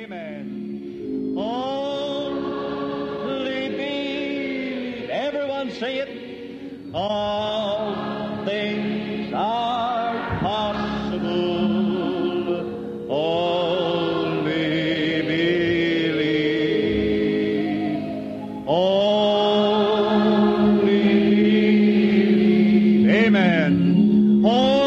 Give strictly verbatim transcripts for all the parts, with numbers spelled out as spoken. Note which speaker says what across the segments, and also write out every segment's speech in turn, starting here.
Speaker 1: Amen. Only believe. Everyone say it. All things are possible. Only believe. Only believe. Amen. Only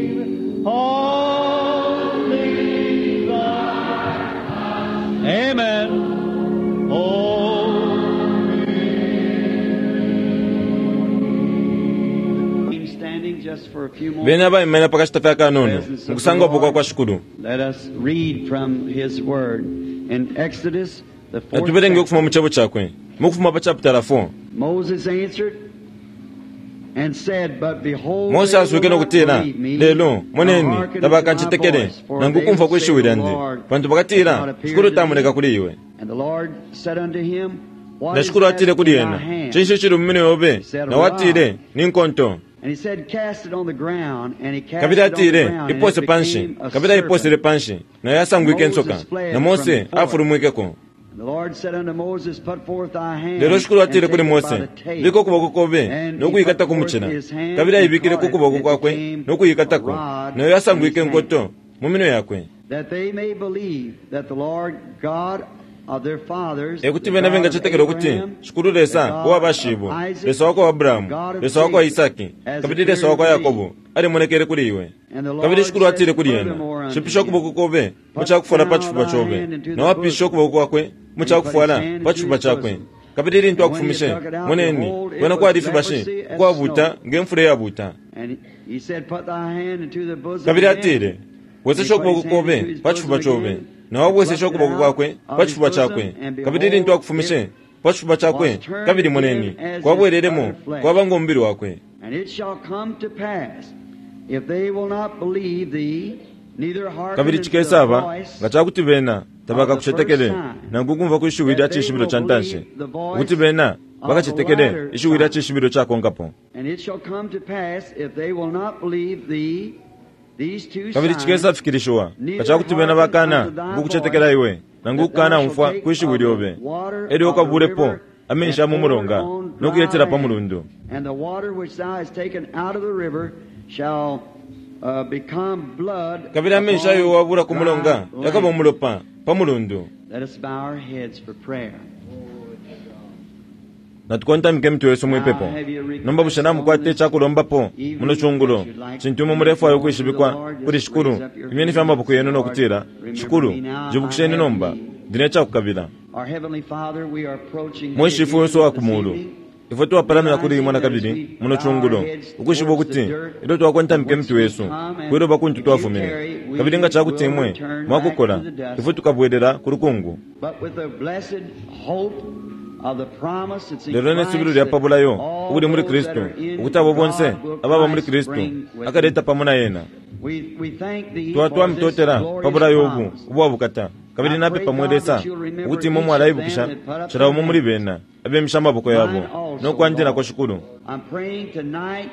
Speaker 1: believe. All things are. Amen. Only.
Speaker 2: Standing just for a few moments.
Speaker 3: Bene abaimene pakashita fya kanono mukusangwapo kwa kwa Shikulu.
Speaker 2: Let us read from his word in Exodus the fourth
Speaker 3: Natuberenge
Speaker 2: chapter.
Speaker 3: ukufuma mu chebo chakwe mukufuma pa chapter four.
Speaker 2: Moses answered and said, But behold,
Speaker 3: Mose
Speaker 2: they
Speaker 3: aswike
Speaker 2: will
Speaker 3: no
Speaker 2: not
Speaker 3: kutila
Speaker 2: believe me,
Speaker 3: lelo
Speaker 2: nor
Speaker 3: moneni
Speaker 2: hearken unto my
Speaker 3: tabakanchitekele
Speaker 2: voice, for
Speaker 3: nangu
Speaker 2: they
Speaker 3: kumfwa
Speaker 2: will say,
Speaker 3: kwishiwi
Speaker 2: The
Speaker 3: lyandi
Speaker 2: Lord
Speaker 3: pantu
Speaker 2: hath
Speaker 3: bakatila
Speaker 2: not appeared
Speaker 3: Shikulu
Speaker 2: to
Speaker 3: tamoneka
Speaker 2: thee.
Speaker 3: kuli iwe.
Speaker 2: And the Lord said unto him, What
Speaker 3: Na
Speaker 2: is
Speaker 3: Shikulu
Speaker 2: that
Speaker 3: atile
Speaker 2: in
Speaker 3: kuli
Speaker 2: thy
Speaker 3: ena
Speaker 2: hand?
Speaker 3: chinshi chili mu minwe yobe na watile ni nkonto.
Speaker 2: And he said, Cast it on the ground. And he cast
Speaker 3: Kabili
Speaker 2: it on the
Speaker 3: atile
Speaker 2: ground, and it
Speaker 3: ipose panshi
Speaker 2: became a
Speaker 3: kabili aiposele
Speaker 2: serpent.
Speaker 3: panshi nayo yasangwike insoka na Mose afulumwikeko.
Speaker 2: And the Lord said unto Moses, Put forth thy hand
Speaker 3: Lelo Shikulu
Speaker 2: and
Speaker 3: atile
Speaker 2: take
Speaker 3: kuli
Speaker 2: it by
Speaker 3: Mose
Speaker 2: the tail.
Speaker 3: bika ukuboko kobe
Speaker 2: And he
Speaker 3: nokuyikata
Speaker 2: put
Speaker 3: ku
Speaker 2: forth
Speaker 3: muchila
Speaker 2: his hand
Speaker 3: kabili
Speaker 2: and
Speaker 3: aibikile
Speaker 2: caught
Speaker 3: ku
Speaker 2: it,
Speaker 3: kuboko
Speaker 2: and it
Speaker 3: kwakwe
Speaker 2: became
Speaker 3: nokuyikatako
Speaker 2: a rod
Speaker 3: nayo
Speaker 2: in
Speaker 3: yasangwike
Speaker 2: his hand.
Speaker 3: nkoto mu minwe yakwe.
Speaker 2: That they may believe that the Lord God of their fathers,
Speaker 3: Ekuti
Speaker 2: the
Speaker 3: bena
Speaker 2: God of
Speaker 3: bengachetekela ukuti
Speaker 2: Abraham,
Speaker 3: Shikulu
Speaker 2: the
Speaker 3: Lesa
Speaker 2: God
Speaker 3: uwa
Speaker 2: of
Speaker 3: bashibo
Speaker 2: Isaac,
Speaker 3: Lesa wakwa
Speaker 2: the
Speaker 3: Abrahamu
Speaker 2: God of
Speaker 3: Lesa wakwa
Speaker 2: Jacob,
Speaker 3: Isaki
Speaker 2: has
Speaker 3: kabili Lesa
Speaker 2: appeared
Speaker 3: wakwa
Speaker 2: unto thee.
Speaker 3: Yakobo alimonekele kuli iwe.
Speaker 2: And the
Speaker 3: Kabili
Speaker 2: Lord
Speaker 3: Shikulu atile
Speaker 2: said
Speaker 3: kuli ena
Speaker 2: furthermore unto
Speaker 3: shipisha
Speaker 2: him,
Speaker 3: ukuboko kobe
Speaker 2: Put
Speaker 3: muchakufwala pa
Speaker 2: now
Speaker 3: chifuba
Speaker 2: thy
Speaker 3: chobe
Speaker 2: hand into
Speaker 3: na
Speaker 2: the
Speaker 3: wapisha
Speaker 2: bosom.
Speaker 3: ukuboko kwakwe
Speaker 2: And he put his
Speaker 3: muchakufwala
Speaker 2: hand
Speaker 3: pa
Speaker 2: into
Speaker 3: chifuba
Speaker 2: his
Speaker 3: chakwe.
Speaker 2: bosom.
Speaker 3: Kabili lintu
Speaker 2: And when he
Speaker 3: akufumishe
Speaker 2: had took it out,
Speaker 3: moneni
Speaker 2: behold, it
Speaker 3: kwena
Speaker 2: was
Speaker 3: kwali fibashi
Speaker 2: leprosy as
Speaker 3: ukwabuta
Speaker 2: snow.
Speaker 3: ngemfula iyabuta.
Speaker 2: And he said, Put thy hand into the bosom
Speaker 3: Kabili
Speaker 2: again.
Speaker 3: atile
Speaker 2: And he
Speaker 3: wesesha
Speaker 2: put his
Speaker 3: ukuboko
Speaker 2: hand
Speaker 3: kobe
Speaker 2: into his
Speaker 3: pa chifuba
Speaker 2: bosom
Speaker 3: chobe
Speaker 2: again,
Speaker 3: na
Speaker 2: and
Speaker 3: wabwesesha
Speaker 2: plucked it
Speaker 3: ukuboko
Speaker 2: out
Speaker 3: kwakwe
Speaker 2: of
Speaker 3: pa
Speaker 2: his
Speaker 3: chifuba
Speaker 2: bosom,
Speaker 3: chakwe.
Speaker 2: and
Speaker 3: Kabili
Speaker 2: behold,
Speaker 3: lintu akufumishe
Speaker 2: it
Speaker 3: pa chifuba chakwe
Speaker 2: was turned
Speaker 3: kabili
Speaker 2: again
Speaker 3: moneni
Speaker 2: as his
Speaker 3: kwabwereremo
Speaker 2: other flesh.
Speaker 3: kwaba ng'omubiri wakwe.
Speaker 2: And it shall come to pass, if they will not believe thee, neither hearken
Speaker 3: Kabili
Speaker 2: unto the
Speaker 3: chikesaba
Speaker 2: voice
Speaker 3: nga chakuti bena
Speaker 2: of the first
Speaker 3: tabakakuchetekele
Speaker 2: time,
Speaker 3: nangu kumva kwishiwi lya
Speaker 2: that they
Speaker 3: chishibilo
Speaker 2: will
Speaker 3: cha ntanshi
Speaker 2: believe the
Speaker 3: ukuti
Speaker 2: voice
Speaker 3: bena
Speaker 2: of the
Speaker 3: bakachetekele
Speaker 2: latter
Speaker 3: ishiwi lya
Speaker 2: sign.
Speaker 3: chishibilo chakonkapo.
Speaker 2: And it shall come to pass, if they will not believe thee, these two
Speaker 3: Kabili
Speaker 2: signs,
Speaker 3: chikesafikirishiwa nga
Speaker 2: neither
Speaker 3: chakuti bena
Speaker 2: hearken
Speaker 3: bakana
Speaker 2: unto thy
Speaker 3: ngukuchetekela
Speaker 2: voice,
Speaker 3: iwe nangu
Speaker 2: that thou
Speaker 3: kukana
Speaker 2: shalt
Speaker 3: umfwa
Speaker 2: take
Speaker 3: kwishiwi
Speaker 2: of the
Speaker 3: lyobe
Speaker 2: water
Speaker 3: elyo
Speaker 2: of the
Speaker 3: ukabulepo
Speaker 2: river
Speaker 3: amenshi
Speaker 2: and
Speaker 3: ya mu
Speaker 2: pour it
Speaker 3: mulonga
Speaker 2: on dry
Speaker 3: nokuyetela pa
Speaker 2: land.
Speaker 3: mulundu.
Speaker 2: And the water which thou hast taken out of the river shall uh, become blood
Speaker 3: Kabili amenshi ayo
Speaker 2: upon
Speaker 3: wabula ku
Speaker 2: dry
Speaker 3: mulonga yakaba
Speaker 2: land.
Speaker 3: umulopa pa mulundu.
Speaker 2: Let us bow our heads for prayer.
Speaker 3: Natukontamike emitwe yesu
Speaker 2: Now,
Speaker 3: mwipepo.
Speaker 2: have you a
Speaker 3: Nomba bushe
Speaker 2: request on
Speaker 3: namukwata
Speaker 2: this
Speaker 3: echakulombapo muno
Speaker 2: evening
Speaker 3: chungulo
Speaker 2: that you'd like
Speaker 3: chintu
Speaker 2: to
Speaker 3: imwe
Speaker 2: make
Speaker 3: mulefwayo
Speaker 2: known to the
Speaker 3: ukwishibikwa
Speaker 2: Lord?
Speaker 3: kuli
Speaker 2: Just
Speaker 3: Shikulu
Speaker 2: raise up your
Speaker 3: imyeni
Speaker 2: hand
Speaker 3: fya
Speaker 2: and
Speaker 3: maboko
Speaker 2: say,
Speaker 3: yenu
Speaker 2: Lord,
Speaker 3: nokutila
Speaker 2: remember
Speaker 3: Shikulu
Speaker 2: me now, I
Speaker 3: njibukisheni
Speaker 2: have
Speaker 3: nomba
Speaker 2: need.
Speaker 3: ndine echakukabila.
Speaker 2: Our Heavenly Father, we are approaching
Speaker 3: Mwe
Speaker 2: thee
Speaker 3: Shifu
Speaker 2: again
Speaker 3: wesu wa
Speaker 2: this
Speaker 3: kumulu
Speaker 2: evening,
Speaker 3: ifwe twapalamila kuli imwe
Speaker 2: realizing that as
Speaker 3: nakabili
Speaker 2: we
Speaker 3: muno
Speaker 2: bow our
Speaker 3: chungulo
Speaker 2: heads
Speaker 3: ukwishiba
Speaker 2: towards the
Speaker 3: ukuti
Speaker 2: dirt
Speaker 3: ilyo twakontamika
Speaker 2: from whence
Speaker 3: emitwe
Speaker 2: we
Speaker 3: yesu
Speaker 2: come, and
Speaker 3: kwiloba kuntu
Speaker 2: if you
Speaker 3: twafumine
Speaker 2: tarry,
Speaker 3: kabili nga
Speaker 2: we
Speaker 3: chakuti
Speaker 2: will
Speaker 3: imwe
Speaker 2: return back to
Speaker 3: mwakukola
Speaker 2: the dust.
Speaker 3: ifwe tukabwerera ku lukungu.
Speaker 2: But with the blessed hope of the promise that's in
Speaker 3: Lelo nesubilo
Speaker 2: Christ,
Speaker 3: lya
Speaker 2: that
Speaker 3: pabulayo
Speaker 2: all
Speaker 3: ubuli muli
Speaker 2: those that
Speaker 3: Kristu
Speaker 2: are in
Speaker 3: ukuti abo bonse
Speaker 2: God will
Speaker 3: ababa muli
Speaker 2: Christ
Speaker 3: Kristu
Speaker 2: bring with
Speaker 3: akaleta
Speaker 2: him.
Speaker 3: pamo na yena.
Speaker 2: We, we thank thee
Speaker 3: Twa
Speaker 2: for this
Speaker 3: twamutotela
Speaker 2: glorious
Speaker 3: pabulayo ubu
Speaker 2: promise.
Speaker 3: ubwabukata kabili
Speaker 2: I
Speaker 3: napepa
Speaker 2: pray,
Speaker 3: mwe
Speaker 2: God,
Speaker 3: Lesa
Speaker 2: that you'll remember
Speaker 3: ukuti imwe
Speaker 2: each of
Speaker 3: mwalaibukisha
Speaker 2: them that put up
Speaker 3: cila
Speaker 2: their
Speaker 3: umo muli
Speaker 2: hands.
Speaker 3: bena abemisha amaboko yabo
Speaker 2: Mine also,
Speaker 3: nokwanjilako
Speaker 2: Lord.
Speaker 3: Shikulu.
Speaker 2: I'm praying tonight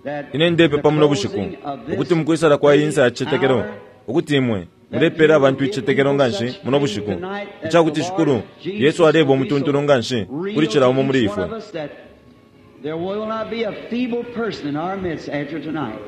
Speaker 2: that
Speaker 3: Ine
Speaker 2: the
Speaker 3: ndepepa muno bushiku
Speaker 2: closing of
Speaker 3: ukuti
Speaker 2: this
Speaker 3: mukwisala kwa iyi nsa ya
Speaker 2: great
Speaker 3: chichetekelo
Speaker 2: hour,
Speaker 3: ukuti imwe
Speaker 2: that
Speaker 3: mulepera
Speaker 2: you will
Speaker 3: abantu
Speaker 2: give
Speaker 3: ichichetekelo
Speaker 2: people
Speaker 3: nganshi
Speaker 2: such
Speaker 3: muno
Speaker 2: faith
Speaker 3: bushiku
Speaker 2: tonight that the
Speaker 3: ichakuti Shikulu
Speaker 2: Lord
Speaker 3: Yesu
Speaker 2: Jesus
Speaker 3: aleba
Speaker 2: will be
Speaker 3: umutuntulu
Speaker 2: so
Speaker 3: nganshi kuli
Speaker 2: real
Speaker 3: cila
Speaker 2: to
Speaker 3: umo muli
Speaker 2: each one
Speaker 3: ifwe.
Speaker 2: of us that there will not be a feeble person in our midst after tonight.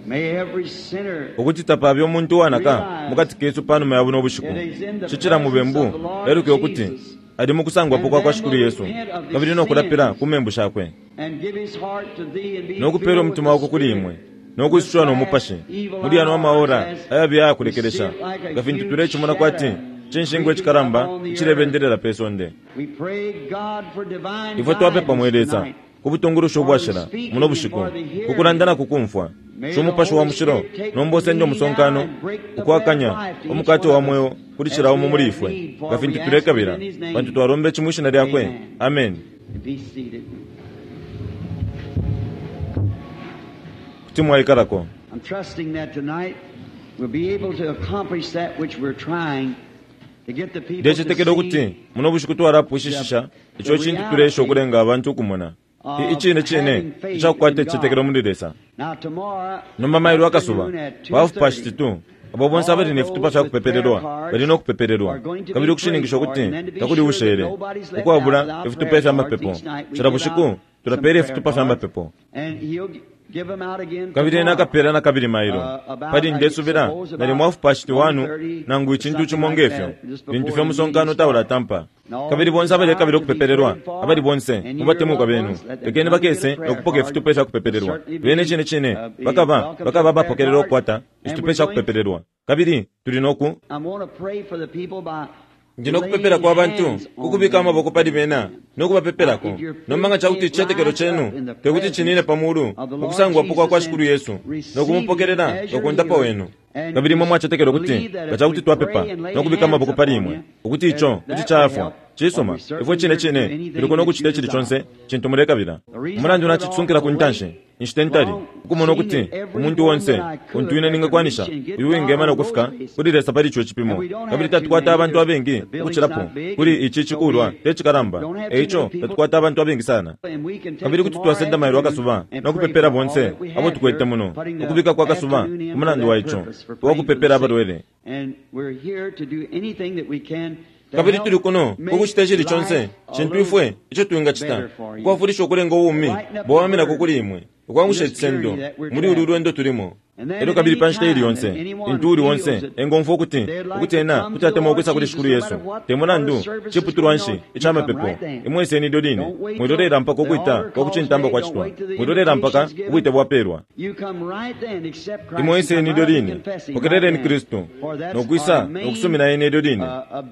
Speaker 2: May every sinner
Speaker 3: Ukuti tapabe umuntu uwanaka
Speaker 2: realize
Speaker 3: mukati kesu panuma ya buno bushiku
Speaker 2: that he's in the
Speaker 3: cicila
Speaker 2: presence of
Speaker 3: mubembu
Speaker 2: the Lord
Speaker 3: eluke ukuti
Speaker 2: Jesus
Speaker 3: ali mukusangwapo
Speaker 2: and
Speaker 3: kwa kwa
Speaker 2: then
Speaker 3: Shikulu
Speaker 2: will
Speaker 3: Yesu
Speaker 2: repent of
Speaker 3: kabili
Speaker 2: his
Speaker 3: nokulapila
Speaker 2: sins
Speaker 3: ku membu shakwe
Speaker 2: and give his heart to thee and be
Speaker 3: nokupela
Speaker 2: filled with
Speaker 3: umutima
Speaker 2: the
Speaker 3: wako kuli
Speaker 2: Spirit
Speaker 3: imwe
Speaker 2: in this
Speaker 3: nokwisushiwa
Speaker 2: last
Speaker 3: n'omupashi
Speaker 2: evil
Speaker 3: muli yano
Speaker 2: hour
Speaker 3: amaora
Speaker 2: as
Speaker 3: ayabi
Speaker 2: we see
Speaker 3: ayakulekelesha
Speaker 2: it like a
Speaker 3: nga fintu
Speaker 2: huge
Speaker 3: tulechimona kwati
Speaker 2: shadow
Speaker 3: chinshingwa
Speaker 2: creeping
Speaker 3: echikalamba
Speaker 2: upon the earth.
Speaker 3: ichilebendelela pe sonde.
Speaker 2: We pray, God, for divine
Speaker 3: Ifwe twapepa
Speaker 2: guidance
Speaker 3: mwe Lesa
Speaker 2: tonight,
Speaker 3: ku butungulushi
Speaker 2: for the
Speaker 3: ubwashila muno
Speaker 2: speaking and
Speaker 3: bushiku
Speaker 2: for the
Speaker 3: kukulanda
Speaker 2: hearing.
Speaker 3: na kukumfwa
Speaker 2: May the
Speaker 3: Shumupashi wa
Speaker 2: Holy
Speaker 3: mushilo
Speaker 2: Spirit take
Speaker 3: nomba
Speaker 2: the
Speaker 3: osende
Speaker 2: lead now
Speaker 3: omusonkano
Speaker 2: and break the bread of
Speaker 3: ukwakanya
Speaker 2: life to each
Speaker 3: umukate
Speaker 2: one
Speaker 3: wa
Speaker 2: of us
Speaker 3: mweo kuli
Speaker 2: as
Speaker 3: cila
Speaker 2: we
Speaker 3: umo muli
Speaker 2: have
Speaker 3: ifwe
Speaker 2: need,
Speaker 3: nga
Speaker 2: for
Speaker 3: fintu
Speaker 2: we ask it
Speaker 3: tulekabila
Speaker 2: in his
Speaker 3: pantu
Speaker 2: name.
Speaker 3: twalomba ichi mwishina lyakwe.
Speaker 2: Amen.
Speaker 3: Amen.
Speaker 2: And be seated.
Speaker 3: Kuti mwaikalako.
Speaker 2: I'm trusting that tonight we'll be able to accomplish that which we're trying to get the people to
Speaker 3: Ndecetekela ukuti
Speaker 2: see
Speaker 3: muno bushiku twalapwishishisha
Speaker 2: the,
Speaker 3: icho
Speaker 2: the
Speaker 3: chintu tulesha
Speaker 2: reality
Speaker 3: ukulenga abantu ukumona Icine cine icakukwata icicetekelo muli Lesa. Nomba mailo akasuba pa half past two, abo bonse abali ne fitupa fya kupepelelwa bali no kupepelelwa, kabili ukushininkisha ukuti takuli ushele ukwabula ifitupa fya mapepo. Cila bushiku tulapela ifitupa fya mapepo, kabili ena akapela na kabili mailo pali ndesubila nalimo half past one nangu icintu cimo ngefyo, lintu fye umusonkano taulatampa. Kabili bonse abalekabila ukupepelelwa, abali bonse mubatemwikwa benu, lekeni bakese nokupoka ifitupa ifya kupepelelwa. Bene cine cine bakaba bakaba bapokelela ukukwata ifitupa ifya kupepelelwa. Kabili tuli noku ndi nokupepela kwa bantu ukubika amaboko pali bena nokubapepelako. Nomba nga cakuti icicetekelo cenu tekuti cinine pa mulu mukusangwapo kwa kwa Shikulu Yesu nokumupokelela nokundapa wenu, kabili imwe mwacetekela ukuti nga cakuti twapepa nokubika amaboko pali imwe ukuti ico kuti caafwa, cisuma, ifwe cine cine tuliko nokucita icili conse cintu mulekabila. Umulandu nacisunkila ku ntanshi inshita ntali ukumona ukuti umuntu onse untu ine ningakwanisha uyu wingema nokufika kuli Lesa pali ico cipimo. Kabili tatukwata abantu abengi ukucilapo kuli ici cikulwa te cikalamba, eico tatukwata abantu abengi sana. Kabili kuti twasenda mailo akasuba nokupepela bonse abo tukwete muno, ukubika kwa kasuba umulandu wa ico uwakupepela abalwele. Kabili tuli kuno ukucita icili conse cintu ifwe ico twingacita ukwafulisha ukulenga ubumi bwawaminako kuli imwe, ukwangusha icisendo muli ulu lwendo tulimo. Elyo kabili pa nshita ili yonse intu uli onse engomfwa ukuti ukuti ena kuti atemwa ukwisa kuli Shikulu Yesu, te mulandu ciputulwa nshi ica mapepo, imweseni ilyo line. Mwilolela mpaka ukwita kwa kucintamba kwacitwa, mwilolela mpaka ubwite bwapelwa. Imweseni ilyo line, pokeleleni Kristu nokwisa nokusumina ene ilyo line,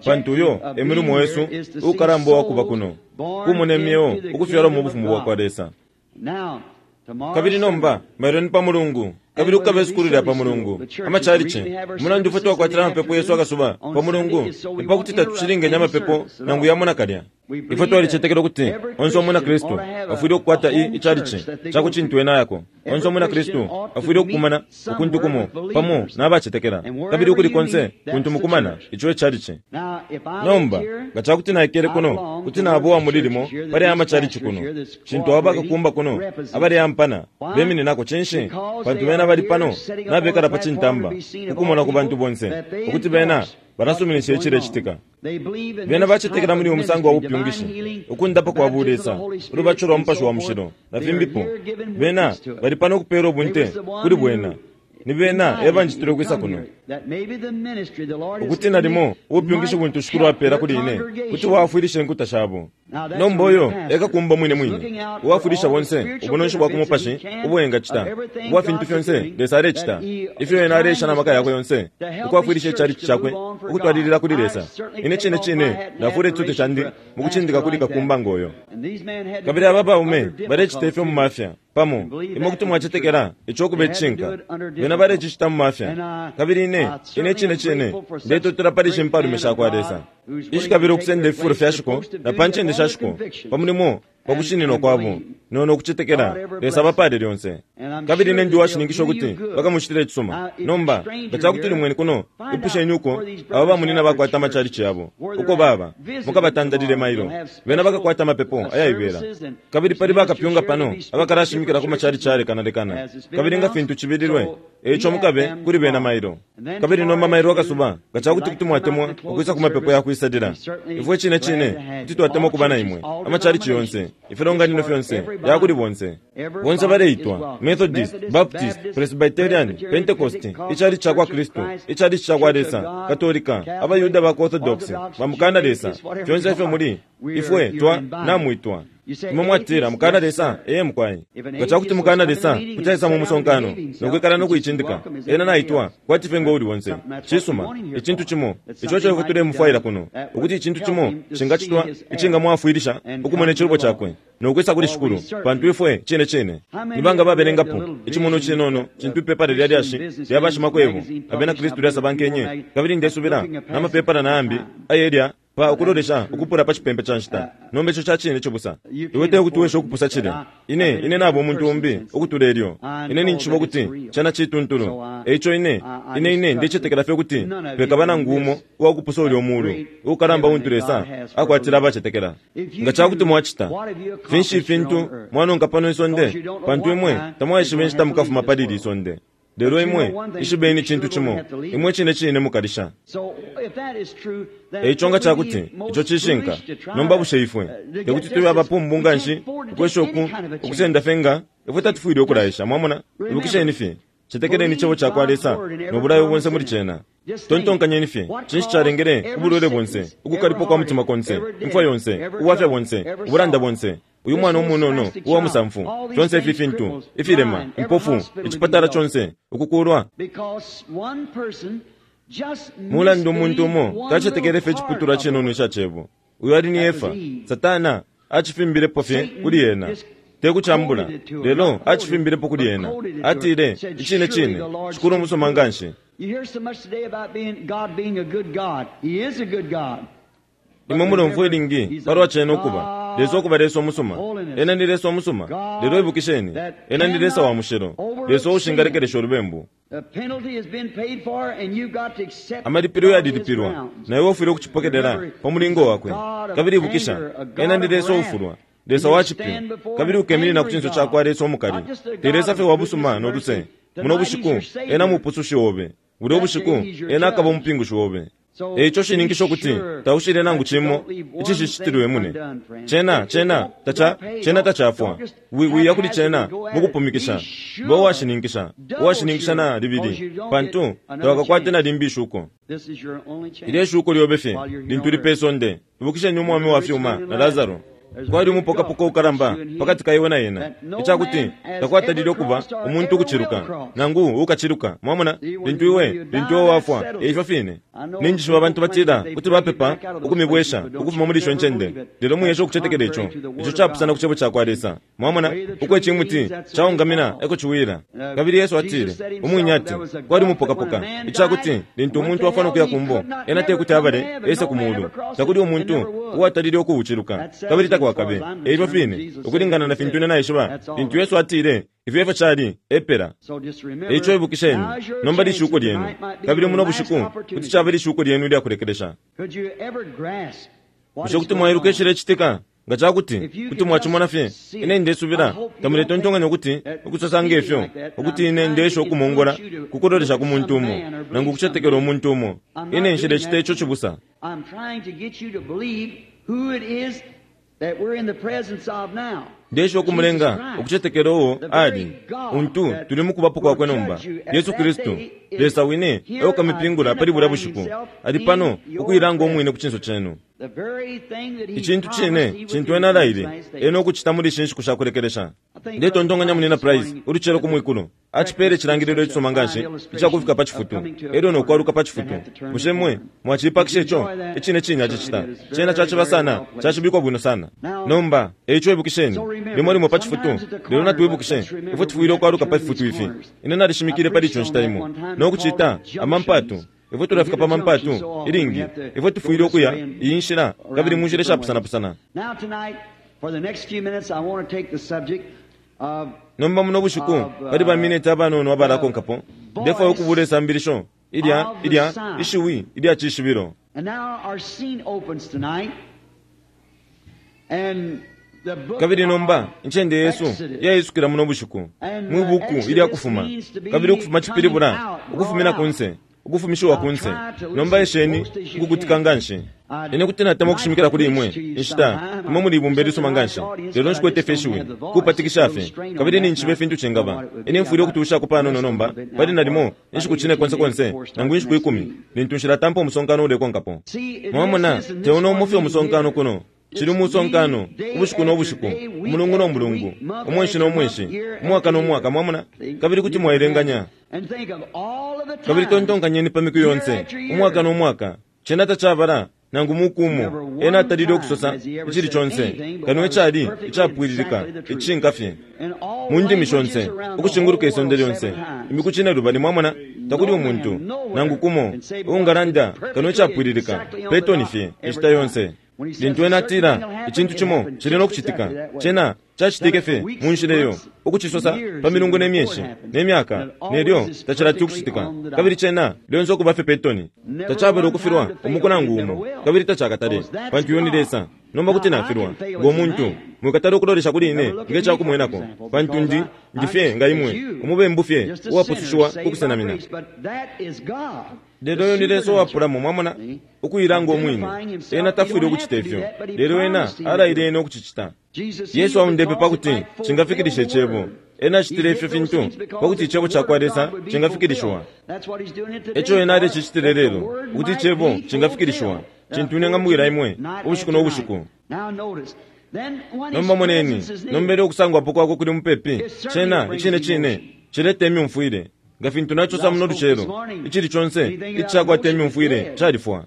Speaker 3: pantu uyo e mulimo wesu ukalamba uwakuba kuno kumona imyeo ukufyalwa mu bufumu bwa kwa Lesa. Kabili nomba mailo ni pa Mulungu, kabili kukaba isukulu lya pa Mulungu amachalichi. Umulandu ifwe twakwatila amapepo yesu akasuba pa Mulungu ni pakuti tatucilingenya amapepo nangu yamo nakalya. Ifwe twalicetekela ukuti onse umwina Kristu afwile ukukwata ichalichi cakucintu ena yako. Onse umwina Kristu afwile ukukumana ukuntu kumo pamo n'abacetekela, kabili ukuli konse kuntu mukumana ico echalichi. Nomba nga cakuti naikele kuno kuti naba uwa mulilimo pali aya machalichi kuno, cintu abo bakakumba kuno abaleampana bemininako cinshi? Pantu bena bali pano nabekala pa cintamba ukumona ku bantu bonse ukuti bena balasuminisha icilecitika. Bena bacetekela muli umusango wa bupyungishi, ukundapa kwa bulesa, ulubatisho lwa Mupashi wa Mushilo na fimbipo. Bena bali pano ukupeela ubunte kuli bwena. Ni bena ebanjitile ukwisa kuno ukuti nalimo ubupyungishi buntu Shikulu apela kuli ine kuti bwafwilisha inkuta shabo. Nomba uyo ekakumba mwine mwine uwafwilisha bonse ubunonshi bwa ku mupashi ubuengacita ubwa fintu fyonse Lesa alecita, ifyo ena alesha na maka yakwe yonse ukwafwilisha icalici cakwe ukutwalilila kuli Lesa. Ine cine cine ndafula icitutu candi mukucindika kuli kakumba ngoyo. Kabili aba baume balecita ifyo mu mafya pamo, imwe kuti mwacetekela ico kuba icishinka. Bena balecicita mu mafya, kabili ine ine cine cine ndetotela pali ishi mpalume sha kwa Lesa ishikabila ukusenda ififulo fya shiko na pa ncende sha shiko pa mulimo pa kushininwa kwabo nono ukucetekela Lesa abapale lyonse. Kabili ine ndi uwashininkisha ukuti bakamucitila icisuma. Nomba nga cakuti uli mweni kuno, ipusheni uko aba bamunina bakwata amachalichi yabo uko baba, mukabatandalile mailo. Bena bakakwata amapepo ayaibela. Kabili pali bakapyunga pano abakalashimikila ku machalichi alekanalekana, kabili nga fintu cibililwe, eico mukabe kuli bena mailo. Kabili nomba mailo akasuba nga cakuti kuti mwatemwa ukwisa ku mapepo ya kwisalila, ifwe cine cine kuti twatemwa kuba na imwe. Amachalichi yonse, ifilonganino fyonse yakuli bonse bonse baleitwa Methodist, Baptist, Presbyterian, Pentecost, icalichi ca kwa Kristu, icalichi ca kwa Lesa, Katolika, abayuda ba Orthodox, bamukana Lesa, fyonse ifyo muli ifwe twa namwitwa. Imwe mwatila mukana Lesa, eye mukwai. Nga cakuti mukana Lesa kuti aisa mu musonkano nokwikala nokuicindika, ena naitwa kwati fye ngo uli onse. Cisuma, icintu cimo ico ico ifwe tulemufwaila kuno, ukuti icintu cimo cingacitwa icingamwafwilisha ukumona icilubo cakwe nokwisa kuli Shikulu, pantu ifwe cine cine nibanga babelengapo icimono cinono cintu ipepala lya lyashi lya bashimakwebo abena Kristu lyasabankenye. Kabili ndesubila namapepala nayambi ayelya Pa ukulolesha ukupula pa cipempe ca nshita. Nomba ico ca cine cibusa. Iwe te kuti weshe ukupusa cilya. Ine, ine naba umuntu umbi ukutula elyo. Ine ninjishiba ukuti cena cituntulu. Eico ine, ine ine ndecetekela fye ukuti pekaba nangu umo uwakupusa ulya umuulu ukalamba untu Lesa akwatila abacetekela. Nga ca kuti mwacita, finshi ifintu mwanonka pano isonde? Pantu imwe tamwaishiba inshita mukafuma pali ili isonde. Lelo imwe ishibeni icintu cimo, imwe cine cine mukalisha. Eico nga ca kuti ico cishinka, nomba bushe ifwe tekuti tube abapumbu nga nshi ukwesha uku ukusenda fye nga ifwe tatufwile ukulaisha? Mwamona, ibukisheni fye, cetekeleni icebo ca kwa Lesa no bulayo bonse muli cena. Tontonkanyeni fye, cinshi calengele ubulwele bonse, ukukalipwa kwa mutima konse, imfwa yonse, ubwafya bonse, ubulanda bonse, uyu mwana umunono uwa musamfu, fyonse ifi fintu, ifilema, impofu, icipatala conse, ukukulwa. Mulandu umuntu umo tacetekele fye iciputulwa cinono ica cebo. Uyu ali ni Efa. Satana acifimbilepo fye kuli ena. Te kucambula, lelo acifimbilepo kuli ena. Atile, icine cine, Shikulu umusuma nga nshi. Imwe mulomfwa ilingi palwa cena ukuba Lesa ukuba Lesa umusuma. Ena ni Lesa umusuma. Lelo ibukisheni, ena ni Lesa wa mushilo, Lesa uushingalekelesha ulubembu. Amalipilo yalilipilwa, na iwe ufwile ukucipokelela pa mulingo wakwe. Kabili ibukisha, ena ni Lesa uufulwa, Lesa wa cipyu, kabili ukeminina ku cinso ca kwa Lesa umukali. Te Lesa fye wa busuma no luse. Muno bushiku ena mupusushi obe. Bulya ubushiku ena akaba umupingushi obe. Eico shininkisha ukuti taushile nangu cimo icishicitilwe mune. Cena, cena, taca, cena tacafwa. Wiya kuli cena mukupumikisha. Ba uwashininkisha, uwashininkisha na libili, pantu tawakakwate na limbi ishuko. Ilyo ishuko lyobe fye lintu uli pe sonde. Ibukisheni umwami wa fyuma na Lazaro. Kwali umupokapoka ukalamba pakati ka iwe na ena, icakuti takwatalile ukuba umuntu ukuciluka nangu ukaciluka. Mwamona, lintu iwe lintu iwe wafwa, eifyo fine. Ninjishiba abantu batila kuti bapepa ukumibwesha ukufuma muli isho ncende, lelo mwiyesha ukucetekela ico. Ico capusana ku cebo ca kwa Lesa. Mwamona, uko icimuti caungamina eko ciwila. Kabili Yesu atile umwine ati kwali umupokapoka, icakuti lintu umuntu afwa no kuya kumbo, ena tekuti abale ese ku muulu. Takuli umuntu uwatalile ukuuciluka, kabili takwakabe. Eifyo fine, ukulingana na fintu ine naishiba, lintu Yesu atile ifyo efyo cali, epela. Eico ibukisheni, nomba lishuko lyenu, kabili muno bushiku kuti caba lishuko lyenu ilyakulekelesha. Bushe kuti mwailuka icilecitika? Nga ca kuti kuti mwacimona fye, ine ndesubila tamuletontonkanya ukuti ukusosa ngefyo, ukuti ine ndesha ukumongola kukulolesha ku muntu umo nangu ukucetekela umuntu umo. Ine nshilecita ico cibusa. Ndesha ukumulenga ukucetekela uo ali untu tuli mukubapo kwakwe nomba, Yesu Kristu, Lesa wine eukamipingula pali bulya bushiku. Ali pano ukuilanga umwine ku cinso cenu. Icintu cine cintu ena alaile ena ukucita muli ishi nshiku sha kulekelesha. Ndetontonkanya munina Price ulucelo ku mwikulu acipele icilangililo icisuma nga nshi icakufika pa cifutu elyo no kwaluka pa cifutu. Bushe mwe mwacipakisha ico? Icine cine acicita. Cena caciba sana, cacibikwa bwino sana. Nomba eico ibukisheni, limo limo pa cifutu, lelo natwibukishe ifwe tufwile ukwaluka pa fifutu ifi. Ine nalishimikile pali ico nshita imo no kucita amampatu. Ifwe tulafika pa mampatu ilingi, ifwe tufwile ukuya iyi nshila kabili mu nshila ishapusana-pusana. Nomba muno bushiku pali bamineti abanono abalakonkapo, ndefwaya ukubula isambilisho ilya ilya ishiwi ilya cishibilo. Kabili nomba incende yesu yaisukila muno bushiku mwi buku ilya Kufuma, kabili ukufuma cipilibula ukufumina kunse, ukufumishiwa kunse. Nomba esheni ukukutika nga nshi. Ine kuti natemwa ukushimikila kuli imwe inshita imwe muli ibumba ilisuma nga nshi, lelo nshikwete fye ishiwi kupatikisha fye, kabili ninshiba ifintu cingaba. Ine mfwile ukutuushako panono nomba pali nalimo inshiku cine konse konse nangu inshiku ikumi lintu nshilatampa umusonkano ulekonkapo. Mwamona, teuno umo fye umusonkano kuno. Cili umusonkano ubushiku no bushiku, umulungu no mulungu, umwenshi no mwenshi, umwaka no mwaka. Mwamona, kabili kuti mwailenganya. Kabili tontonkanyeni pa miku yonse, umwaka no mwaka, cena tacabala Nangu mukumo ena atalile ukusosa icili conse kano icali icapwililika icishinka fye mu ndimi shonse ukushinguluka isonde lyonse imiku cinelubali. Mwamona, takuli umuntu nangu kumo uungalanda kano icapwililika petoni fye inshita yonse. Lintu ena atila icintu cimo cili no kucitika, cena cacitike fye mu nshila iyo, ukucisosa pa milungu ne myeshi ne myaka nelyo tacilati ukucitika, kabili cena lyonse ukuba fye petoni. Tacabele ukufilwa umuku nangu umo, kabili tacakatale, pantu uyo ni Lesa. Nomba kuti nafilwa ngo muntu, mwikatala ukulolesha kuli ine nge cakumwenako, pantu ndi ndi fye nga imwe, umubembu fye uwapusushiwa ku kusenamina. Lelo uyo ni Lesa uwapulamo, mwamona, ukuilanga umwine. Ena tafwile ukucita ifyo, lelo ena alaile ena ukucicita. Yesu aundepe pakuti cingafikilisha icebo. Ena acitile ifyo fintu pakuti icebo ca kwa Lesa cingafikilishiwa. Eco ena alecicitile lelo, ukuti icebo cingafikilishiwa, cintu ine ngamwila imwe ubushiku no bushiku. Nomba moneni, nombele ukusangwapo kwakwe kuli mupepi, cena icine cine cileta imyumfwile. Nga fintu nacosa muno lucelo, icili conse icakwata imyumfwile califwa,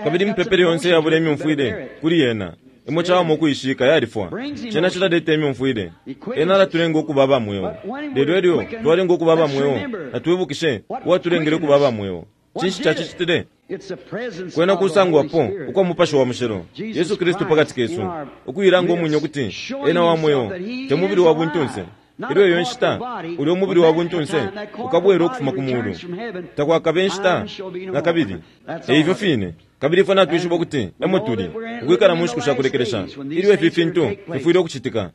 Speaker 3: kabili imipepele yonse yabula imyumfwile kuli yena imwe cawama ukuishika yalifwa. Cena cilaleta imyumfwile. Ena alatulenga ukuba aba mweo, lelo elyo twalenga ukuba aba mweo, natwibukishe uwatulengele ukuba aba mweo. Cinshi cacicitile? Kwena kusangwapo ukwa Mupashi wa Mushilo, Yesu Kristu pakati kesu, ukuilanga umwine ukuti ena wa mweo, te mubili wa buntunse. Ilyo iyo nshita ulya umubili wa buntunse ukabwela ukufuma ku mulu, takwakabe nshita na kabili. Eifyo fine, kabili ifwe natwishiba ukuti emo tuli ukwikala mu nshiku sha kulekelesha ilyo ifi fintu fifwile ukucitika.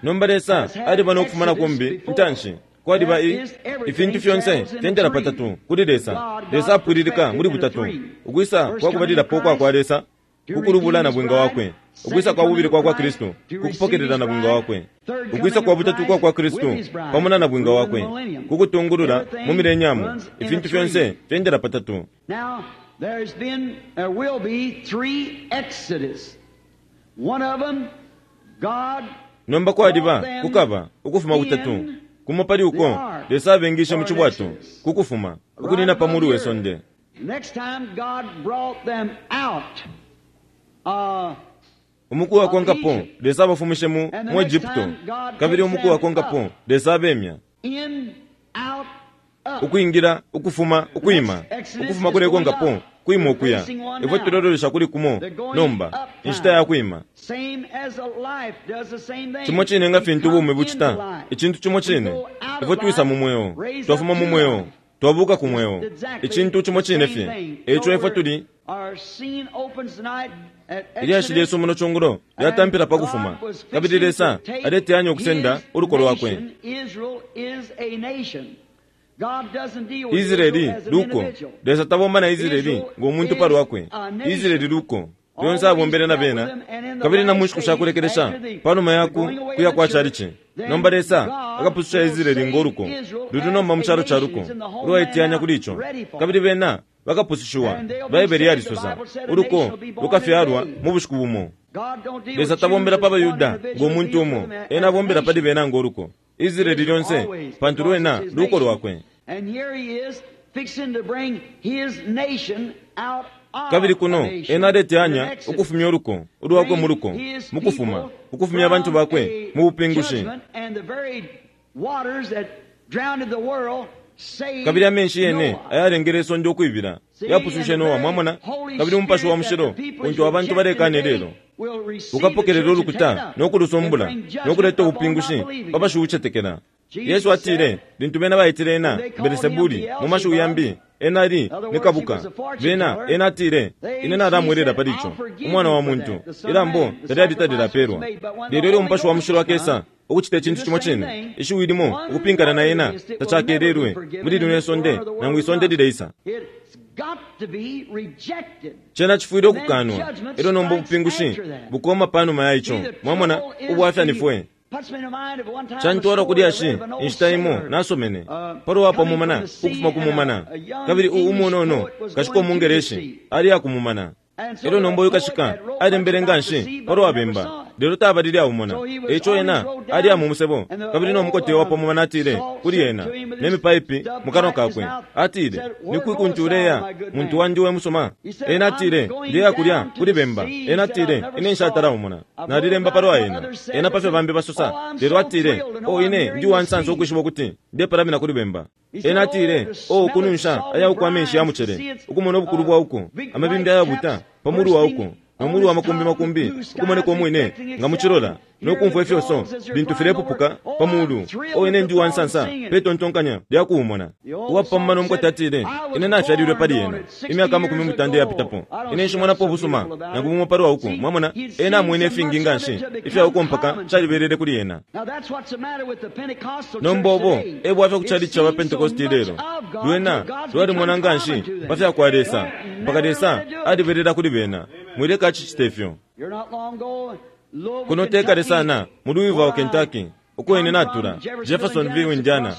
Speaker 3: Nomba Lesa aliba no kufuma na kumbi intanshi. Kwaliba i ifintu fyonse fyendela patatu kuli Lesa. Lesa apwililika muli butatu: ukwisa kwa kubalilapo kwa kwa Lesa kukulubula na bwinga wakwe, ukwisa kwa bubili kwa kwa Kristu kukupokelela na bwinga wakwe, ukwisa kwa butatu kwa kwa Kristu pamo na bwinga wakwe kukutungulula mu milenyamu. Ifintu fyonse fyendela patatu.
Speaker 2: Now, there's been, there will be three exodus. One of them, God
Speaker 3: Nomba kwaliba kukaba ukufuma kutatu. Kumo pali uko Lesa abengishe mu cibwato kukufuma ukunina pa mulu we sonde.
Speaker 2: Next time God brought them out. Uh,
Speaker 3: Umuku wakonkapo Lesa abafumishe mu mu Egypto, kabili umuku wakonkapo Lesa abemya.
Speaker 2: in, out, up.
Speaker 3: Ukwingira, ukufuma, ukwima, ukufuma kulekonkapo kwima ukuya. Ifwe tulololesha kuli kumo nomba, inshita ya kwima.
Speaker 2: Same as a life does the same thing.
Speaker 3: Cimo cine nga fintu
Speaker 2: We
Speaker 3: ubumi
Speaker 2: come
Speaker 3: bucita,
Speaker 2: into life.
Speaker 3: icintu cimo cine. Ifwe twisa mu mweo, twafuma mu mweo, twabuka ku mweo, icintu cimo cine fye. Eco ifwe tuli
Speaker 2: Our scene opens tonight at
Speaker 3: ilyashi lyesu muno cungulo lyatampila pa kufuma, kabili Lesa aleteyanya ukusenda uluko lwakwe.
Speaker 2: Israel is a nation. God doesn't deal with
Speaker 3: Israeli
Speaker 2: Israel as an
Speaker 3: luko.
Speaker 2: individual.
Speaker 3: Lesa tabomba na Israeli ngo muntu pa lwakwe. Israeli luko lyonse abombele na bena, kabili na mu nshiku sha kulekelesha panuma yaku kuya kwa chalichi. Nomba Lesa akapususha Israeli ngo luko luli nomba mu calo ca luko ulwaiteyanya kuli ico, kabili bena bakapusushiwa. Baibele yalisosa uluko lukafyalwa mu bushiku bumo.
Speaker 2: God don't deal
Speaker 3: Lesa
Speaker 2: with
Speaker 3: tabombela
Speaker 2: Jews
Speaker 3: pa
Speaker 2: as one
Speaker 3: Bayuda
Speaker 2: individual,
Speaker 3: ngo muntu
Speaker 2: he deals
Speaker 3: umo,
Speaker 2: with them as
Speaker 3: ena
Speaker 2: a
Speaker 3: abombela pali
Speaker 2: nation.
Speaker 3: bena ngo luko. Israeli lyonse, pantu lwena luko lwakwe.
Speaker 2: And here he is fixing to bring his nation out of
Speaker 3: Kabili kuno
Speaker 2: a nation.
Speaker 3: ena aleteyanya
Speaker 2: In Exodus.
Speaker 3: ukufumya uluko ulwakwe mu luko mu kufuma, ukufumya abantu bakwe mu bupingushi. Kabili amenshi yene ayalengele isonde ukwibila yapusushe Noa, mwamona. Kabili Umupashi wa Mushilo untu abantu balekane lelo ukapokelela ulukuta no kulusumbula no kuleta ubupingushi pa bashiucetekela. Yesu atile lintu bena baitile ena Belisebuli, mu mashiwi yambi ena ali ni kabuka bena, ena atile, ine nalamwelela pali ico, umwana wa muntu, ilambo talyali talilapelwa. Lelo ilyo Umupashi wa Mushilo akesa ukucita icintu cimo cine, ishiwi limo ukupinkana na ena tacakelelwe muli lino isonde nangu isonde lileisa.
Speaker 2: It's got to be rejected.
Speaker 3: Cena cifwile ukukanwa, elyo nomba ubupingushi bukoma panuma ya ico. Mwamona ubwafya ni fwe. Cantwala kulyashi inshita imo nasomene palo wa mumana ukufuma ku mumana, kabili u umunono kashika umungereshi ali akumumana. Elyo nomba uyu kashika alembele nganshi palo wa bemba, Lelo tabalile aumona. Eico ena ali amu musebo, kabili no mukote wapo mumana atile kuli ena ne mipaipi mukanwa kakwe. Atile, "Ni kwi kuntu uleya, muntu wandi we musuma?" Ena atile, "Ndeya kulya kuli bemba." Ena atile, "Ine nshatala umona. Nalilemba palwa ena." Ena pafyo bambi basosa. Lelo atile, "O ine ndi wansansa ukwishiba ukuti ndepalamina kuli bemba." Ena atile, "O ukununsha aya amenshi ya mucele, ukumona ubukulu bwa uko, amabimbi ayabuta pamulu wa uko, nomulu wa makumbi makumbi ukumoneka umwine nga muchilola, nokumfwa ifyoso lintu filepupuka pamulu. O ine ndi wansansa petontonkanya lyakuumona." Uwapamuma nomukote atile, "Ine nafyalilwe pali ena imyaka amakumi mutanda yapitapo. Ine nshimonapo ubusuma nangu bumo palwa uko." Mwamona, ena amwene ifingi nganshi ifya uko mpaka calibelele kuli ena. Nomba obo ebwafya ku chalichi cha Pentecost lelo. Lwena lwalimona nganshi pafya kwa Lesa mpaka Lesa alibelela kuli bena. Mwileka acicite ifyo. Kuno tekale sana mu Louisville, Kentucky, uko ine natula Jeffersonville, Indiana,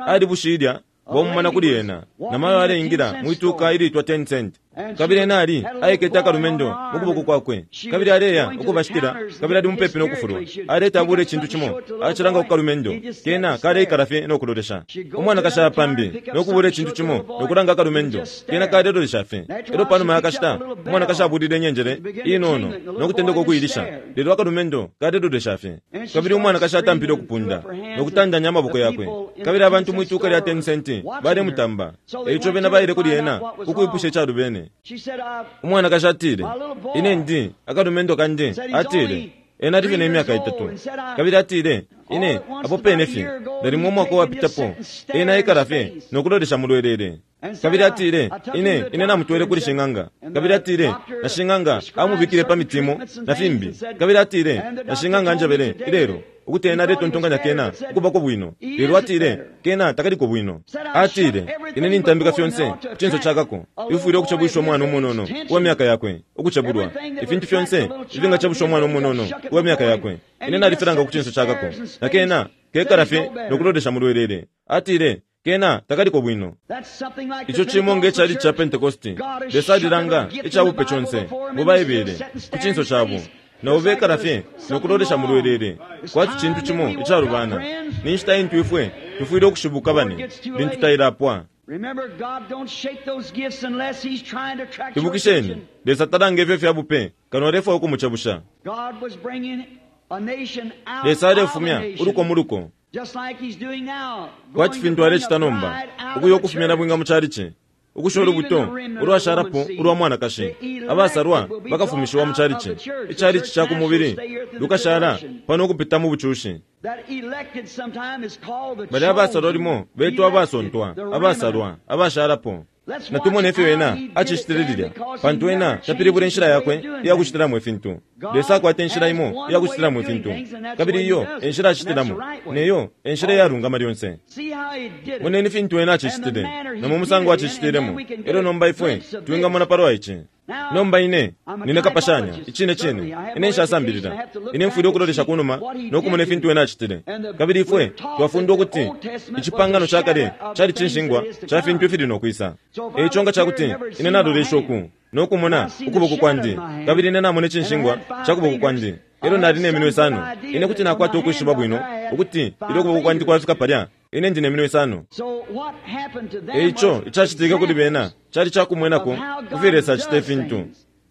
Speaker 3: ali bushilya bwamumana kuli ena namayo aleingila mwituka ilitwa ten cent. Kabili ena ali aikete akalumendo mukuboko kwakwe, kabili aleya ukubashitila, kabili ali mupepi nokufulwa. Aleta abula icintu cimo acilanga ku kalumendo kena kaleikala fye nokulolesha. Umwanakashi pambi nokubula icintu cimo nokulanga akalumendo kena kalelolesha fye. Elo panuma yakashita umwanakashi abulile inyenjele inono nokutendeka okuyilisha, lelo akalumendo kalelolesha fye. Kabili umwanakashi atampile okupunda nokutandanya amaboko yakwe, kabili abantu mwituka lya ten cent balemutamba. Eico bena baile kuli ena kukwipusha icalubene. Umwanakashi atile, "Ine ndi akalumendo kandi." Atile, "Ena ali fye ne myaka itatu." Kabili atile, "Ine apo pene fye nalimo umwaka uwapitapo ena aikala fye nokulolesha mulwelele." Kabili atile, "Ine ine namutwele kuli shing'anga." Kabili atile, "Na shing'anga amubikile pa mitimo na fimbi." Kabili atile, "Na shing'anga anjebele ilelo ukuti ena aletontonkanya kena ukubako bwino, lelo atile kena takaliko bwino." Atile, "Ine nintambika fyonse ku cinso cakako ifwile ukucebwisha umwana umunono uwa myaka yakwe ukucebulwa. Ifintu fyonse ifingacebusha umwana umunono uwa myaka yakwe, ine nalifilanga ku cinso cakako, na kena kekala fye nokulolesha mulwelele." Atile, "Kena takaliko bwino." Ico cimo nge chalichi cha Pentecosti. Lesa alilanga icabupe conse mu Baibele ku cinso cabo, na ubekala fye nokulolesha mulwelele kwati cintu cimo icalubana. Ni nshita intu ifwe tufwile ukushibuka bane lintu tailapwa. Ibukisheni, Lesa talanga ifyo fyabupe kano alefwaya ukumucebusha. Lesa alefumya uluko mu luko kwati fintu alecita nomba, ukuya ukufumya na bwinga mu chalichi, ukushola ulubuto ulwashalapo ulwa mwanakashi. Abasalwa bakafumishiwa mu chalichi. Ichalichi cha ku mubili lukashala pano ukupita mu bucushi. Bali abasalwa limo betwa abasontwa, abasalwa, abashalapo. Natumone ifyo ena acicitile lilya, pantu ena tapilibula inshila yakwe iyakucitilamo ifintu. Lesa akwata inshila imo iyakucitilamo ifintu, kabili iyo enshila acitilamo, neyo enshila iyalungama lyonse. Moneni fintu ena acicitile na mu musango acicitilemo. Elo nomba ifwe twingamona palwa ici. Nomba ine nine kapashanya icine cine, ine nshasambilila. Ine mfwile ukulolesha kunuma nokumona ifintu ena acitile. Kabili ifwe twafundwa ukuti icipangano ca kale cali cinshingwa ca fintu ifili nokwisa. Eico nga cakuti ine nalolesha uku nokumona ukuboko kwandi, kabili ine namona icinshingwa ca kuboko kwandi, elo nali ne minwe isano, ine kuti nakwata ukwishiba bwino ukuti ilyo ukuboko kwandi kwafika palya, ine ndi ne minwe isano. Eico icacitike kuli bena cali cakumwenako kufyo Lesa acita ifintu,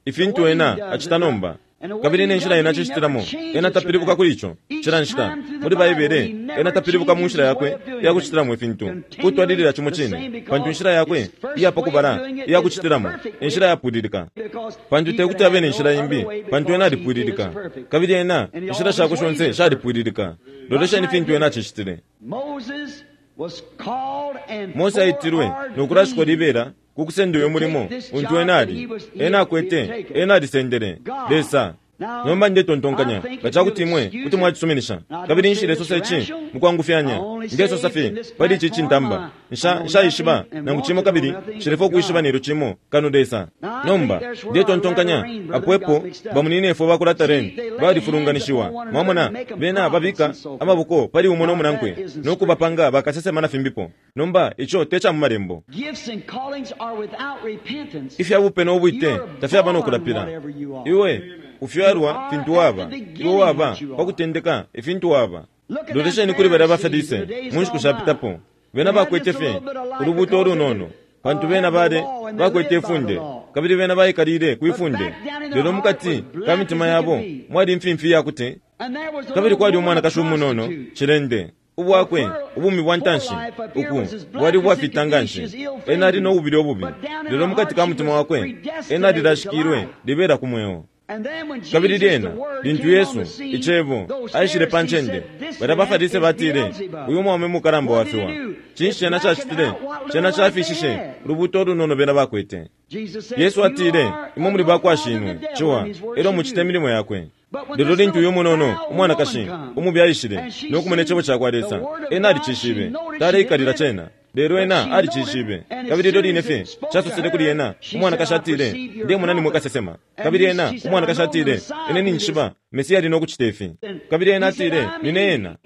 Speaker 3: ifintu ena acita nomba. Kabili ine nshila ena acicitilamo, ena tapilibuka kuli ico cila nshita muli Baibele. Ena tapilibuka mu nshila yakwe iyakucitilamo ifintu, kutwalilila cimo cine, pantu inshila yakwe iyapakubala iyakucitilamo enshila yapwililika. Pantu tekuti abe ne nshila imbi, pantu ena alipwililika, kabili ena inshila shakwe shonse shalipwililika. Lolesheni fintu ena acicitile. Mose aitilwe nokulashikwa libela kukusenda uyo mulimo untu ena ali ena akwete, ena alisendele Lesa. Nomba ndetontonkanya nga cakuti imwe kuti mwacisuminisha, kabili nshilesosa ici mukwangufyanya, ndesosa fye pali ici cintamba. Nshaishiba nangu cimo, kabili nshilefwaya ukwishiba nelyo cimo kano Lesa. Nomba ndetontonkanya apo epo bamuninefwe bakulata Ren balifulunganishiwa. Mwamona, bena babika amaboko pali umo no munankwe nokubapanga bakasesema na fimbipo. Nomba ico te ca mu malembo. Ifyabupe no bwite tafyaba nokulapila. Iwe Ufyalwa fintu waba, iwe waba pa kutendeka ifintu waba. Lolesheni kuli balya baFarise mu nshiku shapitapo. Bena bakwete fye ulubuto ulunono, pantu bena bale bakwete ifunde, kabili bena baikalile kwifunde. Lelo mukati ka mitima yabo mwali imfimfi yakuti, kabili kwali umwanakashi umunono cilende. Ubwakwe ubumi bwa ntanshi uku bwali ubwafita nganshi, ena ali no bubili obubi, lelo mukati ka mutima wakwe ena alilashikilwe libela ku mweo. Kabili lyena lintu Yesu icebo aishile pa ncende, balya baFarise batile, uyu mwaume mukalamba wafiwa. Cinshi cena cacitile? Cena cafishishe ulubuto ulunono bena bakwete. Yesu atile, imwe muli bakwa shinwe ciwa, elyo mucite imilimo yakwe. Lelo lintu uyu munono umwanakashi umubi aishile no kumona icebo cakwa Lesa, ena alicishibe, taleikalila cena, lelo ena alicishibe. Kabili ilyo line fye casosele kuli ena, umwanakashi atile, ndemona nimwe kasesema. Kabili ena umwanakashi atile, ine ninjishiba Mesiya ali no kucita ifi. Kabili ena atile, nine ena.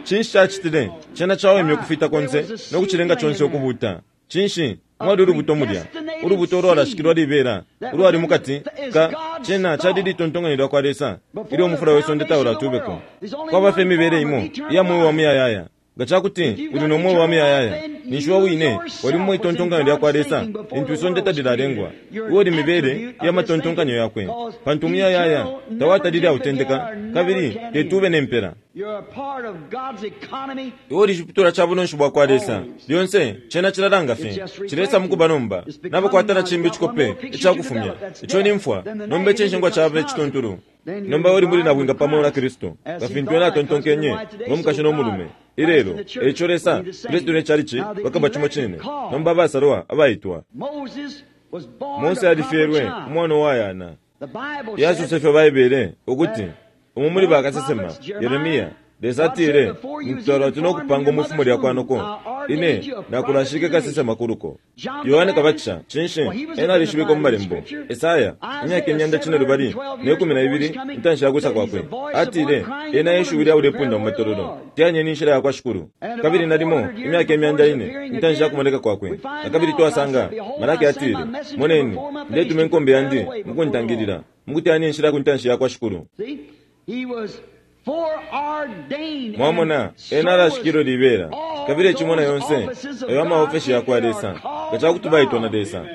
Speaker 3: Cinshi cacitile? Cena cawemye ukufita konse no kucilenga conse ukubuta. Cinshi? Mwali ulubuto mulya, ulubuto ulwalashikilwa libela ulwali mukati ka cena cali litontonkanyo lya kwa Lesa ilyo umufula we sonde taulatubeko. Kwaba fye imibele imo iya mweo wa muyayaya. Nga cakuti uli no mweo wa muyayaya, ninshi iwe wine wali mu itontonkanyo lya kwa Lesa lintu isonde talilalengwa. Iwe uli mibele iya matontonkanyo yakwe, pantu umuyayaya tawatalile autendeka kabili tetube ne mpela. Iwe uli ciputulwa ca bunonshi bwa kwa Lesa lyonse. Cena cilalanga fye cilesa mukuba nomba nabakwata na cimbi icikope icakufumya ico ni mfwa. Nomba icinshingwa caba icituntulu. Nomba uli muli nabwinga pamo na Kristu, nga fintu ena atontonkenye ngo mukashi no mulume ilelo. Eico Lesa, Kristu ne chalichi bakaba cimo cine. Nomba abasalwa abaitwa. Mose alifyelwe umwana uwayana. Yasose fye Baibele ukuti umu muli bakasesema Yeremia, Lesa atile, ntwala no kupanga umufumo lya kwanoko, ine nakulashike kasesema kuluko. Yohane Kabatisha, cinshi ena alishibikwa mu malembo. Esaya imyaka imyanda cine lubali ne kumi na ibili intanshi ya kwisa kwakwe, atile ena eshiwi lya ulepunda mu matololo, teyanyeni inshila ya kwa Shikulu. Kabili nalimo imyaka imyanda ine intanshi ya kumoneka kwakwe. Na kabili twasanga Malaki atile, moneni ndetuma inkombe yandi mukuntangilila, mukuteyanya inshila ku ntanshi ya kwa Shikulu. Mwamona ena alashikilo libela, kabili ecimona yonse ayo amaofeshi yakwa Lesa nga cakuti baitwa na Lesa,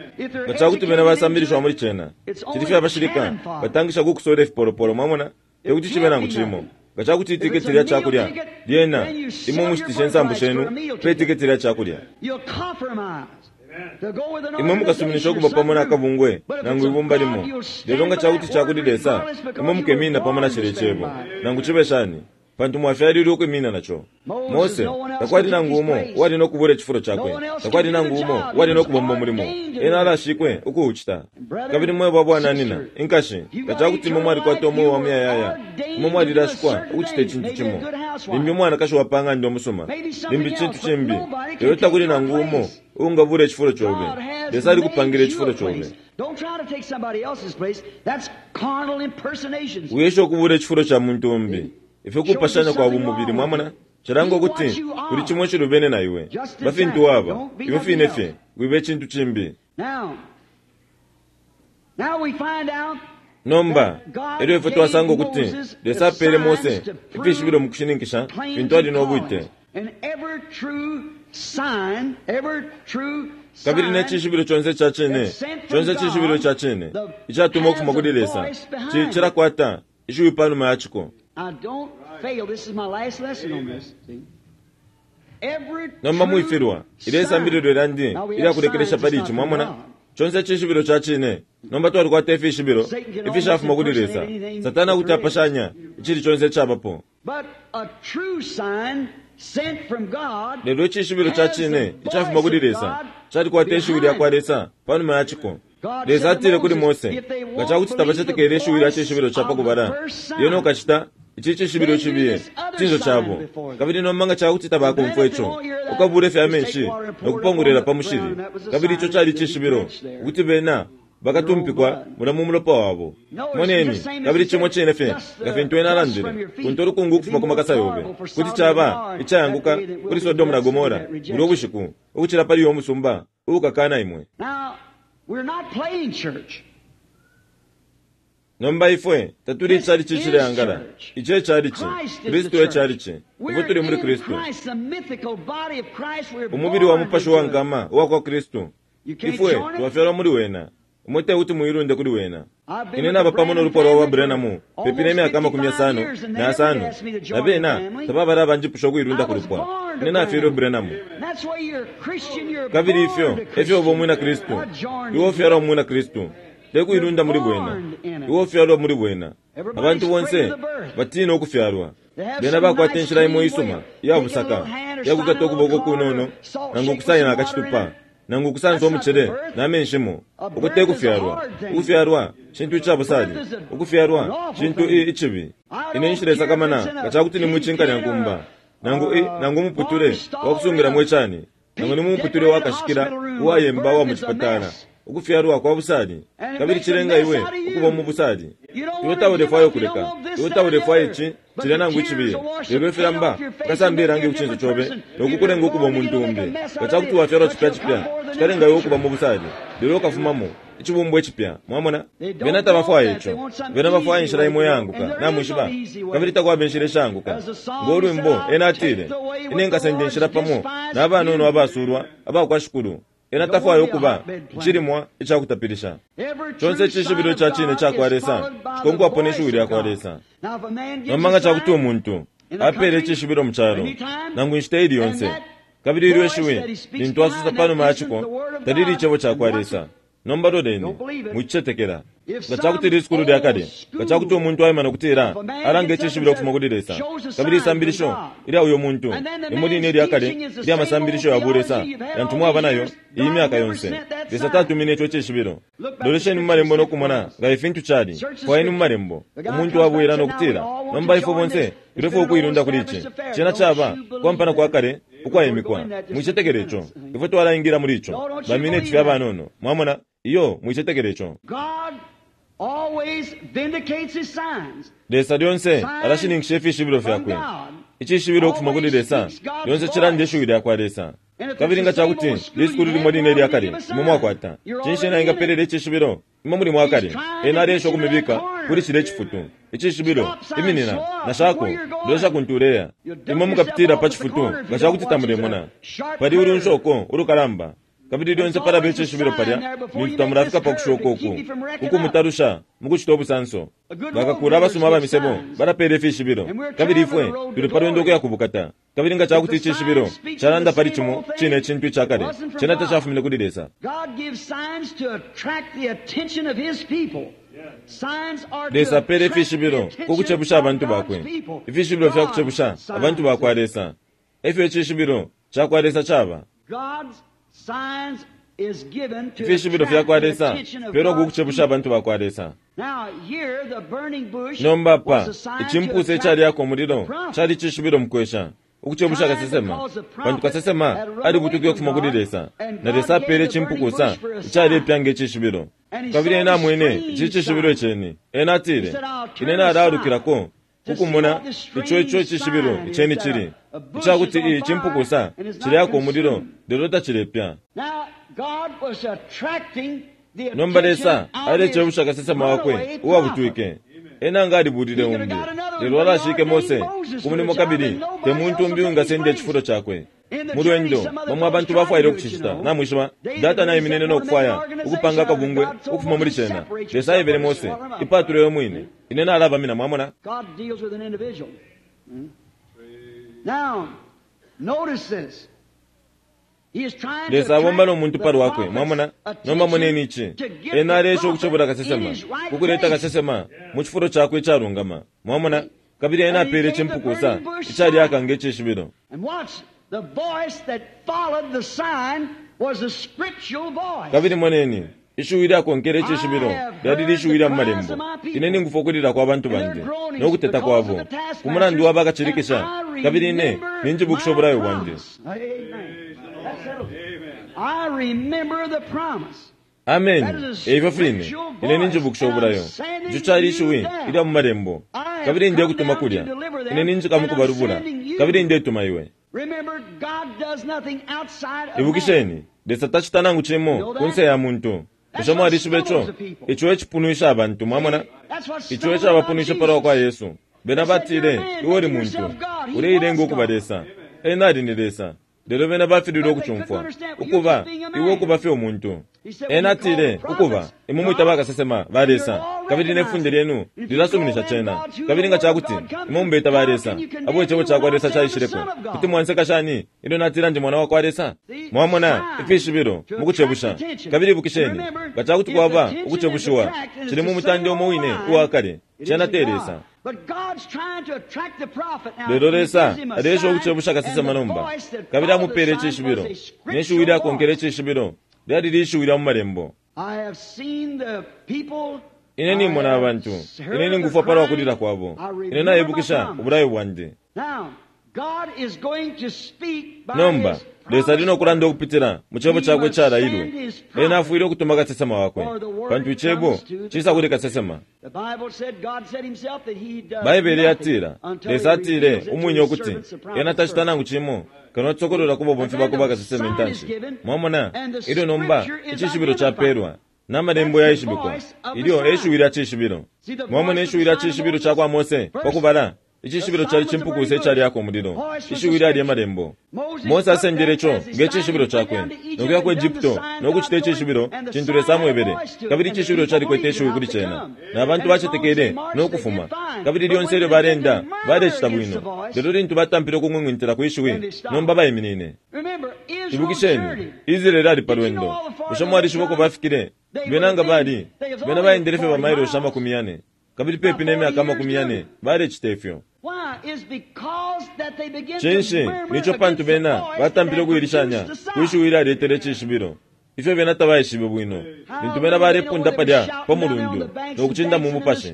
Speaker 3: nga cakuti bena basambilishwa muli cena. Cili fye abashilika batangisha kukusola ifipolopolo. Mwamona tekuti cibe nangu cimo. Nga cakuti itiketi lya cakulya lyena imwe mushitishe insambu shenu pe itiketi lya cakulya, imwe mukasuminisha ukuba pamo na kabungwe nangu ibumba limo. Lelo nga cakuti cakuli Lesa, imwe mukemina pamo na cile cebo nangu cibe shani, pantu mwafyalilwe ukwimina naco. Mose takwali nangu umo uwali no kubula icifulo cakwe, takwali nangu umo uwali no kubomba umulimo, ena alashikwe ukuucita. Kabili mwebo abwananina inkashi, nga cakuti imwe mwalikwata umweo wa muyayaya, imwe mwalilashikwa ukucita icintu cimo. Limbi umwanakashi wa pa ng'anda umusuma, limbi cintu cimbi, lelo takuli nangu umo uungabula icifulo cobe. Lesa alikupangila icifulo cobe. Wiyesha ukubula icifulo ca muntu umbi. Ifyo kupashanya kwa bumubili, mwamona cilanga ukuti kuli cimo icilubene na iwe. Bafintu waba iwe fine fye, wibe icintu cimbi. Nomba elyo ifwe twasanga ukuti Lesa apele Mose ifishibilo mu kushininkisha fintu ali no bwite. Kabili ne cishibilo conse ca cine, conse cishibilo ca cine icatuma ukufuma kuli Lesa cilakwata ishiwi panuma ya ciko. Nomba mwifilwa ile isambililo lyandi ilyakulekelesha pali ici. Mwamona conse cishibilo ca cine. Nomba twalikwata ifishibilo ifishafuma kuli Lesa. Satana kuti apashanya icili conse icabapo, lelo icishibilo ca cine icafuma kuli Lesa calikwata ishiwi lya kwa Lesa panuma ya ciko. Lesa atile kuli Mose, nga cakuti tabacetekele ishiwi lya cishibilo ca pakubala, lyena ukacita ici cishibilo cibiye cinso cabo. Kabili nomba nga cakuti tabakumfwa ico, ukabule fye amenshi no kupongolela pa mushili. Kabili ico cali cishibilo ukuti bena bakatumpikwa mula mu mulopa wabo. Moneni, kabili cimo cine fye nga fintu ena alandile, kuntu ulukungu ukufuma ku makasa yobe kuti caba icayanguka kuli Sodomu na Gomora bulya ubushiku ukucila pali uyo musumba uukakana imwe. Nomba ifwe tatuli icalici icileangala. Ici e calici, Kristu e calici. Ifwe tuli muli Kristu, umubili wa mupashi wa nkama uwa kwa Kristu. Ifwe twafyalwa muli wena. Imwe tekuti muilunde kuli wena. Ine naba pamo no lupwa lwa Branham pepi ne myaka amakumi yasano na yasano, na bena tababala abanjipusha ukuilunda ku lupwa. Ine nafyelwe Branham. Kabili ifyo efyo uba umwina Kristu. Iwe ufyalwa umwina Kristu, tekuilunda muli bwena. Iwe ufyalwa muli bwena. Abantu bonse batina ukufyalwa. Bena bakwata inshila imo isuma iya busaka iyakukata ukuboko kunono, nangu ukusayina akacitupa, nangu ukusansa umucele na menshimo. Uko tekufyalwa. Ukufyalwa cintu icabusali. Ukufyalwa cintu icibi. Ine nshila isakamana nga cakuti ni mucinkanya nkumba, nangu nangu umuputule wakusungilamo icani, nangu ni mumuputule wakashikila uwayemba wa mucipatala. Ukufyalwa kwa busali, kabili cilenga iwe ukuba mu busali. Iwe taulefwaya ukuleka, iwe taulefwaya ici cilya nangu icibiye, lelo ifilamba fikasamba irangi ku cinso cobe nokukulenga ukuba umuntu umbi. Nga cakuti wafyalwa cipya cipya, cikalenga iwe ukuba mu busali, lelo ukafumamo icibumbwa icipya. Mwamona, bena tabafwaya ico. Bena bafwaya inshila imo iyaanguka, namwishiba, kabili takwaba inshila ishaanguka. Ngo lwimbo ena atile, ine nkasenda inshila pamo na banono abasulwa abakwa Shikulu. Ena tafwaya ukuba icilimwa icakutapilisha. Conse icishibilo ca cine ca kwa Lesa cikonkwapo ne shiwi lya kwa Lesa. Nomba nga cakuti umuntu apeele icishibilo mu calo nangu inshita ili yonse, kabili ilyo ishiwi lintu asosa pa numa ya ciko talili icebo ca kwa Lesa, nomba loleni, mwicicetekela. Nga cakuti lisukulu lya kale, nga cakuti umuntu aima nokutila alanga icishibilo ukufuma kuli Lesa, kabili isambilisho ilya uyo muntu limo line ilya kale ilya masambilisho ya bulesa yantu mwaba nayo iyi myaka yonse, Lesa tatumine ico icishibilo. Lolesheni mu malembo nokumona nga ifintu cali. Fwayeni mu malembo. Umuntu abwela nokutila, nomba ifwe bonse tulefwaya ukuilunda kuli ici. Cena caba kwampana kwa kale ukwaimikwa. Mwicetekele ico. Ifwe twalaingila muli ico. Bamineti fye abanono. Mwamona? Iyo, mwicetekele ico. Lesa lyonse alashininkisha ifishibilo fyakwe. Icishibilo ukufuma kuli Lesa lyonse cilanda ishiwi lya kwa Lesa. Kabili nga cakuti lisukulu limo line ilya kale imwe mwakwata, cinshi ena engapelela icishibilo? Imwe muli mwakale. Ena aleesha ukumibika kuli cilya icifutu. Icishibilo, iminina, nashako, lolesha kuntu uleya. Imwe mukapitila pa cifutu nga cakuti tamulemona. Pali ulunshoko ulukalamba, kabili lyonse palaba icishibilo palya lintu tamulafika pa kushoka uku ukumutalusha mukucita ubusanso. Bakakula abasuma aba misebo balapeela ifishibilo, kabili ifwe tuli pa lwendo ukuya kubukata. Kabili nga cakuti icishibilo calanda pali cimo cine icintu icakale, cena tacafumine kuli Lesa. Lesa apeela ifishibilo ku kucebusha abantu bakwe, ifishibilo fya kucebusha abantu bakwa Lesa. Efyo icishibilo ca kwa Lesa caba. Ifishibilo fya kwa Lesa fipelwa ku kucebusha abantu bakwa Lesa. Nomba pa icimpusa icalyako umulilo cali icishibilo mukwesha ukucebusha kasesema, pantu kasesema alibutukile ukufuma kuli Lesa, na Lesa apeele icimpukusa icalepya nge cishibilo. Kabili ena amwene ici cishibilo iceni. Ena atile, ine nalaalukilako kukumona ico ico icishibilo iceni cili icakuti icimpukusa cilyako umulilo lelo tacilepya. Nomba Lesa alecebusha kasesema wakwe uwabutwike. Ena nga alibulile umbi, lelo alashike Mose ku mulimo, kabili te muntu umbi uwingasenda icifulo cakwe. Mu lwendo bamwe abantu bafwaile ukucicita, namwishiba. Datani aiminine nokufwaya ukupanga akabungwe ukufuma muli cena. Lesa aebele Mose, ipatule we mwine, ine nalabamina. Mwamona? Lesa abomba no muntu pa lwakwe. Mwamona? Nomba moneni ici. Ena aleesha ukucebula kasesema, kukuleta kasesema mu cifulo cakwe icalungama. Mwamona? Kabili ena apeele icimpukusa icalyaka nge cishibilo. Kabili moneni ishiwi lyakonkele icishibilo lyali lishiwi lya mu malembo. Ine ningufwa ukulila kwa bantu bandi no kuteta kwabo ku mulandu wa bakacilikisha, kabili ine ninjibukisha ubulayo bwandi. Ameni. Eifyo fine ine ninjibukisha ubulayo. Ico cali ishiwi ilya mu malembo. Kabili ndekutuma kulya, ine ninjika mukubalubula, kabili ndetuma iwe. Ibukisheni, Lesa tacita nangu cimo kunse ya muntu. Bushe mwalishiba ico? Ico ecipunwisha abantu, mwamona? Ico ecabapunwishe palwa kwa Yesu. Bena batile, iwe uli muntu, uleilenga ukuba Lesa. Ena ali ni Lesa. Lelo bena bafililwe ukucumfwa. Ukuba, iwe ukuba fye umuntu. Ena atile, ukuba, imwe mwita bakasesema ba Lesa, kabili nefunde lyenu lilasuminisha cena. Kabili nga cakuti imwe mubeta ba Lesa, abo icebo cakwa Lesa caishileko, kuti mwanseka shani ilyo natila ndi mwana wakwa Lesa? Mwamona ifishibilo mukucebusha. Kabili ibukisheni, nga cakuti kwaba ukucebushiwa, cili mu mutande umo wine uwa kale, cena te Lesa. Lelo Lesa aleesha ukucebusha kasesema nomba, kabili amupele icishibilo, ne shiwi lyakonkele icishibilo lyali lishiwi lya mu malembo. Ine nimona abantu, ine ningufwa palwa kulila kwabo, ine naibukisha ubulayo bwandi. Nomba Lesa ali nokulanda ukupitila mu cebo cakwe icalailwe. Ena afwile ukutuma kasesema wakwe, pantu icebo cisa kuli kasesema. Baibele yatila, Lesa atile umwine ukuti ena tacita nangu cimo kano atsokolola ku babomfi bakwe bakasesema intanshi. Mwamona, ilyo nomba icishibilo capelwa n'amalembo yaishibikwa, ilyo eshiwi lya cishibilo. Mwamona ishiwi lya cishibilo ca kwa Mose pakubala. Icishibilo cali cimpukusa icalyako umulilo, ishiwi lyali emalembo. Mose asendele ico ngecishibilo cakwe nokuya ku Egypto nokucita icishibilo cintu Lesa amwebele. Kabili icishibilo calikwete ishiwi kuli cena, na bantu bacetekele nokufuma. Kabili lyonse ilyo balenda balecita bwino, lelo lintu batampile ukung'wing'wintila kwi shiwi, nomba baiminine. Ibukisheni, Israeli ali pa lwendo. Bushe mwalishiba uko bafikile? Bena nga bali bena baendele fye bamailoshi amakumi yane, kabili pepi n'emyaka amakumi yane balecita ifyo. Cinshi nico pantu bena batampile ukuilishanya kwishiwi ilyaletele icishibilo. Ifyo bena tabaishibe bwino lintu bena balepunda palya pa mulundu nokucinda mu mupashi,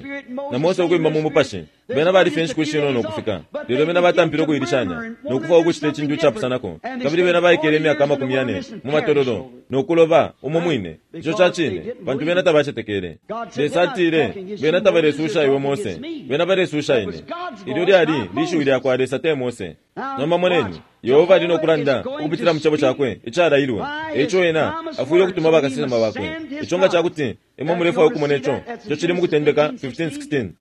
Speaker 3: na Mose ukwimba mu mupashi. Bena balifye inshiku ishinono ukufika, lelo bena batampile ukuilishanya nokufa ukucita icintu icapusanako. Kabili bena baikele imyaka amakumi yane mu matololo nokuloba umo mwine. Ico cacine, pantu bena tabacetekele. Lesa atile, bena tabalesusha iwe Mose, bena balesusha ine. Ilyo lyali lishiwi lyakwa Lesa, te Mose. Nomba moneni, Yehova ali nokulanda ukupitila mu cebo cakwe icalailwe. Eico ena afwile ukutuma bakasesema bakwe. Ico nga cakuti imwe mulefwaya ukumona ico, ico cili mu Kutendeka fifteen sixteen.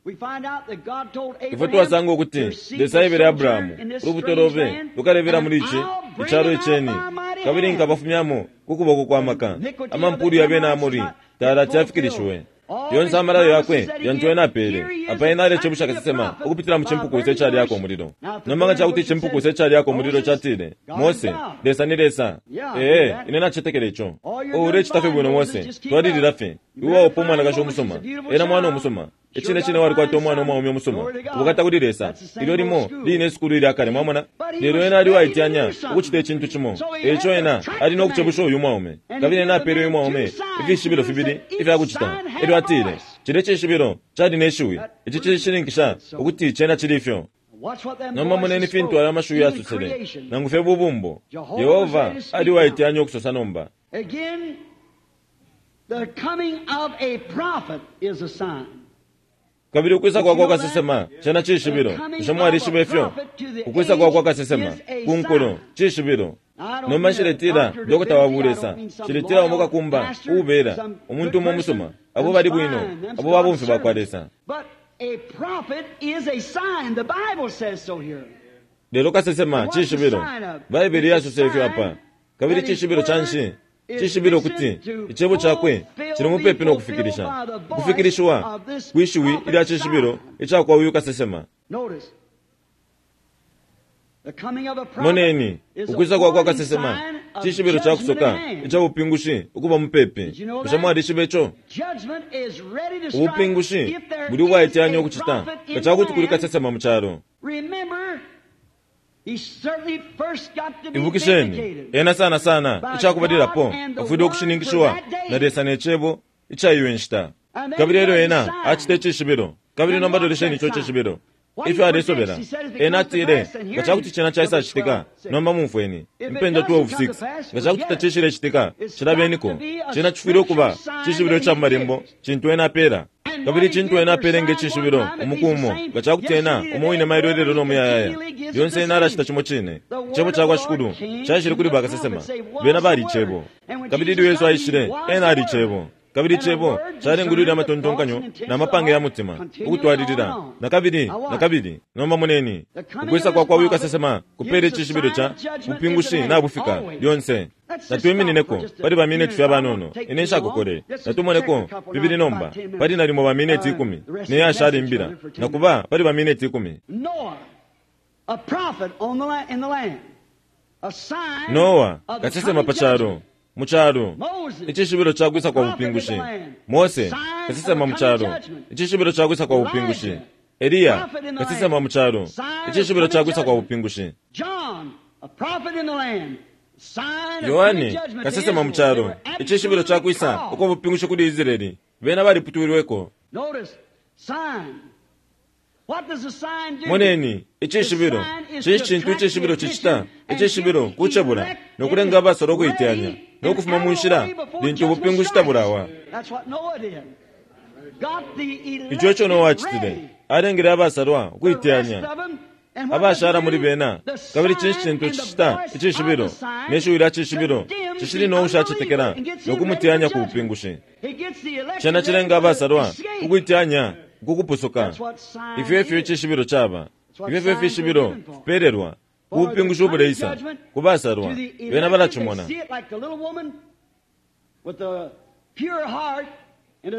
Speaker 3: Ifwe twasanga ukuti Lesa aebele Abrahamu, ulubuto lobe lukalebela muli ici icalo iceni, kabili nkabafumyamo ku kuboko kwa maka. Amampulu ya bena Amori talati yafikilishiwe. Yonse amalayo yakwe yantu ena apele. Apa ena alecebusha kasesema ukupitila mu cimpukusa icalyako umulilo. Nomba nga cakuti icimpukusa icalyako umulilo catile, Mose, Lesa ni Lesa. Ee, ine nacetekele ico. Ulecita fye bwino Mose, twalilila fye. Iwe waupa umwanakashi umusuma, ena mwana umusuma. Icine cine walikwata umwana umwaume umusuma. Ubukata kuli Lesa. Ilyo limo line isukulu ilya kale, mwamona? Lelo ena ali uwaityanya ukucita icintu cimo. Eico ena ali nokucebusha uyu mwaume. Kabili ena apele uyu mwaume ifishibilo fibili ifyakucita. Elyo atile, cile cishibilo cali ne shiwi. Ici cishininkisha ukuti cena cili ifyo. Nomba moneni fintu ayo amashiwi yasosele, nangu fye bubumbo. Yehova ali uwaityanya ukusosa nomba.
Speaker 2: The coming of a prophet is a sign.
Speaker 3: Kabili ukwisa kwakwa kasesema cena cishibilo. Bushe mwalishiba ifyo? Ukwisa kwakwa kasesema ku nkulo cishibilo. Nomba nshiletila dokota wa bulesa, nshiletila umo kakumba uubela umuntu umo umusuma, abo bali bwino, abo babomfi bakwa Lesa.
Speaker 2: But a prophet is a sign. The Bible says so here.
Speaker 3: Lelo kasesema cishibilo. Baibele yasosa ifyo apa. Kabili cishibilo canshi? Cishibilo kuti icebo cakwe cili mupepi nokufikilisha. Ukufikilishiwa kwishiwi ilya cishibilo icakwa uyu kasesema.
Speaker 2: Notice. The coming of a prophet
Speaker 3: Moneni,
Speaker 2: is a
Speaker 3: ukwisa kwakwa
Speaker 2: warning
Speaker 3: kasesema
Speaker 2: sign of
Speaker 3: cishibilo ca
Speaker 2: judgment
Speaker 3: kusoka
Speaker 2: at hand.
Speaker 3: ica bupingushi ukuba mupepi. Bushe mwalishiba ico?
Speaker 2: Judgment is ready to strike
Speaker 3: Ubupingushi
Speaker 2: if there
Speaker 3: buli
Speaker 2: is
Speaker 3: ubwaityanya
Speaker 2: a
Speaker 3: ukucita
Speaker 2: prophet in
Speaker 3: nga cakuti kuli
Speaker 2: the land.
Speaker 3: kasesema mu calo.
Speaker 2: Remember, he certainly first got to be
Speaker 3: Ibukisheni,
Speaker 2: vindicated.
Speaker 3: ena sana sana icakubalilapo afwile ukushininkishiwa na Lesa ne cebo ica iyo inshita. Kabili elyo ena acita icishibilo. Kabili nomba lolesheni ico cishibilo ifyo alesobela. Ena atile, nga cakuti cena caisacitika, nomba mumfweni. Impendwa twelve six, nga cakuti tacishilecitika, cilabeniko. Cena cifwile ukuba cishibilo ica mu malembo cintu ena apela. Kabili cintu ena apele nge cishibilo umuku umo, nga cakuti ena umo wine mailo elelo no muyayaya. Lyonse ena alacita cimo cine. Icebo cakwa Shikulu caishile kuli bakasesema. Bena bali icebo. Kabili ilyo Yesu aishile, ena ali icebo. Kabili Cebo calengulwile amatontonkanyo na mapange ya mutima ukutwalilila na kabili na kabili. Nomba moneni ukwisa kwa kwa uyu kasesema kupele icishibilo ca bupingushi nabufika lyonse. Natwiminineko pali ba mineti fye abanono, ine nshakokole. Natumoneko bibili nomba pali nalimo ba mineti ikumi neyashala imbila nakuba pali ba mineti ikumi. Noa kasesema pa calo mu calo, icishibilo ca kwisa kwa bupingushi. Mose kasesema mu calo, icishibilo ca kwisa kwa bupingushi. Eliya kasesema mu calo, icishibilo ca kwisa kwa bupingushi. Yohane kasesema mu calo, icishibilo ca kwisa ukwa bupingushi kuli Israeli. Bena baliputwilweko. Moneni icishibilo. Cinshi cintu icishibilo cicita? Icishibilo kucebula nokulenga abasolo ukuiteyanya nokufuma mu nshila lintu ubupingushi tabulawa. Ico eco Noa acitile, alengele abasalwa ukuiteyanya abashala muli bena. Kabili cinshi cintu cicita icishibilo ne shiwi lya cishibilo cishili no ushacetekela nokumuteyanya ku bupingushi. Cena cilenga abasalwa ukuiteyanya kukupusuka. Ifyo efyo icishibilo caba. Ifyo efyo ifishibilo fipelelwa ku bupingushi ubuleisa ku basalwa. Bena balacimona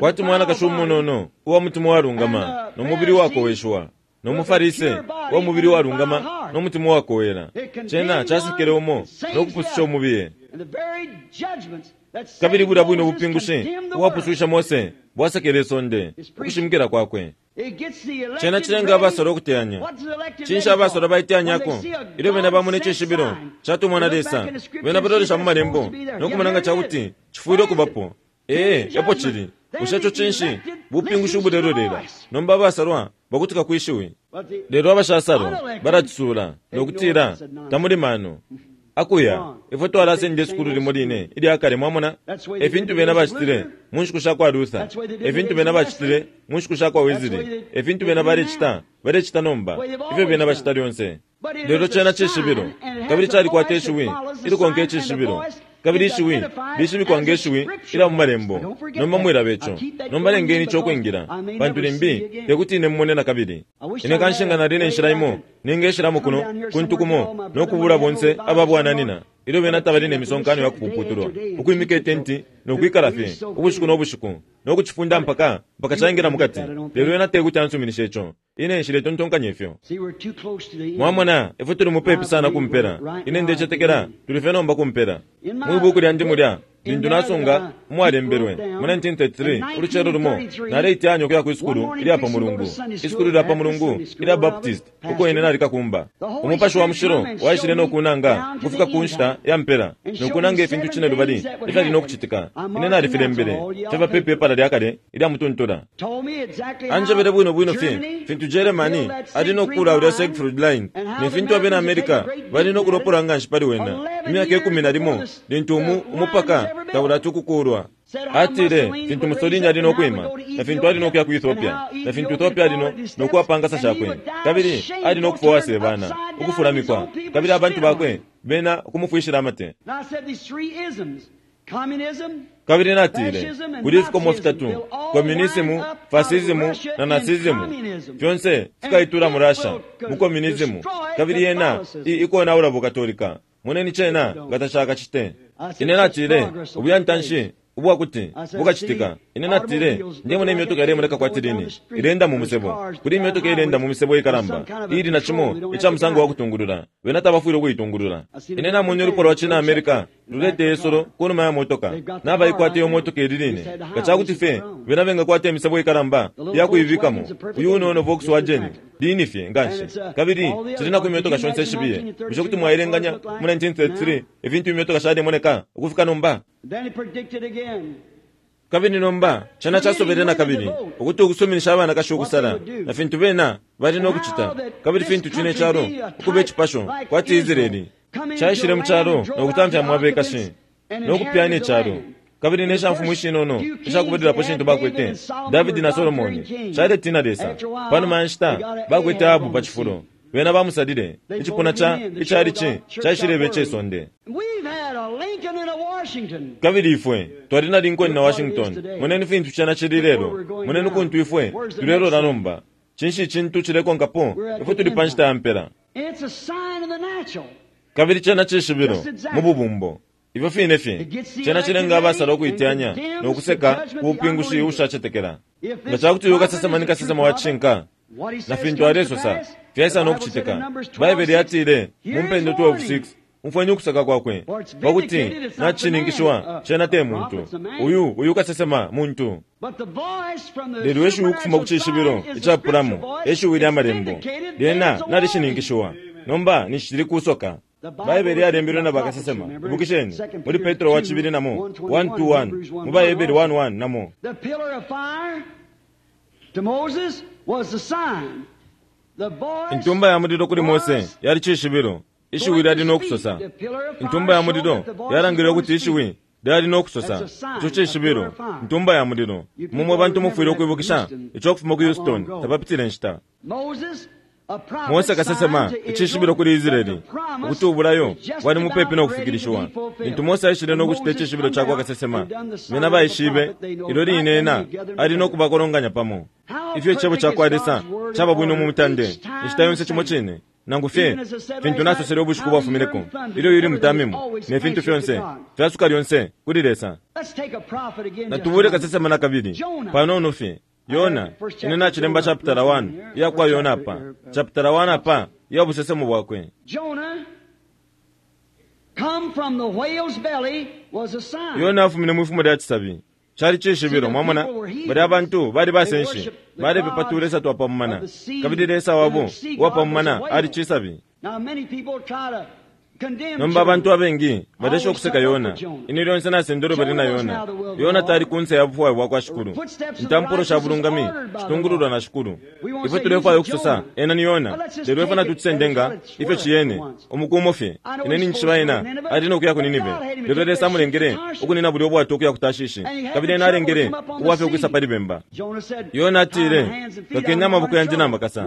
Speaker 3: kwati mwanakashi umunono uwa mutima walungama no mubili wakoweshwa, no mufarise wa mubili walungama no mutima wakowela. Cena casekele umo no kupususha umubiye. Kabili bulya bwino bupingushi uwapususha Mose bwasekele isonde ukushimikila kwakwe. Cena cilenga abasalwa ukuteyanya. Cinshi abasalwa baiteyanyako? Ilyo bena bamona icishibilo catumwa na Lesa, bena balolesha mu malembo nokumona nga cakuti cifwile ukubapo. Ee, epo cili. Bushe ico cinshi? Bupingushi ubulelolela. Nomba abasalwa bakutika kwishiwi, lelo abashasalwa balacisula nokutila tamuli mano akuya. Ifwe twalasenda isukulu limo line ilya kale, mwamona efintu bena bacitile mu nshiku sha kwa Luther, efintu bena bacitile mu nshiku sha kwa Wesley, efintu bena balecita balecita nomba ifyo bena bacita lyonse. Lelo cena cishibilo, kabili calikwata ishiwi ilikonka icishibilo, kabili ishiwi lishibikwa nge shiwi ilya mu malembo. Nomba mwilaba ico. Nomba lengeni ico ukwingila, pantu limbi tekuti ine mumone na kabili. Ine kanshi nga nali ne nshila imo ningeshilamo kuno kuntu kumo nokubula bonse ababwananina ilyo bena tabali ne misonkano ya kupuputulwa, ukwimika itenti nokwikala fye ubushiku no bushiku nokucifunda mpaka mpaka caingila mukati. Lelo ena tekuti ansuminishe ico. Ine nshiletontonkanya ifyo. Mwamona ifwe tuli mupepi sana kumpela. Ine ndecetekela tuli fye nomba kumpela. Mwibuku lyandi mulya lintu nasunga umwalembelwe mu nineteen thirty-three ulucelo lumo naleiteyanya ukuya kwisukulu ilya pa Mulungu, isukulu lya pa Mulungu ilya Baptist, uko ine nalikakumba. Umupashi wa mushilo waishile nokunanga ukufika ku nshita ya mpela nokunanga ifintu cine lubali ifyali nokucitika. Ine nalifilembele fyaba pe pepala lya kale ilya mutuntula. Anjebele bwino bwino fye fintu Germany ali nokukula ulya Siegfried Line ne fintu abena America bali nokulopola nga nshi pali wena imyaka ikumi na limo lintu umu umupaka taulati ukukulwa. Atile fintu Mussolini ali nokwima na fintu ali nokuya ku Ethiopia na fintu Ethiopia ali nokuwapangasa shakwe, kabili ali nokufwa uwasebana ukufulamikwa, kabili abantu bakwe bena ukumufwishila amate. Kabili natile kuli ifikomo fitatu: komunisimu, fasisimu na nasizimu, fyonse fikaitula mu Russia mu komunisimu, kabili yena ikonaula bukatolika. Moneni cena nga tacakacite. Ine natile ubuyantanshi ubwakuti bukacitika. Ine natile ndemona imyotoka ilemoneka kwati lini ilenda mu musebo. Kuli imyotoka ilenda mu misebo ikalamba ili na cimo ica musango wa kutungulula, bena tabafwile ukuitungulula. Ine namwene ulupwa lwa cina America lulete isolo kunuma ya motoka, nabaikwata iyo motoka ili line nga cakuti fye bena bengakwata imisebo ikalamba yakuibikamo. Uyu unono Volkswagen lini fye nganshi, kabili cili na ku imyotoka shonse ishibiye. Bushe kuti mwailenganya mu nineteen thirty-three ifintu imyotoka shalemoneka ukufika nomba? Kabili nomba cena casobele na kabili ukuti ukusuminisha abanakashi ukusala na fintu bena bali nokucita, kabili fintu cine calo ukuba icipasho kwati Israeli caishile mu calo nokutamfya mwabekashi nokupyana icalo. Kabili ne shamfumu ishinono ishakubalilapo shintu bakwete Davidi na Solomoni caletina Lesa. Panuma ya nshita bakwete Ahabu pa cifulo, bena bamusalile icipuna ca icalici caishileba icesonde. Kabili ifwe twali na Lincoln na Washington. Moneni fintu cena cili lelo. Moneni kuntu ifwe tulelola nomba. Cinshi icintu cilekonkapo? Ifwe tuli pa nshita ya mpela. Kabili cena cishibilo mu bubumbo. Ifyo fine fye cena cilenga abasala ukuiteyanya no kuseka ku bupingushi ubushacetekela. Nga ca kuti uyu kasesema ni kasesema wa cishinka na fintu alesosa fyaisa no kucitika. Baibele yatile mu mpendo twelve six, umfweni ukuseka kwakwe pakuti nacishininkishiwa cena te muntu. Uyu uyu kasesema muntu. Lelo eshiwi ukufuma ku cishibilo icapulamo, eshiwi lya malembo lyena nalishininkishiwa. Nomba nishili kusoka. Baibele yalembelwe na bakasesema. Ibukisheni muli Petro wa cibili namo one two one, mu Baebele one one namo. Intumba ya mulilo kuli Mose yali cishibilo. Ishiwi lyali no kusosa. Intumba ya mulilo yalangile ukuti ishiwi lyali no kusosa. Ico cishibilo, intumba ya mulilo. Mumwe bantu mufwile ukwibukisha ico kufuma ku Houston tapapitile nshita. Mose kasesema icishibilo kuli Israeli ukuti ubulayo bwali mupepi no kufikilishiwa. Lintu Mose aishile no kucita icishibilo cakwa kasesema, bena baishibe ilyo line ena ali no kubakolonganya pamo. Ifyo icebo cakwa Lesa caba bwino mu mutande inshita yonse cimo cine. Nangu fye fintu nasosele ubushiku bwafumineko ilyo yuli mutamimo ne fintu fyonse fyasuka lyonse kuli Lesa. Natubule kasesema na kabili panono fye. Yona, ine nacilemba chapter one iya kwa Yona apa. Chapter one apa iya busesemo bwakwe. Yona afumine mwifumo lya cisabi. Cali cishibilo, mwamona, bali abantu bali basenshi balepepa tu Lesa twapamumana, kabili Lesa wabo uwapamumana ali cisabi. Nomba abantu abengi balesha ukuseka Yona. Ine lyonse nasendelo bali na Yona. Yona tali kunse ya bufwayo bwakwa Shikulu. Intampulo sha bulungami shitungululwa na Shikulu. Ifwe tulefwaya ukusosa ena ni Yona, lelo ifwe natucisendenga ifyo ciyene umukumo fye. Ine ninjishiba ena ali no kuya ku Ninive, lelo Lesa amulengele ukunina bulya ubwato ukuya ku Tashishi, kabili ena alengele ubwafya ukwisa pali bemba. Yona atile, kakeni amaboko yandi na makasa,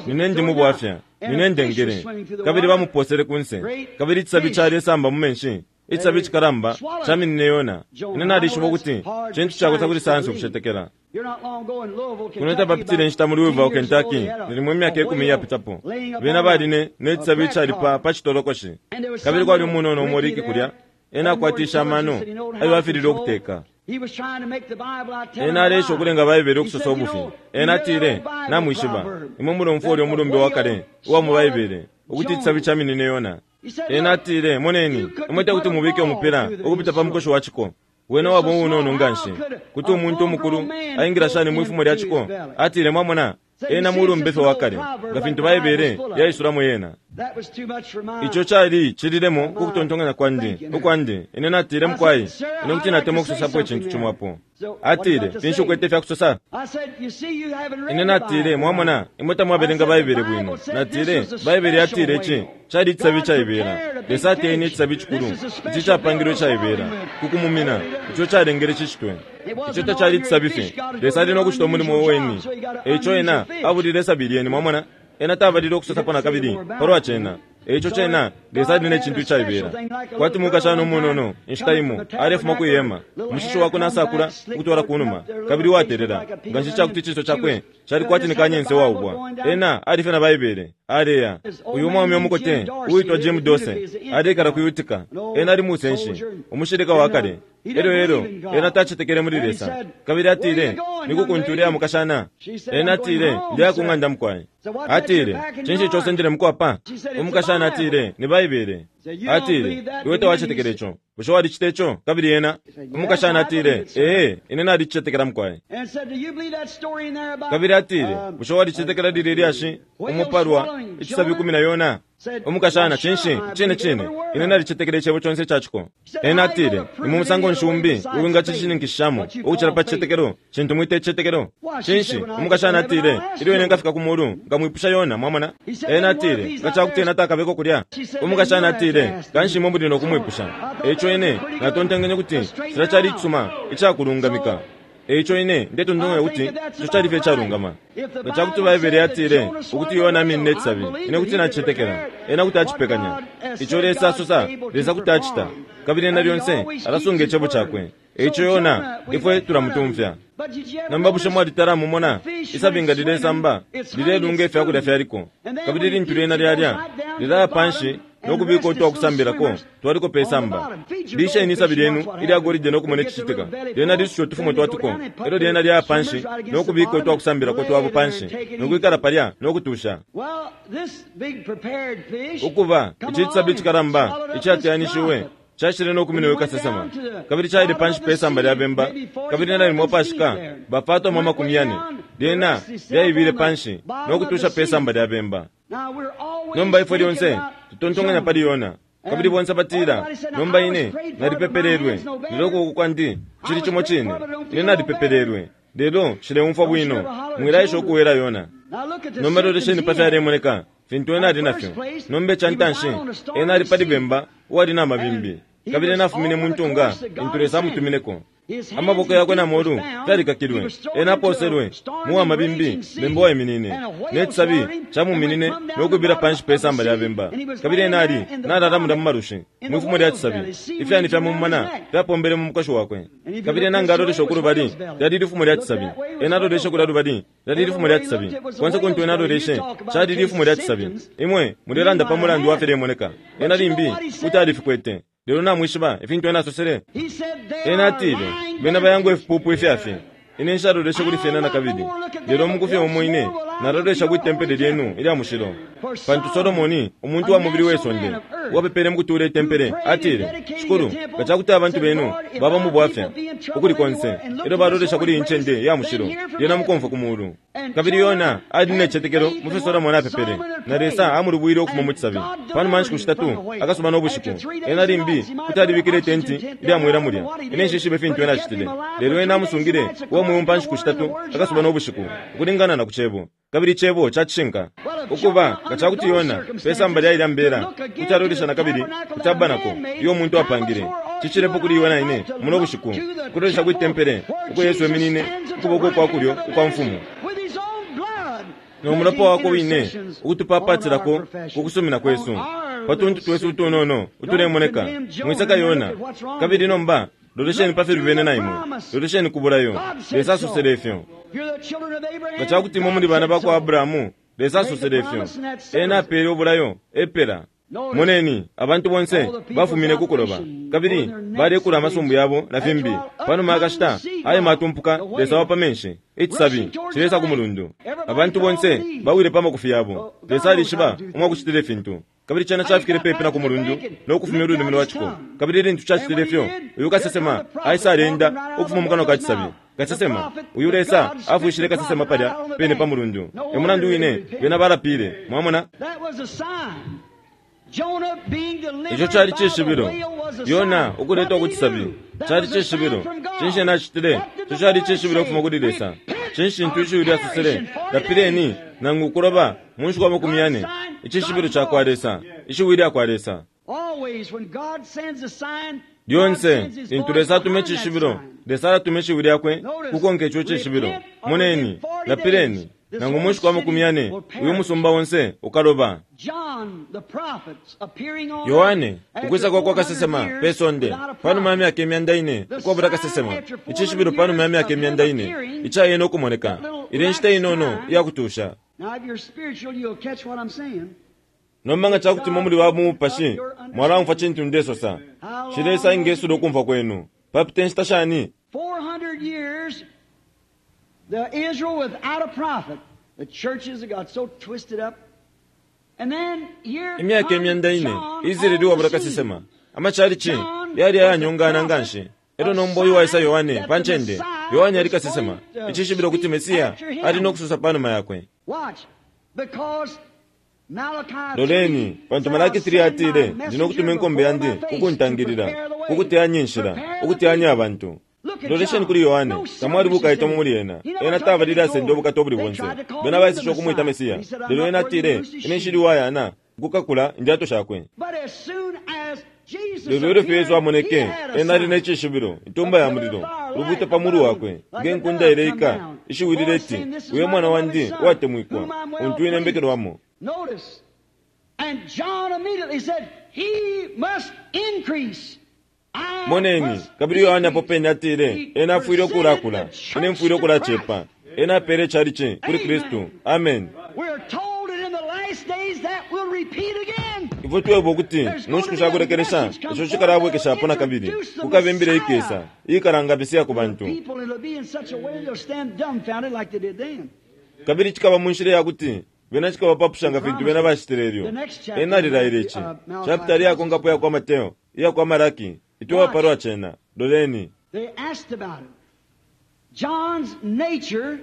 Speaker 3: nine ndi mu bwafya, nine ndengele. Kabili bamuposele kunse, kabili icisabi calesamba mu menshi. Icisabi cikalamba caminine Yona. Ine nalishiba ukuti cintu cakosa kuli sayansi ukucetekela. Kuno tapapitile nshita mu Louisville, Kentucky, nalimo imyaka ikumi iyapitapo. Bena baline ne cisabi icali pa pa citolokoshi, kabili kwali umunono umo Ricky kulya. Ena akwatisha amano ayo afilile ukuteka. Ena alesha ukulenga Baibele ukusosa ubufi. Ena atile, namwishiba imwe mulomfwa ulya umulumbe wa kale uwa mu Baibele ukuti icisabi caminine Yona. Ena atile, moneni, imwe tekuti mubike umupira ukupita pa mukoshi wa ciko. Wena waba uunono nganshi kuti umuntu umukulu aingila shani mwifumo lya ciko. Atile, mwamona, ena mulumbe fye wa kale nga fintu Baibele yaisulamo yena. Ico cali cililemo ku kutontonkanya kwandi ukwandi. Ine natile, mukwai, ine kuti natemwa ukusosapo icintu cimo apo. Atile, finshi ukwete fya kusosa? Ine natile, mwamona, imwe tamwabelenga Baibele bwino. Natile, Baibele yatile ici cali icisabi caibela. Lesa ateyene icisabi cikulu, ici capangilwe caibela kukumumina. Ico calengele cicitwe. Ico tacali icisabi fye. Lesa ali no kucita umulimo weni. Eico ena abulile isabi lyene, mwamona. Ena tabalile ukusosapo na kabili palwa cena. Eico cena Lesa ali ne cintu icaibela. Kwati mukashana umunono inshita imo alefuma kwihema, umushishi wakwe nasakula ukutwala kunuma, kabili watelela nganshi cakuti iciso cakwe cali kwati ni kanyense waubwa. Ena alifye na Baibele aleya. Uyu umwaume umukote uitwa Jim Dose alekala ku Utica. Ena ali musenshi umushilika wa kale. Elyo elyo ena tacetekele muli Lesa, kabili atile, nikukuntu ulya mukashana. Ena atile, ndiya ku ng'anda mukwai. Atile, cinshi ico usendele mukwapa? Umukashana atile, ni Baibele. Atile, iwe tawacetekele ico. Bushe walicita ico? Kabili ena umukashana atile, ee, ine nalicetekela mukwai. Kabili atile, bushe walicetekela lilya lyashi umupalwa icisabi kumi na Yona? Umukashana, cinshi cine cine ine nalicetekela icebo conse icaciko. Ena atile, ni mu musango nshi umbi uwingacishininkishishamo ukucila pa cicetekelo cintu mwita icicetekelo? Cinshi? Umukashana atile, ilyo ine nkafika ku mulu nkamwipusha Yona. Mwamona? Ena atile, nga cakuti ena takabeko kulya. Umukashana atile, kanshi imwe muli no kumwipusha. Eico ine natontonkenye kuti cila cali icisuma icakulungamika. Eico ine ndetontonkanya ukuti ico cali fye icalungama. Nga ca kuti Baibele yatile ukuti Yona aminine icisabi, ine kuti nacicetekela. Ena kuti acipekanya. Ico Lesa asosa, Lesa kuti acita. Kabili ena lyonse alasunga icebo cakwe. Eico Yona ifwe tulamutumfya. Nomba bushe mwalitala mumona isabi nga lilesamba lilelunga ifyakulya fyaliko, kabili lintu lyena lyalya lilaya panshi no kubika utwakusambilako twaliko pe samba. Lisheni isabi lyenu ilya golide no kumona icicitika. Lyena lisusha utufumo twatuko, elyo lyena lyaya panshi no kubika utwakusambilako twabo panshi no kwikala palya no kutusha. Ukuba ici cisabi icikalamba icateyanishiwe cashile no kumina uyu kasesema, kabili caile panshi pe samba lya bemba, kabili nalimo pashika bafatwamo amakumi yane. Lyena lyaibile panshi no kutusha pe samba lya bemba. Nomba ifwe lyonse tutontonkanya pali Yona, kabili bonse batila, nomba ine nalipepelelwe, lelo ukuboko kwandi cili cimo cine. Ine nalipepelelwe, lelo nshileumfwa bwino. Mwilaesha ukuwela Yona. Nomba lolesheni pa fyalemoneka fintu ena ali nafyo. Nomba ica ntanshi, ena ali pali bemba uwali na mabimbi, kabili ena afumine mu ntunga intu Lesa amutumineko. Amaboko yakwe na molu fyalikakilwe. Ena aposelwe mu wa mabimbi, bemba waiminine, ne cisabi camuminine no kwibila panshi pe samba lya bemba. Kabili ena ali nalala mulya mu malushi mwifumo lya cisabi. Ifyani fya mumumana fyapombele mu mukoshi wakwe. Kabili ena nga alolesha ukulubali, lyali lifumo lya cisabi. Ena aloleshe kulya lubali, lyali lifumo lya cisabi. Konse kuntu ena aloleshe, cali lifumo lya cisabi. Imwe mulelanda pa mulandu wa filemoneka. Ena limbi kuti alifikwete, lelo namwishiba ifintu ena asosele. Ena atile, bena bayangwa ifipupu ifyafye. Ine nshaloleshe kuli fyena nakabili, lelo mukufye umo ine nalolesha kwi tempele lyenu ilya mushilo. Pantu Solomoni, umuntu wa mubili we sonde, uwapepele mukutuula itempele, atile, Shikulu, nga ca kuti abantu benu baba mu bwafya ukuli konse, elyo balolesha kuli iyi ncende ya mushilo, lyena mukomfwa ku mulu. Kabili Yona ali ne cicetekelo mu fyo Solomoni apepele, na Lesa amulubwile ukufuma mu cisabi. Panuma ya nshiku shitatu akasuba no bushiku, ena limbi kuti alibikile itenti ilya mwela mulya. Ine nshishibe fintu ena acitile, lelo ena amusungile uwa mweo pa nshiku shitatu akasuba no bushiku, ukulingana na ku cebo. Kabili icebo ca cishinka. Ukuba nga ca kuti Yona pe samba lya ilya mbela kuti alolesha nakabili ku tabanako iyo umuntu apangile, cicilepo kuli iwe na ine muno bushiku ukulolesha kwi tempele uko Yesu eminine ukuboko kwa kulyo ukwa mfumu, no mulopa wakwe wine ukutupapatilako ku kusumina kwesu pa tuntu twesu utunono utulemoneka. Mwisaka Yona. Kabili nomba lolesheni pa filubene na imwe, lolesheni ku bulayo. Lesa asosele ifyo. Nga ca kuti imwe muli bana ba kwa Abrahamu, Lesa asosele ifyo. Ena apele ubulayo epela. Moneni, abantu bonse bafumine ku kuloba, kabili balekula amasumbu yabo na fimbi. Panuma akashita aye matumpuka Lesa wa pa menshi, icisabi cilesa ku mulundu. Abantu bonse bawile pa makufi yabo. Lesa alishiba umwakucitila ifintu. Kabili cena cafikile pepi na ku mulundu no kufumya ululimi lwa ciko. Kabili lintu cacitile ifyo, uyu kasesema aisa alenda ukufuma mu kanwa ka cisabi. Kasesema uyu Lesa afwishile kasesema palya pene pa mulundu. E mulandu wine bena balapile. Mwamona, ico cali cishibilo. Yona ukuletwa ku cisabi cali cishibilo. Cinshi ena acitile? Ico cali cishibilo ukufuma kuli Lesa. Cinshi cintu ishiwi lyasosele? Lapileni nangu ukuloba mu nshiku amakumi yane. Icishibilo ca kwa Lesa, ishiwi lya kwa Lesa. Lyonse lintu Lesa atuma icishibilo, Lesa alatuma ishiwi lyakwe kukonka ico cishibilo. Moneni, lapileni nangu mu nshiku amakumi yane, uyu musumba onse ukaloba. Yohane ukwisa kwa kwa kasesema pe sonde panuma ya myaka imyanda ine ukwabula kasesema, icishibilo panuma ya myaka imyanda ine icayene ukumoneka, ile nshita inono iyakutusha. Nomba nga ca kuti imwe muli ba mu mupashi, mwalaumfwa cintu ndesosa. Shi Lesa engesula ukumfwa kwenu. Papita inshita shani?
Speaker 2: The Israel without a prophet. The churches have got so twisted up. And then here
Speaker 3: Imyaka imyanda ine Israeli uwabula kasesema, amachalichi yali ayanyongana nganshi. Elyo nomba uyu waisa Yohane pa ncende. Yohane ali kasesema, icishibilo kuti Mesiya ali no kusosa panuma yakwe.
Speaker 2: Watch, because Malachi
Speaker 3: Loleni, pantu Malaki three atile, ndi no kutuma inkombe yandi kukuntangilila, kukuteyanya inshila, ukuteyanya abantu. Lolesheni kuli Yohane, tamwali bukaitwa muli ena. Ena tavalile asenda ubukata ubuli bonse. Bena baisisha ukumwita Mesiya, lelo ena atile, ine nshili uwayana ukukakula indyato shakwe.
Speaker 2: But as soon as Jesus
Speaker 3: Lelo ilyo fye Yesu amoneke,
Speaker 2: appeared, he had a
Speaker 3: ena ali
Speaker 2: sign.
Speaker 3: ne cishibilo, intumba ya mulilo, Ulubuuto pa mulu wakwe nge nkunda ileika, ishiwi lileti, uyo mwana wandi uwatemwikwa, untu ine mbekelwamo.
Speaker 2: Notice. And John immediately said, He must increase. I
Speaker 3: Moneni,
Speaker 2: must
Speaker 3: kabili Yohane apo pene atile,
Speaker 2: He
Speaker 3: ena afwile ukulakula,
Speaker 2: presented the
Speaker 3: ine mfwile
Speaker 2: church to
Speaker 3: ukulacepa. Ena apele chalichi kuli
Speaker 2: Amen.
Speaker 3: Kristu. Amen.
Speaker 2: We're told that in the last days that will repeat again.
Speaker 3: Ifwe twebwa ukuti mu nshiku shakulekelesha ico cikalabwekeshapo na kabili kukaba imbila ikesa iikalanga Mesiya ku bantu.
Speaker 2: People, it'll be in such a way they'll stand dumbfounded like they did then.
Speaker 3: Kabili cikaba mu nshila yakuti bena cikabapapusha nga fintu bena bacitile ilyo. Ena alilaile ici. Chapitali iyakonkapo iya kwa Mateo, iya kwa Malaki, itwewa palwa cena. Loleni.
Speaker 2: They asked about it. John's nature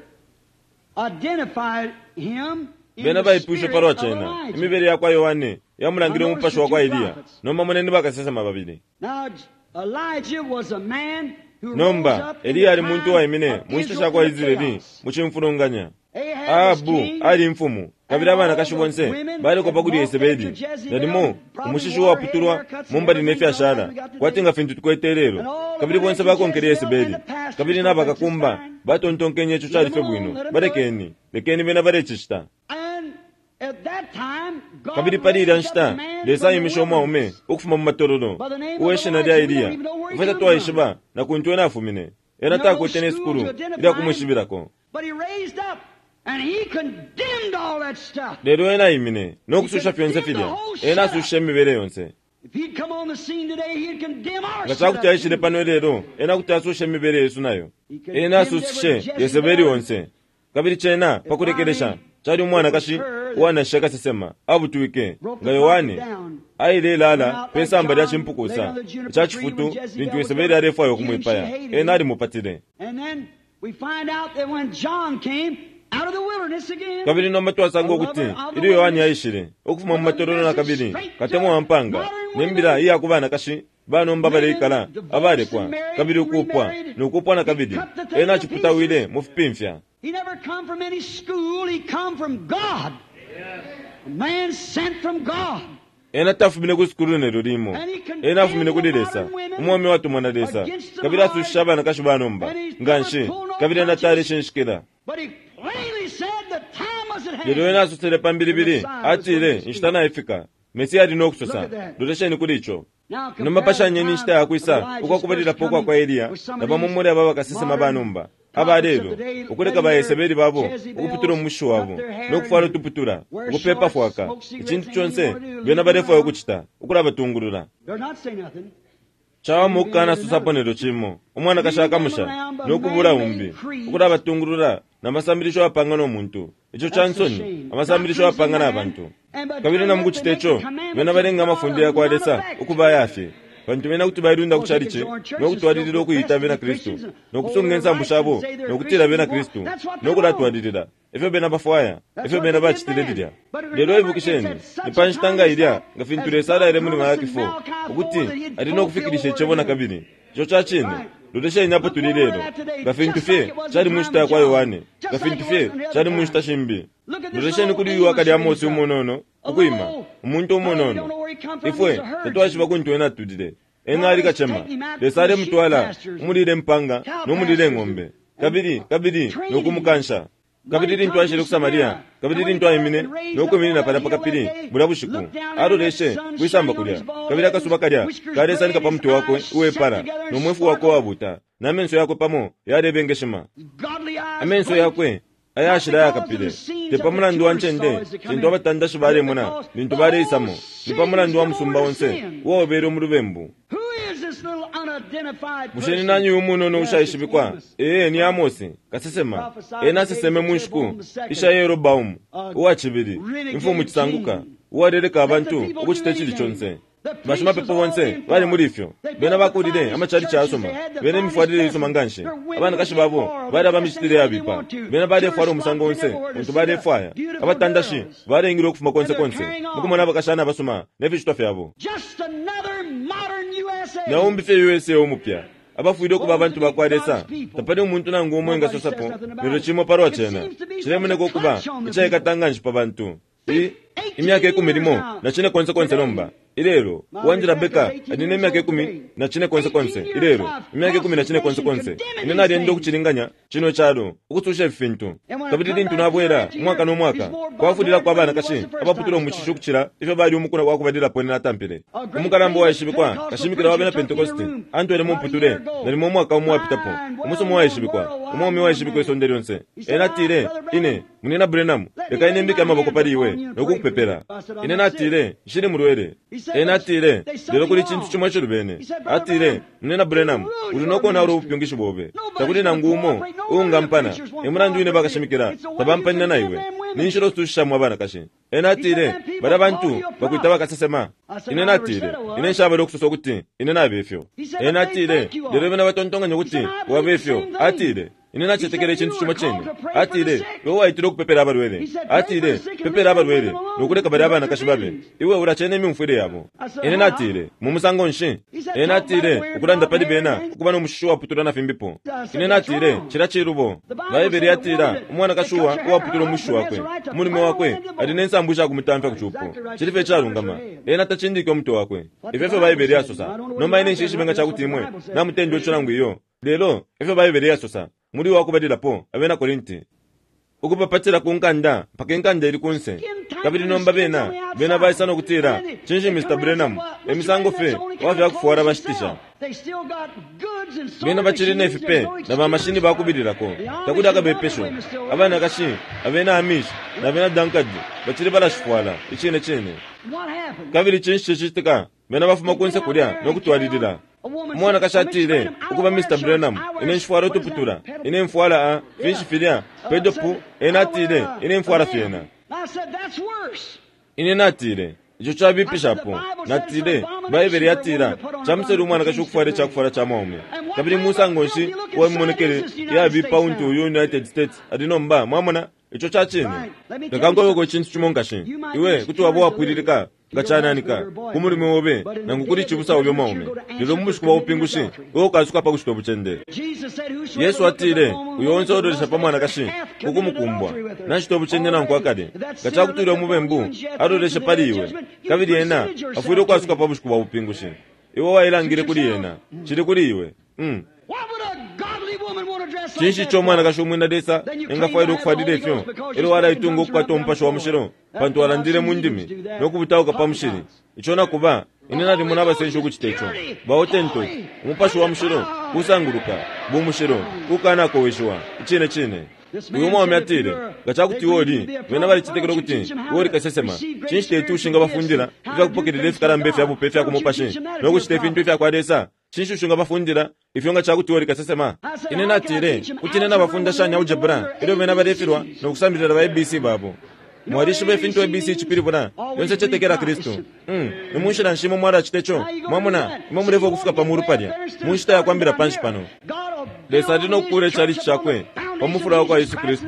Speaker 2: identified him in
Speaker 3: Bena
Speaker 2: the
Speaker 3: baipwishe
Speaker 2: spirit
Speaker 3: palwa
Speaker 2: of
Speaker 3: cena.
Speaker 2: Elijah.
Speaker 3: Imibele ya kwa Yohane yamulangile umupashi wa kwa Eliya. Nomba moneni bakasesema babili.
Speaker 2: Now, Elijah was a man who rose
Speaker 3: Nomba
Speaker 2: up in
Speaker 3: Eliya
Speaker 2: the
Speaker 3: ali muntu
Speaker 2: time
Speaker 3: uwaimine
Speaker 2: of
Speaker 3: mu nshita
Speaker 2: Israel
Speaker 3: sha kwa
Speaker 2: in the
Speaker 3: Israeli
Speaker 2: chaos.
Speaker 3: mu cimfulunganya.
Speaker 2: Ahab was
Speaker 3: Ahabu
Speaker 2: king,
Speaker 3: ali imfumu kabili abanakashi bonse balikopa kuli Yesebeli nalimo umushishi uwaputulwa mumbali ne fyashala kwati nga fintu tukwete lelo kabili bonse bakonkele Yesebeli kabili nabakakumba batontonkenye ico cali fye bwino balekeni lekeni bena balecicita.
Speaker 2: And at that time, God
Speaker 3: Kabili pali ilya
Speaker 2: raised up
Speaker 3: nshita
Speaker 2: a man
Speaker 3: Lesa
Speaker 2: from the
Speaker 3: aimishe umwaume
Speaker 2: wilderness.
Speaker 3: ukufuma mu matololo uwe shina lya Eliya. Ifwe tatwaishiba na kuntu ena afumine. Ena takwete ne sukulu ilya kumwishibilako.
Speaker 2: But he raised up and he condemned all that stuff.
Speaker 3: Lelo ena aimine no kususha fyonse filya. Ena asushishe imibele yonse.
Speaker 2: If he'd come on the scene today, he'd condemn our
Speaker 3: Nga cakuti
Speaker 2: setup.
Speaker 3: aishile pano lelo, ena kuti asushe imibele yesu nayo. Ena asushishe Yesebeli onse. Kabili cena pakulekelesha cali umwanakashi uwanashishe kasesema abutwike nga Yohane ailelala pe samba lya cimpukusa ica cifutu lintu Yesebeli alefwaya ukumwipaya. Ena alimupatile.
Speaker 2: And then we find out that when John came out of the wilderness again,
Speaker 3: Kabili nomba twasanga ukuti ilyo Yohane aishile ukufuma mu matololo na kabili katemwa wa mpanga ne mbila iya ku banakashi banomba baleikala abalekwa kabili ukupwa nokupwa na kabili ena aciputawile mu fipimfya.
Speaker 2: he never come from any school, he come from God. A man sent from God.
Speaker 3: Ena tafumine ku sukulu nelyo limo. Ena afumine kuli Lesa, umwaume watumwa na Lesa, kabili asushisha abanakashi banomba nganshi kabili ena taleshinshikila.
Speaker 2: But he plainly said the time was at
Speaker 3: Lelo ena
Speaker 2: hand.
Speaker 3: asosele pa mbilibili atile inshita naifika Mesiya ali no kusosa. Lolesheni kuli ico.
Speaker 2: Now
Speaker 3: Nomba
Speaker 2: compare the
Speaker 3: pashanyeni
Speaker 2: time
Speaker 3: inshita yakwisa
Speaker 2: of Elijah's
Speaker 3: ukwakubalilapo
Speaker 2: first
Speaker 3: ukwa kwa
Speaker 2: coming
Speaker 3: Eliya
Speaker 2: with some
Speaker 3: na
Speaker 2: of
Speaker 3: bamo
Speaker 2: these
Speaker 3: muli aba bakasesema
Speaker 2: modern
Speaker 3: banomba
Speaker 2: prophets
Speaker 3: aba
Speaker 2: of
Speaker 3: lelo
Speaker 2: the day,
Speaker 3: ukuleka ba
Speaker 2: letting
Speaker 3: Yesebeli babo
Speaker 2: their
Speaker 3: ukuputula umushi
Speaker 2: Jezebels
Speaker 3: wabo
Speaker 2: cut their hair
Speaker 3: no kufwala
Speaker 2: and
Speaker 3: utuputula
Speaker 2: wear
Speaker 3: ukupepa
Speaker 2: shorts,
Speaker 3: fwaka
Speaker 2: smoke cigarettes,
Speaker 3: icintu
Speaker 2: anything
Speaker 3: conse
Speaker 2: you wanna do,
Speaker 3: bena
Speaker 2: leave
Speaker 3: balefwaya
Speaker 2: them alone.
Speaker 3: ukucita ukulabatungulula.
Speaker 2: They're not saying nothing.
Speaker 3: Cawama ukukana susapo nelyo cimo umwanakashi akamusha nokubula umbi ukulabatungulula na masambilisho apanga no muntu ico ca nsoni amasambilisho apanga na bantu kabili na mukucita ico bena balenga amafundo ya kwa Lesa ukuba ayafye pantu bena kuti bailunda ku chalichi nokutwalilila ukuyita bena Kristu nokusunga insambu shabo nokutila bena Kristu nokulatwalilila ifyo bena bafwaya ifyo bena bacitile lilya. Lelo ibukisheni ni pa nshita nga ilya nga fintu Lesa alaile muli Malaki four ukuti ali nokufikilisha icebo na kabili ico ca cine. Lolesheni apo tuli lelo nga fintu fye cali mu nshita ya kwa Yohane nga fintu fye cali mu nshita shimbi. Lolesheni kuli uyu wakali Amosi umunono ukwima umuntu umunono. Ifwe tatwaishiba kuntu ena atulile. Ena ali kacema. Lesa alemutwala umulile mpanga nomulile ing'ombe kabili kabili nokumukansha. Kabili lintu aishile ku Samaria kabili lintu aimine nokwiminina palya pa kapili bulya bushiku aloleshe kwisamba kulya kabili akasuba kalya kalesanika pa mutwe wakwe uwepala no mwefu wakwe uwabuta na menso yakwe pamo yalebengeshima.
Speaker 2: Godly eyes,
Speaker 3: Amenso yakwe ayashila ayakapile te pa mulandu wa ncende lintu abatandashi balemona lintu baleisamo ni pa mulandu wa musumba onse uwaobele mu lubembu.
Speaker 2: Who is this little unidentified
Speaker 3: Bushe ni
Speaker 2: person?
Speaker 3: nani uyu munono
Speaker 2: Yes,
Speaker 3: ushaishibikwa?
Speaker 2: it's Amos.
Speaker 3: Ee ni Amosi kasesema. Ena aseseme mu nshiku isha Yerobaomu uwa cibili imfumu cisanguka uwaleleka abantu ukucita icili conse. Bashimapepo bonse bali muli ifyo. Bena bakulile amachalichi ayasuma bena imifwalile isuma nganshi. Abanakashi babo bali abamicitile yabipa bena balefwala umusango onse untu balefwaya. Abatandashi balengile ukufuma konse konse mukumona abakashana abasuma ne ficitwa fyabo.
Speaker 2: Just another modern U S A.
Speaker 3: Naumbi fye U S A umupya abafwile ukuba abantu bakwa Lesa tapali umuntu nangu umwe engasosapo lelo cimo palwa cena cilemoneka ukuba icaikata nganshi pa bantu. I imyaka ikumi limo na cine konse konse nomba Ilelo, uwandila Beka ali ne myaka ikumi na cine konse konse. Ilelo, imyaka ikumi na cine konse konse. Ine naliyenda ukucilinganya cino calo, ukususha ifintu. Kabili lintu nabwela umwaka no mwaka, kwafulila kwa banakashi abaputula umushishi ukucila ifyo bali umukula wa kubalilapo ine natampile. Umukalamba waishibikwa kashimikila wa bena Pentecost antwele mumputule nalimo umwaka umo wapitapo. Umusomo waishibikwa, umwaume waishibikwa isonde lyonse. Ena atile, ine munina Branham, leka ine mbike amaboko pali iwe nokukupepela. Ine natile, nshili mulwele. Ena atile, lelo kuli cintu chimwe chilubene. Atile, munina Branham, uli nokonaula ubupyungishi bobe. Takuli nangu umo uungampana, emulandu ine bakashimikila tabampanina na iwe. Ninshila osushishamo abanakashi. Ena atile, bali bantu bakwita bakasesema. Ine natile, ine nshabale okusosa okuti ine nabe ifyo. Ena atile, lelo bena batontonkanya ukuti wabe ifyo. Atile, ine nachetekele icintu chimo chine. Atile, iwe waitile okupepela abalwele. Atile, pepela abalwele nokuleka bali abanakashi babe. Iwe ulachena imyumfwile yabo. Ine natile, mu musango nshi? Ena atile, ukulanda pali bena ukuba n'omushishi waputula na fimbipo. Ine natile, chila chilubo. Baibele yatila, umwanakashi uwa uwaputula umushishi wakwe, umulume wakwe ali n'ensambu isha kumutamfya ku chupo. Chilife icalungama. Ena tachindike umutwe wakwe. Ifyo efyo Baibele yasosa. Nomba ine nshishibe nga chakuti imwe namutendwa ico nangu iyo. Lelo efyo Baibele yasosa. Muri wakubalilapo abena Korinti ukupapatila ku nkanda mpaka inkanda ili kunse. Kabili nomba bena bena baisa nokutila, cinshi Mister Branham, emisango fe wafya kufuwala bashitisha. Bena bachili nefipe na bamashini bakubililako. Takuli akabepesho. Abanakashi abena Amish na bena Dunkard bachili balashifuwala icine cine. Kabili cinshi cicitika, bena bafuma kunse kulya nokutwalilila. Umwanakashi atile, ukuba Mister Branham, ine nshifwala utuputula, ine mfwala a finshi filya pedopu. Ena atile, ine mfwala fyena. Ine natile, ico chabipishapo. Natile, Baibele yatila, chamusele umwanakashi ukufwala icakufwala cha mwaume. Kabili musango nshi uwamimonekele yabipa untu uyu United States ali nomba, mwamona ico cha cine. Leka nkobeko icintu cimo nkashi. Iwe kuti waba wapwililika nga chananika ku mulume obe nangu kuli chibusa obe mwaume. Lelo mu bushiku bwa bupingushi iwe ukasuka pa kushita obuchende. Yesu atile, uyo onse ololesha pa mwanakashi ukumukumbwa nashita obuchende nanku akale. Nga chakutwile omubembu aloleshe pali iwe, kabili ena afwile ukwasuka pa bushiku bwa bupingushi. Iwe wailangile kuli ena, chili kuli iwe. Mm. Cinshi ico umwanakashi umwina Lesa engafwaile ukufwalila ifyo? Elyo walaitunga ukukwata umupasho wa mushilo pantu walandile mu ndimi nokubutauka pa mushili. Ico nakuba ine nalimona abasenshi ukucita ico. Baotentoki, umupasho wa mushilo kusanguluka, bumushilo kukanakoweshiwa icine cine. Uyu mwaume atile, nga chakuti iwe uli, bena balicetekela ukuti iwe uli kasesema. Cinshi teti ushinga bafundila ifyakupokelela ifikalamba ifya bupe ifya kumupashi nokucita ifintu ifya kwa Lesa? Cinshi ushinga bafundila ifyo nga chakuti iwe uli kasesema? Ine natile, kuti ine nabafunda shani algebra ilyo bena balefilwa nokusambilila ba A B C babo. Mwalishiba ifintu A B C chipilibula, yonse chetekela Kristu. Mm, ni munshila nshimo mwalacita ico. Mwamona, imwe mulefa ukufika pa mulu palya, mu nshita ya kwambila panshi pano. Lesa ali nokukula icalichi chakwe pa mufula wa kwa Yesu Kristu.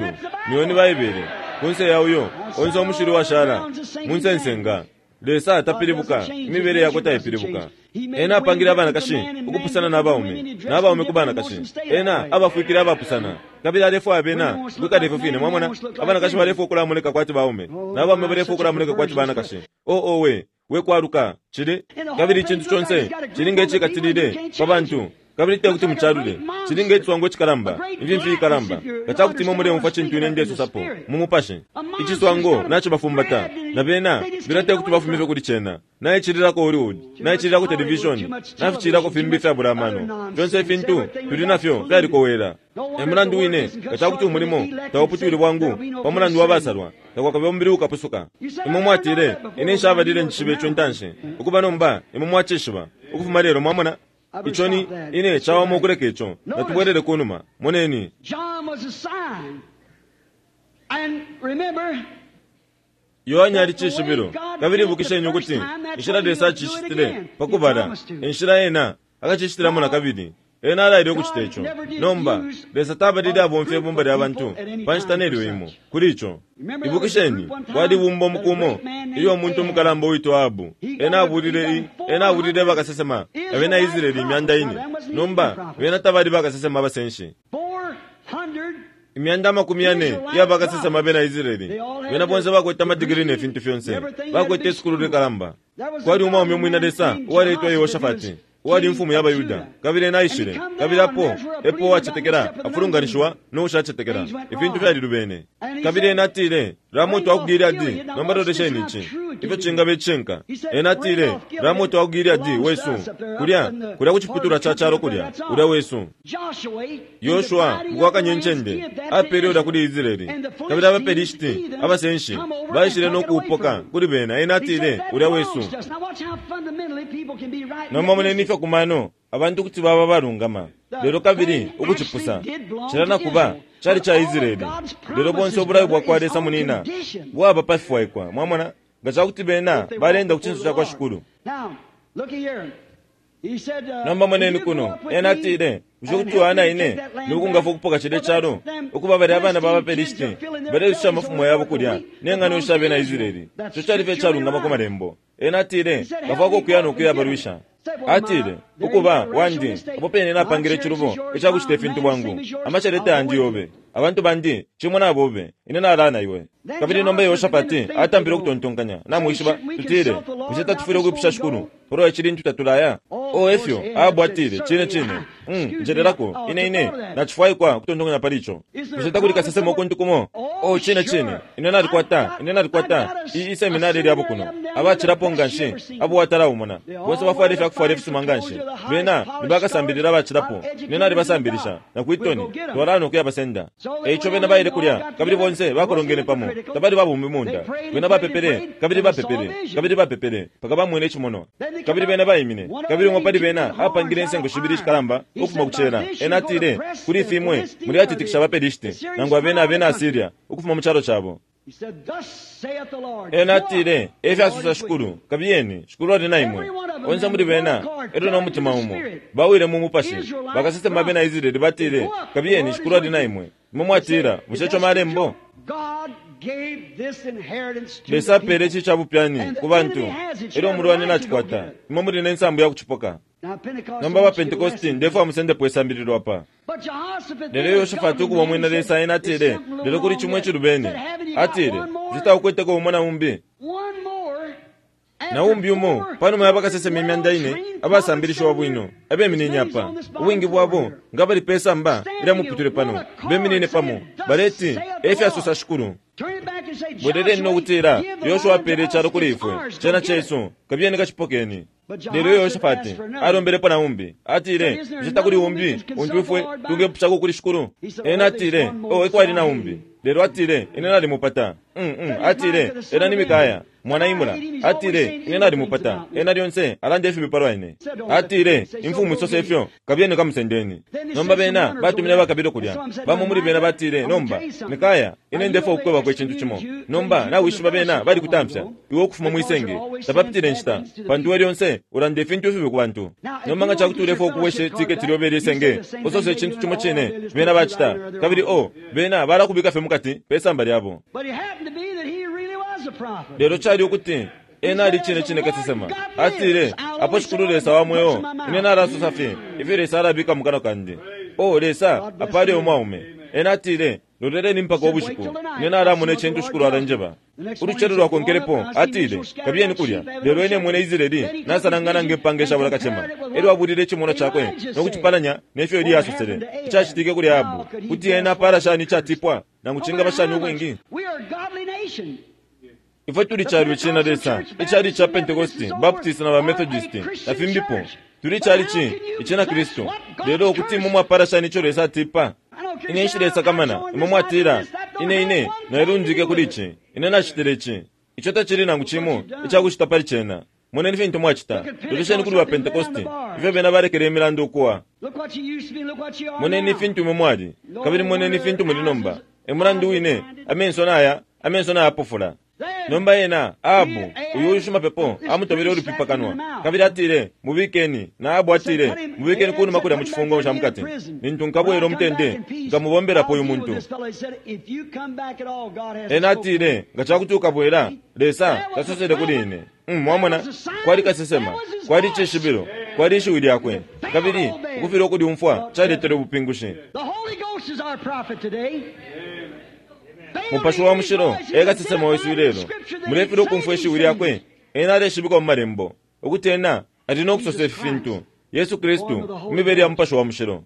Speaker 3: Niyo ni Baibele, kunse ya uyo onse omushili washala munsensenga. Lesa atapilibuka, imibele yakwe taipilibuka. Ena apangile abanakashi ukupusana n'abaume, n'abaume ku banakashi. Ena abafuikile abapusana. Kabili alefwaya bena kwikala ifyo fine, mwamona. Abanakashi balefwa ukulamuleka kwati baume, n'abaume balefwa ukulamuleka kwati banakashi. O o we, we kwaluka chili. Kabili icintu conse chilinga icikatilile pa bantu. Kabili tekuti mucalule, chilinga ichiswango chikalamba, imfimfi ikalamba. Nga chakuti imwe muleumfwa cintu ine ndesosapo mu mupashi. Ichiswango nachibafumbata, na bena bena tekuti bafume kuli chena. Naichililako Hollywood, naichililako television, nafichililako fimbi fyabula amano. Fyonse ifintu tuli nafyo fyalikowela. Emulandu wine nga chakuti umulimo tauputwile bwangu pa mulandu wa basalwa, takwakabe umubili ukapusuka. Imwe mwatile, ine nshabalile ncishibe ico ntanshi. Ukuba nomba imwe mwacishiba ukufuma lelo, mwamona. Ico ni ine chawama ukuleka ico. Natubwelele kunuma. Moneni.
Speaker 2: John was a sign. And remember,
Speaker 3: Yohane ali cishibilo. Kabili ibukisheni ukuti inshila Lesa acishitile pakubala, inshila ena akacishitilamo nakabili. Ena alaile ukucita ico. Nomba Lesa tabalile abomfya ibumba lya bantu pa nshita nelyo imo kuli ico. Ibukisheni kwali bumba umukumo ilyo umuntu umukalamba uitwa Ahabu. Ena abulile i ena abulile bakasesema abena Israeli imyanda ine. Nomba bena tabali bakasesema abasenshi.
Speaker 2: four hundred
Speaker 3: Imyanda amakumi yane iya bakasesema abena Israeli. Bena bonse bakwete amadigiri ne fintu fyonse. Bakwete isukulu likalamba. Kwali umwaume umwina Lesa uwaleitwa Yehoshafati, uwali imfumu ya baYuda, kabili ena aishile, kabili apo epo uwacetekela afulunganishiwa no ushacetekela. Ifintu fyalilubene. Kabili ena atile, Ramoto wa ku Gileadi, nomba lolesheni ici ifyo cingaba icishinka. Ena atile, Ramoto wa ku Gileadi wesu, kulya kulya ku ciputulwa ca calo kulya, ulya wesu. Yoshua mukwakanya incende apele ulya kuli Israeli, kabili abaPelishiti abasenshi baishile no kuupoka kuli bena. Ena atile, ulya wesu. Nomba moneni ifyo kumano abantu kuti baba balungama, lelo kabili ukucipusa cila na kuba cali ca Israeli. Lelo bonse ubulayo bwa kwa Lesa munina bwaba pafifwaikwa. Mwamona, nga cakuti bena balenda ku cinso ca kwa Shikulu. Nomba moneni kuno, ena atile, bushe kuti wana ine nokungafwa ukupoka cilya calo, ukuba balya abana ba baPelishiti balelusha amafumo yabo kulya ne ng'ano sha bena Israeli? Ico cali fye calungama ku malembo. Ena atile, bafwako ukuya no kuya balwisha. Atile, ukuba wandi apo pene napangile icilubo icakucita ifintu bwangu. Amaceleta yandi yobe, abantu bandi cimo nabobe, ine nalana iwe. Kabili nomba Yehoshafati atampile ukutontonkanya, namwishiba, tutile, bushe tatufwile ukwipusha Shikulu palwa ici lintu tatulaya? O efyo Ahabu atile, cine cine, mm, njelelako, ine ine nacifwaikwa ukutontonkanya pali ico. Bushe takuli kasesema ukuntu kumo? O cine cine, ine nalikwata, ine nalikwata iyi iseminari lyabo kuno, abacilapo nganshi abo watalaumona, bonse bafwala ifyakufwala ifisuma nganshi, bena nibakasambilila abacilapo, ine nalibasambilisha na kwitoni, twalana ukuya basenda. Eico bena baile kulya, kabili bonse bakolongene pamo, tabali babumbi munda. Bena bapepele, kabili bapepele, kabili bapepele, paka bamwene icimonwa. Kabili bena baimine, kabili umwe pali bena apangile insengo shibili ishikalamba ukufuma ku cela. Ena atile, kuli ifimwe muli atitikisha abaPelishiti nangu abena abena Asiria ukufuma mu calo cabo. Ena atile, efyasosa Shikulu, kabiyeni, Shikulu ali na imwe. Onse muli bena elyo no mutima umo bawile mu mupashi. Bakasesema abena Israeli batile, kabiyeni, Shikulu ali na imwe. Imwe mwatila, bushe ico malembo? Lesa apele ici ca bupyani ku bantu, elyo umulwani nacikwata. Imwe muli ne nsambu ya kucipoka. Nomba ba Pentecosti ndefwa musendepo isambililo apa. Lelo Yehoshafati ukuba umwina Lesa, ena atile, lelo kuli cimwe icilubene. Atile, zitaukweteko umo na umbi na umbi umo panuma ya bakasesema imyanda ine abasambilishiwa bwino abeminine apa, ubwingi bwabo nga bali pe samba ilya muputule pano, beminine pamo baleti, efyasosa Shikulu. Bweleleni nokutila, Yoshua apele icalo kuli ifwe, cena cesu, kabiyeni kacipokeni. Lelo Yehoshafati alombelepo na umbi, atile, bushe takuli umbi untu ifwe tungepushako kuli Shikulu? Ena atile, o ekwali na umbi. Lelo atile, ine nalimupata. Mm, mm, atile, ena ni Mikaya mwana Imula. Atile, ine nalimupata, ena lyonse alanda ifibi palwa ine. Atile, imfumu isose ifyo, kabiyeni kamusendeni. Nomba bena batumine abakabilo kulya. Bamo muli bena batile, nomba Mikaya, ine ndefwa ukukwebako icintu cimo. Nomba nawishiba bena bali kutamfya iwe ukufuma mwisenge, tapapitile inshita, pantu we lyonse ulanda ifintu ifibi ku bantu. Nomba nga cakuti ulefwa ukuweshe tiketi lyobe lyesenge, usose icintu cimo cine bena bacita, kabili o bena balakubika fye mukati pe samba lyabo. Lelo cali ukuti ena ali cine cine kasesema. Atile, apo Shikulu Lesa wa mweo, ine nalasosa fye ifyo Lesa alabika mu kanwa kandi. O Lesa apale umwaume. Ena atile, loleleni mpaka ubushiku, ine nalamona icintu Shikulu alanjeba. Ulucelo lwakonkelepo atile, kabiyeni kulya, lelo ine mwene Israeli nasalangana nge mpanga ishabula kacema. Elyo abulile icimonwa cakwe no kucipalanya nefyo Eliya asosele icacitike kuli Ahabu, kuti ena apala shani icatipwa, nangu cingaba shani ubwingi. Ifwe tuli calo icina Lesa, icali ca Pentecosti, Baptist na ba Methodist na fimbipo. Tuli cali ci icina Kristu. Lelo kuti imwe mwapala shani ico Lesa atipa? Ine nshilesakamana, imwe mwatila, ine ine nailundike kuli ici, ine nacitile ici. Ico tacili nangu cimo icakucita pali cena. Moneni fintu mwacita. Lolesheni kuli ba Pentecosti, ifyo bena balekele imilandu ukuwa. Moneni fintu imwe mwali, kabili moneni fintu muli nomba. Emulandu wine, amenso naya, amenso nayapofula. Nomba ena Ahabu uyu ushimapepo amutobele ulupipa kanwa, kabili atile, mubikeni. Na Ahabu atile, mubikeni kunuma kulya mu cifungo ca mukati, lintu nkabwela umutende nkamubombelapo uyu muntu. Ena atile, nga cakuti ukabwela, Lesa tasosele kuli ine. Mm, mwamona, kwali kasesema, kwali icishibilo, kwali ishiwi lyakwe, kabili ukufilwa ukulyumfwa caletele ubupingushi. Mupashi wa mushilo e kasesema wesu ilelo. Mulefilwa ukumfwa ishiwi lyakwe. Ena aleshibikwa mu malembo ukuti ena ali no kusosa ifi fintu, Yesu Kristu imibele ya Mupashi wa Mushilo.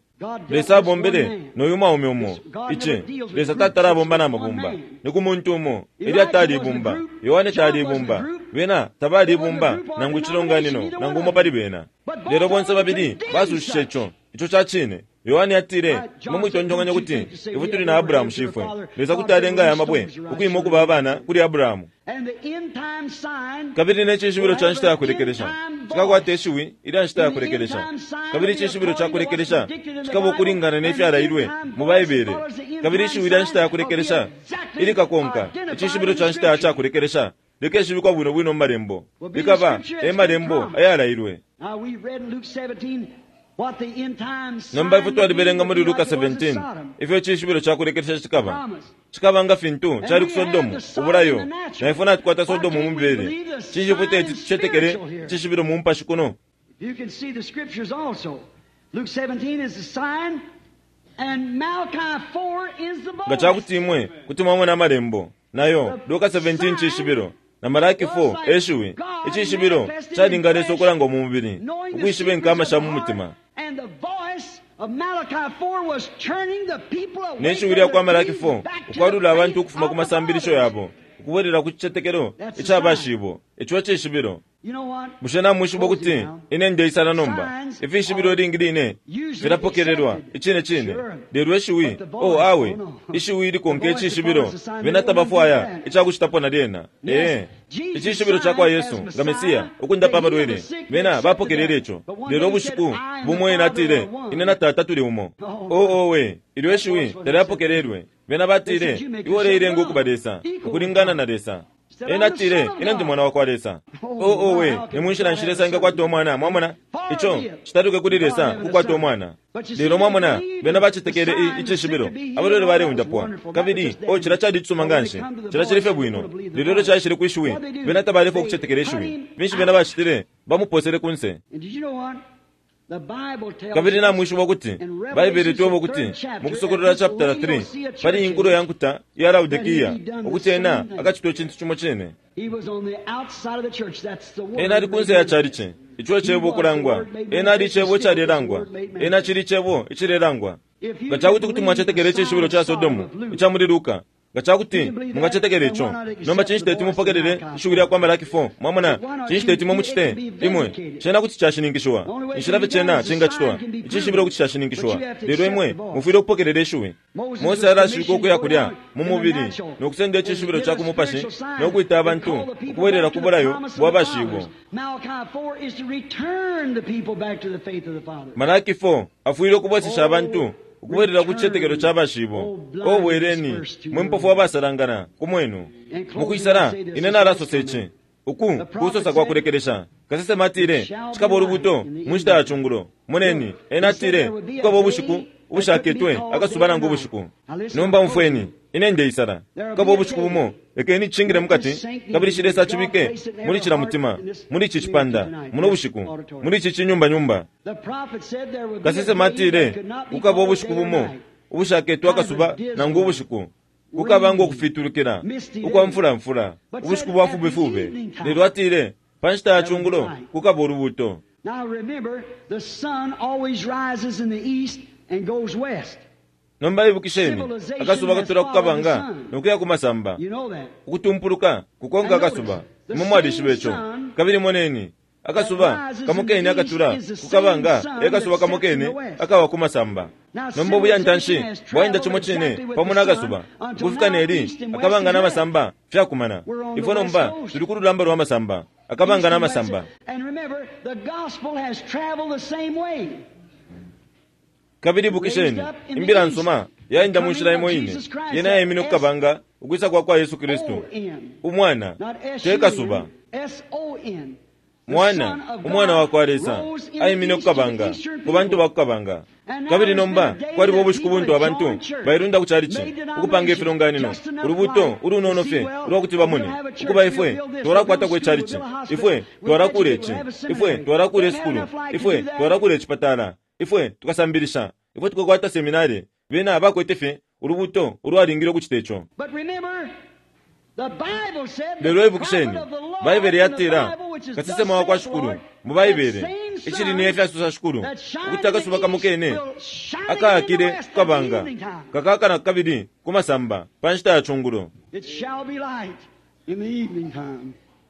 Speaker 3: Lesa abombele noyu mwaume umo. Ici Lesa tatala abomba na mabumba, ni ku muntu umo. Eliya tali ibumba, Yohane tali ibumba, bena tabali ibumba nangu icilonganino nangu umo pali bena. Lelo bonse babili basushishe ico. Ico ca cine. Yohane atile, imwe mwitontonkanya ukuti ifwe tuli na Abrahamu shifwe. Lesa kuti alenga aya mabwe ukwima ukuba abana kuli Abrahamu. Kabili ne cishibilo ca nshita ya kulekelesha cikakwata ishiwi ilya nshita ya kulekelesha. Kabili icishibilo ca kulekelesha cikaba ukulingana ne fyalailwe mu Baibele. Kabili ishiwi lya nshita ya kulekelesha ilikakonka icishibilo ca nshita ya kulekelesha likeshibikwa bwino bwino mu malembo, likaba e malembo ayalailwe. Nomba ifwe twalibelenga muli Luka seventeen ifyo icishibilo ca kulekelesha cikaba. Cikaba nga fintu cali ku Sodomu, ubulayo. Na ifwe natukwata Sodomu mu mibele. Cinshi ifwe teti tucetekele icishibilo mu mupashi kuno? Nga cakuti imwe kuti mwamona amalembo nayo, Luka seventeen cishibilo na Malaki four eshiwi. Icishibilo calinga Lesa ukulanga mu mubili, ukwishiba inkama sha mu mutima. Ne shiwi lya kwa Malaki four ukwalula abantu ukufuma ku masambilisho yabo ukubwelela ku cicetekelo ica bashibo. Ico cishibilo. Bushe namwishiba ukuti ine ndeisala nomba? Ifishibilo ilingi line filapokelelwa icine cine, lelo ishiwi, oh awe, ishiwi likonka icishibilo, bena tabafwaya icakucitapo na lyena. Ee, icishibilo ca kwa Yesu nga Mesiya ukundapa abalwele, bena bapokelele ico. Lelo ubushiku bumo ena atile, ine na Tata tuli umo. Oh owe, ilyo ishiwi talyapokelelwe. Bena batile, iwe uleilenga ukuba Lesa, ukulingana na Lesa. Ena atile, ine ndi mwana wa kwa Lesa. Oh owe, ni munshila nshi Lesa engakwata umwana? Mwamona? Ico citaluke kuli Lesa kukwata umwana. Lelo mwamona, bena bacetekele icishibilo, abalwele baleundapwa. Kabili oh, cila cali icisuma nganshi, cila cili fye bwino. Lelo ilyo caishile kwishiwi, bena tabalefwa ukucetekela ishiwi. Finshi bena bacitile? Bamuposele kunse. Kabili namwishiba ukuti Baibele itweba ukuti mu Kusokolola chapter three pali inkulo ya nkuta ya Laodikia ukuti ena akacitwa icintu cimo cine. Ena ali kunse ya chalichi, ico cebo ukulangwa. Ena ali icebo icalelangwa, ena cili icebo icilelangwa. Nga cakuti kuti mwacetekela icishibilo ca Sodomu ica muli Luka, nga cakuti mungacetekela ico, nomba cinshi teti mupokelele ishiwi lya kwa Malaki four? Mwamona, cinshi teti mwe mucite imwe? Cena kuti cashininkishiwa, inshila fye cena cingacitwa, icishibilo kuti cashininkishiwa, lelo imwe mufwile ukupokelela ishiwi. Mose alashika ukuya kulya mu mubili no kusenda icishibilo ca ku mupashi no kwita abantu ukubwelela ku bulayo bwa bashibo. Malaki four afwile ukubwesesha abantu ukubwelela ku cicetekelo ca bashibo. O bweleni mwe mpofu abasalangana ku mwenu. Mukwisala ine nalasosa ici, uku kusosa kwa kulekelesha. Kasesema atile cikaba ulubuto mu nshita ya cungulo. Moneni, ena atile kukaba ubushiku ubushaketwe akasuba nangu ubushiku. Nomba umfweni, ine ndeisala. Kukaba ubushiku bumo, lekeni cingile mukati, kabili shi Lesa acibike muli cila mutima, muli ici cipanda muno bushiku, muli ici cinyumbanyumba. Kasesema atile kukaba ubushiku bumo ubushaketwe akasuba nangu ubushiku, kukaba ngo kufitulukila ukwa mfulamfula, ubushiku bwa fubefube. Lelo atile pa nshita ya cungulo kukaba ulubuto. Nomba ibukisheni, akasuba katula kukabanga nokuya ku masamba, ukutumpuluka kukonka akasuba. Imwe mwalishiba ico. Kabili moneni, akasuba kamokene akatula kukabanga e kasuba kamokene akawa ku masamba. Nomba ubuyantanshi bwaenda cimo cine pamo n'akasuba ukufika neli akabanga n'amasamba fyakumana. Ifwe nomba tuli ku lulamba lwa masamba, akabanga n'amasamba. Kabili ibukisheni, imbila nsuma yaenda mu nshila imo ine, yena yaimine kukabanga ukwisa kwa kwa Yesu Kristu umwana, te kasuba. Mwana, umwana wa kwa Lesa aimine kukabanga ku bantu ba kukabanga. Kabili nomba kwaliba ubushiku buntu abantu bailunda ku chalichi ukupanga ifilonganino, ulubuto ulunono fye ulwakuti bamone ukuba ifwe twalakwatako ichalichi, ifwe twalakula ici, ifwe twalakula isukulu, ifwe twalakula icipatala, ifwe tukasambilisha, ifwe tukakwata seminari. Bena bakwete fye ulubuto ulwalingile ukucita ico. Lelo ibukisheni, Baibele yatila kasesema wa kwa Shukulu mu Baibele icili ni efyasosa Shukulu ukuti akasuba kamo kene akaakile kukabanga kakaakana kabili kumasamba pa nshita ya chungulo.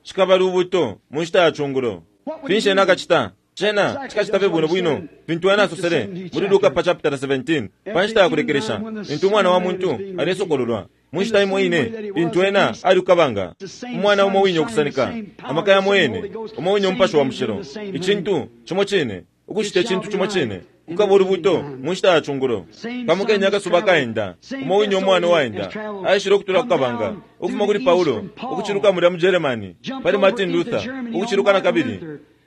Speaker 3: Cikaba lubuto mu nshita ya chungulo. Finshi ena akacita? Cena cikacita fye bwino bwino fintu ena asosele muli Luka pa chapter seventeen pa nshita ya kulekelesha lintu umwana wa muntu alesokololwa. Mu nshita imo ine lintu ena ali kukabanga, umwana umo wine ukusanika amaka yamo yene, umo wine umupashi wa mushilo, icintu cimo cine, ukucita icintu cimo cine, kukaba ulubuto mu nshita ya chungulo. Kamo kene akasuba kaenda, umo wine umwana waenda aishile ukutula kukabanga, ukufuma kuli Paulo ukuciluka mulya mu Germany pali Martin Luther, ukuciluka na kabili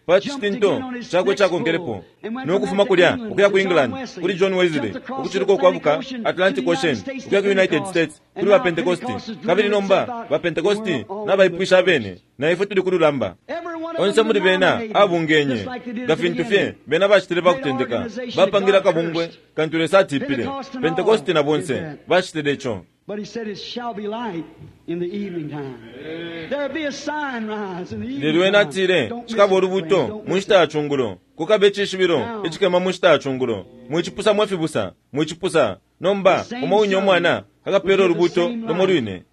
Speaker 3: pa citinto chakwe chakonkelepo, nokufuma kulya ukuya ku England kuli John Wesley, ukuciluka ukwabuka Atlantic Ocean ukuya ku United States kuli ba Pentecosti, kabili nomba ba Pentecosti nabaipwisha abene na ifwe tuli kululamba. Onse muli bena abungenye nga fintu fye bena bacitile bakutendeka, bapangila kabungwe kantu Lesa atipile. Pentecosti na bonse bacitile ico.
Speaker 2: But he said it shall be light in the evening time. There'll be a sign rise in the evening
Speaker 3: Lelo ena
Speaker 2: time.
Speaker 3: atile
Speaker 2: Don't miss
Speaker 3: cikaba
Speaker 2: it,
Speaker 3: ulubuto
Speaker 2: friend. Don't
Speaker 3: mu
Speaker 2: miss
Speaker 3: nshita
Speaker 2: it.
Speaker 3: ya chungulo, kukaba icishibilo icikema mu nshita ya chungulo. Mwicipusa mwe fibusa, mwicipusa. Nomba umo wine umwana akapela ulubuto lumo lwine.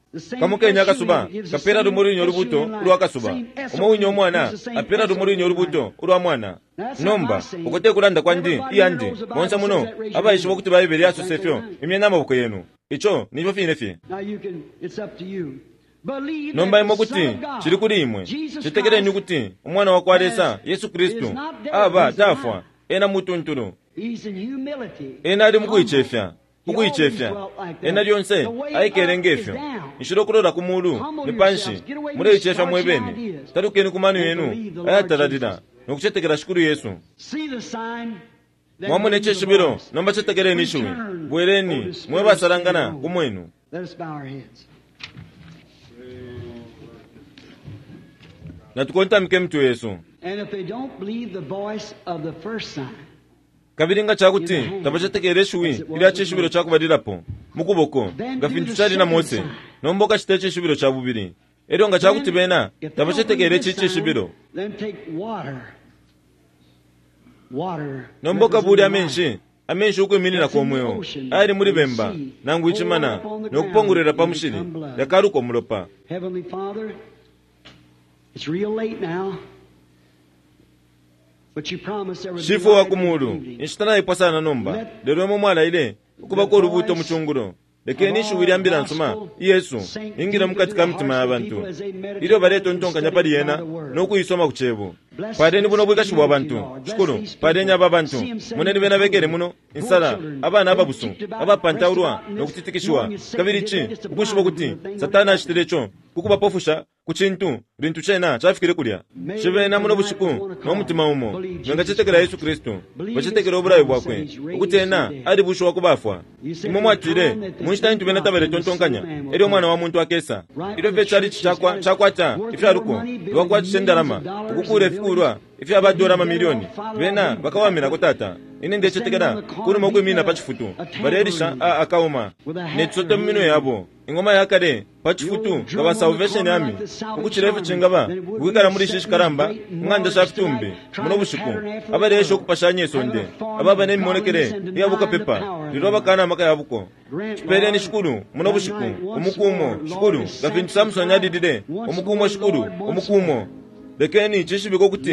Speaker 3: Kamo kene akasuba kapela lumo lwine ulubuto ulwa kasuba. Umo wine umwana apela lumo lwine ulubuto ulwa mwana. Nomba uko te kulanda kwandi iyandi bonse muno abaishiba ukuti Baibele yasose fyo, imyeni amaboko yenu. Ico nifyo fine fye.
Speaker 2: Now you can, it's up to you. Believe
Speaker 3: Nomba
Speaker 2: that
Speaker 3: imwe
Speaker 2: the Son
Speaker 3: kuti
Speaker 2: of God,
Speaker 3: cili kuli imwe,
Speaker 2: Jesus
Speaker 3: citekeleni
Speaker 2: Christ,
Speaker 3: ukuti umwana wa kwa Lesa Yesu Kristu aba tafwa, ena mutuntulu,
Speaker 2: He's in humility.
Speaker 3: ena ali mukuicefya,
Speaker 2: He
Speaker 3: ukuicefya.
Speaker 2: always dwelt like that.
Speaker 3: Ena lyonse
Speaker 2: The way
Speaker 3: aikele
Speaker 2: up
Speaker 3: ngefyo.
Speaker 2: is down.
Speaker 3: Inshila ukulola ku mulu
Speaker 2: Humble
Speaker 3: ni panshi.
Speaker 2: yourselves. Get away
Speaker 3: Muleicefya
Speaker 2: from
Speaker 3: mwe
Speaker 2: starching
Speaker 3: bene,
Speaker 2: ideas.
Speaker 3: talukeni ku mano
Speaker 2: And
Speaker 3: yenu
Speaker 2: believe the Lord
Speaker 3: ayatalalila
Speaker 2: Jesus.
Speaker 3: nokucetekela Shikulu Yesu.
Speaker 2: See the sign, then
Speaker 3: Mwamona
Speaker 2: believe the
Speaker 3: icishibilo,
Speaker 2: voice.
Speaker 3: nomba cetekeleni ishiwi.
Speaker 2: Return,
Speaker 3: Bweleni
Speaker 2: O the Spirit
Speaker 3: mwe basalangana
Speaker 2: of
Speaker 3: ku mwenu.
Speaker 2: Let us bow our heads.
Speaker 3: Natukontamike mitwe yesu.
Speaker 2: And if they don't believe the voice of the first sign,
Speaker 3: Kabili nga cakuti tabacetekele ishiwi ilya cishibilo ca kubalilapo mu kuboko nga fintu cali na Mose, nomba ukacita icishibilo ca bubili. Elyo nga cakuti bena
Speaker 2: if they don't
Speaker 3: tabacetekele
Speaker 2: believe
Speaker 3: ici
Speaker 2: this sign,
Speaker 3: cishibilo,
Speaker 2: then take water. Water
Speaker 3: nomba ukabule
Speaker 2: representing
Speaker 3: amenshi,
Speaker 2: life.
Speaker 3: amenshi ukwiminina kwa mweo ayali muli bemba nangu icimana, nokupongolwela pa mushili yakaluka umulopa.
Speaker 2: Heavenly Father, it's real late now, but you promised there would be
Speaker 3: Shifwe wa
Speaker 2: light
Speaker 3: ku
Speaker 2: in the
Speaker 3: mulu,
Speaker 2: evening.
Speaker 3: inshita naipwa sana nomba, lelo imwe mwalaile ukubako ulubuto mu chungulo. Lekeni ishiwi lya mbila nsuma Yesu ingile mukati ka mitima ya bantu ilyo baletontonkanya pali yena nokuisoma ku cebo. Paleni buno bwikashi bwa bantu Shikulu, paleni aba bantu moneni bena bekele muno insala, abana ababusu abapantaulwa nokutitikishiwa, kabili ici ukwishiba ukuti Satani acitile ico kukubapofusha ku cintu lintu cena cafikile kulya. Shibena muno bushiku no mutima umo bengacetekela Yesu Kristu, bacetekela ubulayo bwakwe ukuti ena alibushiwa ku bafwa. Imwe mwatile mu nshita intu bena tabaletontonkanya, elyo umwana wa muntu akesa. Ilyo fye cali cakwa cakwata ifyaluko lwakwatisha indalama ukukuula ifikulwa ifya badola amamilioni, bena bakawaminako tata. Ine ndecetekela kunuma ukwimina pa cifutu balelisha a akauma ne cisote mu minwe yabo, ingoma ya kale pa cifutu nga ba Salvation Army, ukucila ifyo cingaba ukwikala muli ishi shikalamba ing'anda sha fitumbi muno bushiku, abaleesha ukupashanya isonde, ababa n'emimonekele iya bukapepa, lelo abakana amaka ya buko. Cipeleni Shikulu muno bushiku umukumo Shikulu nga fintu Samson alilile umukumo Shikulu umukumo. Lekeni cishibike ukuti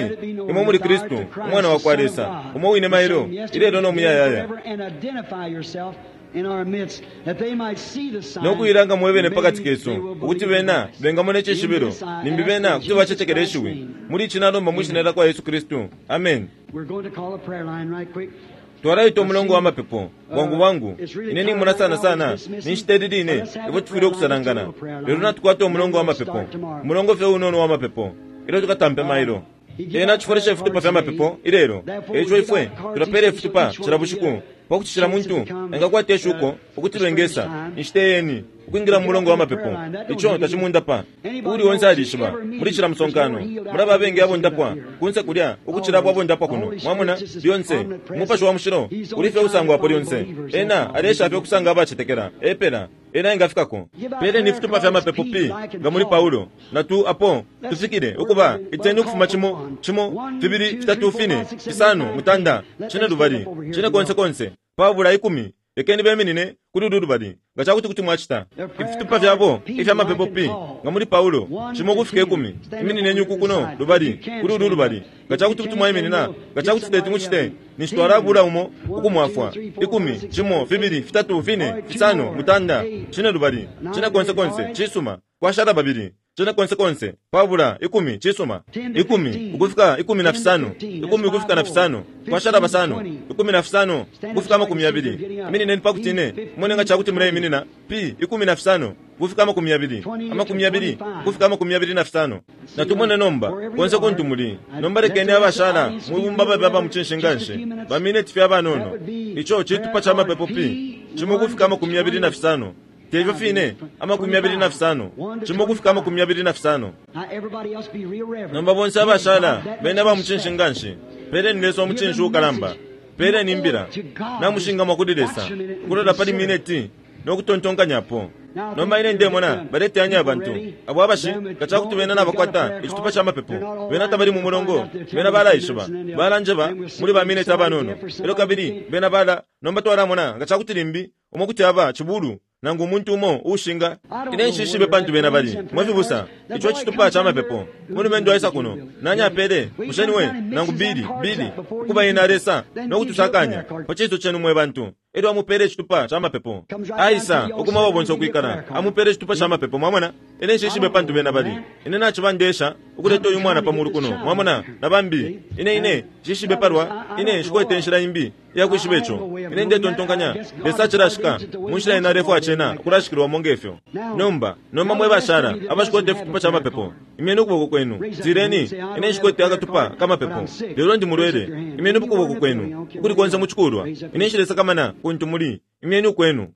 Speaker 3: imwe muli Kristu umwana wa kwa Lesa, umo wine mailo ilelo no muyayaya, nokuilanga mwebene pakati kesu ukuti bena bengamona icishibilo, nimbi bena kuti bacetekela ishiwi. Muli ici nalomba mwishina lya kwa Yesu Kristu, amen.
Speaker 2: We're going to call a prayer line right quick.
Speaker 3: Twalaita umulongo wa mapepo bwangu bwangu. Ine nimona sana sana ninshita ili line ifwe tufwile ukusalangana, lelo natukwata umulongo wa mapepo, umulongo fye unono wa mapepo ilyo tukatampe mailo. Ena cifolesha ifitupa fya mapepo ilelo, eico ifwe tulapela ifitupa cila bushiku pakuti cila muntu engakwata ishuko ukuti lwengesa inshita yeni ukwingila mu mulongo wa mapepo. Ico tacimundapa uuli onse alishiba muli cila musonkano mulaba abengi abondapwa kunse kulya ukucila abo abondapwa kuno. Mwamona lyonse umupashi wa mushilo uli fye usangwapo lyonse. Ena alesha fye ukusanga abacetekela epela. Ena engafikako. Peleni ifitupa fya mapepo P nga muli Paulo na tu apo tufikile ukuba iteni ukufuma cimo cimo fibili fitatu fine fisano mutanda cine lubali cine konse konse pabula ikumi. Lekeni beminine kuli ulu lubali nga cakuti kuti mwacita ifitupa fyabo ifya mapepo P nga muli Paulo cimo kufika ikumi. Iminineni uku kuno lubali kuli ulu lubali nga cakuti kuti mwaiminina nga cakuti teti mucite ninshi twalabula umo ukumwafwa. Ikumi cimo fibili fitatu fine fisano mutanda cine lubali cine konse konse cisuma kwashala babili cine konse konse pabula ikumi cisuma ikumi ukufika ikumi na fisano ikumi ukufika na fisano kwashala basano ikumi na fisano ukufika amakumi yabili. Iminineni pakuti ine mone nga cakuti muleiminina P ikumi na fisano kufika amakumi yabili amakumi yabili kufika amakumi yabili na fisano. Natumone nomba konse kuntu muli nomba. Lekeni abashala mwibumba babe aba mucinshi nganshi bamineti fye abanono. Ico citupa ca mapepo P cimo kufika amakumi yabili na fisano tevyo fine amakumi yabili na fisano cimo kufika amakumi yabili na fisano. Nomba bonse abashala bene aba mucinshi nganshi peleni Lesa omucinshi ukalamba peleni imbila namushingamwa kuli Lesa ukulola pali mineti nokutontonkanyapo. Nomba ine ndemona baleteyanya abantu abo abashi nga cakuti bena nabakwata icitupa ca mapepo bena tabali mu mulongo bena balaishiba balanjeba muli bamineti abanono elo kabili bena bala. Nomba twalamona nga cakuti limbi umo kuti aba cibulu nangu umuntu umo ushinga. Ine nshishibe pantu bena bali mwefibusa ico citupa ca mapepo mulumendo aisa kuno nani apele musheniwe nangu bili bili ukuba ena alesa nokutusakanya pa ciso cenu mwe bantu. Elyo amupele icitupa ca mapepo aisa ukuma wabonse okwikala amupele icitupa ca mapepo. Mwamona ine nshishibe pantu bena bali ine naciba ndesha ukuleta uyu mwana pamulu kuno mwamona na bambi ine ine nshishibe palwa ine nshikwete inshila imbi iyakwishiba ico. Ine ndetontonkanya Lesa acilashika munshila ina alefwaya cena ukulashikilwamo ngefyo. Nomba nomba mwe bashala abashikwete ifitupa ca mapepo imyeni ukuboko kwenu tireni ine nshikwete akatupa ka mapepo lelo ndi mulwele imyeni ukuboko kwenu ukuli konse mucikulwa ine nshilesakamana kuntu muli imyeni ukwenu.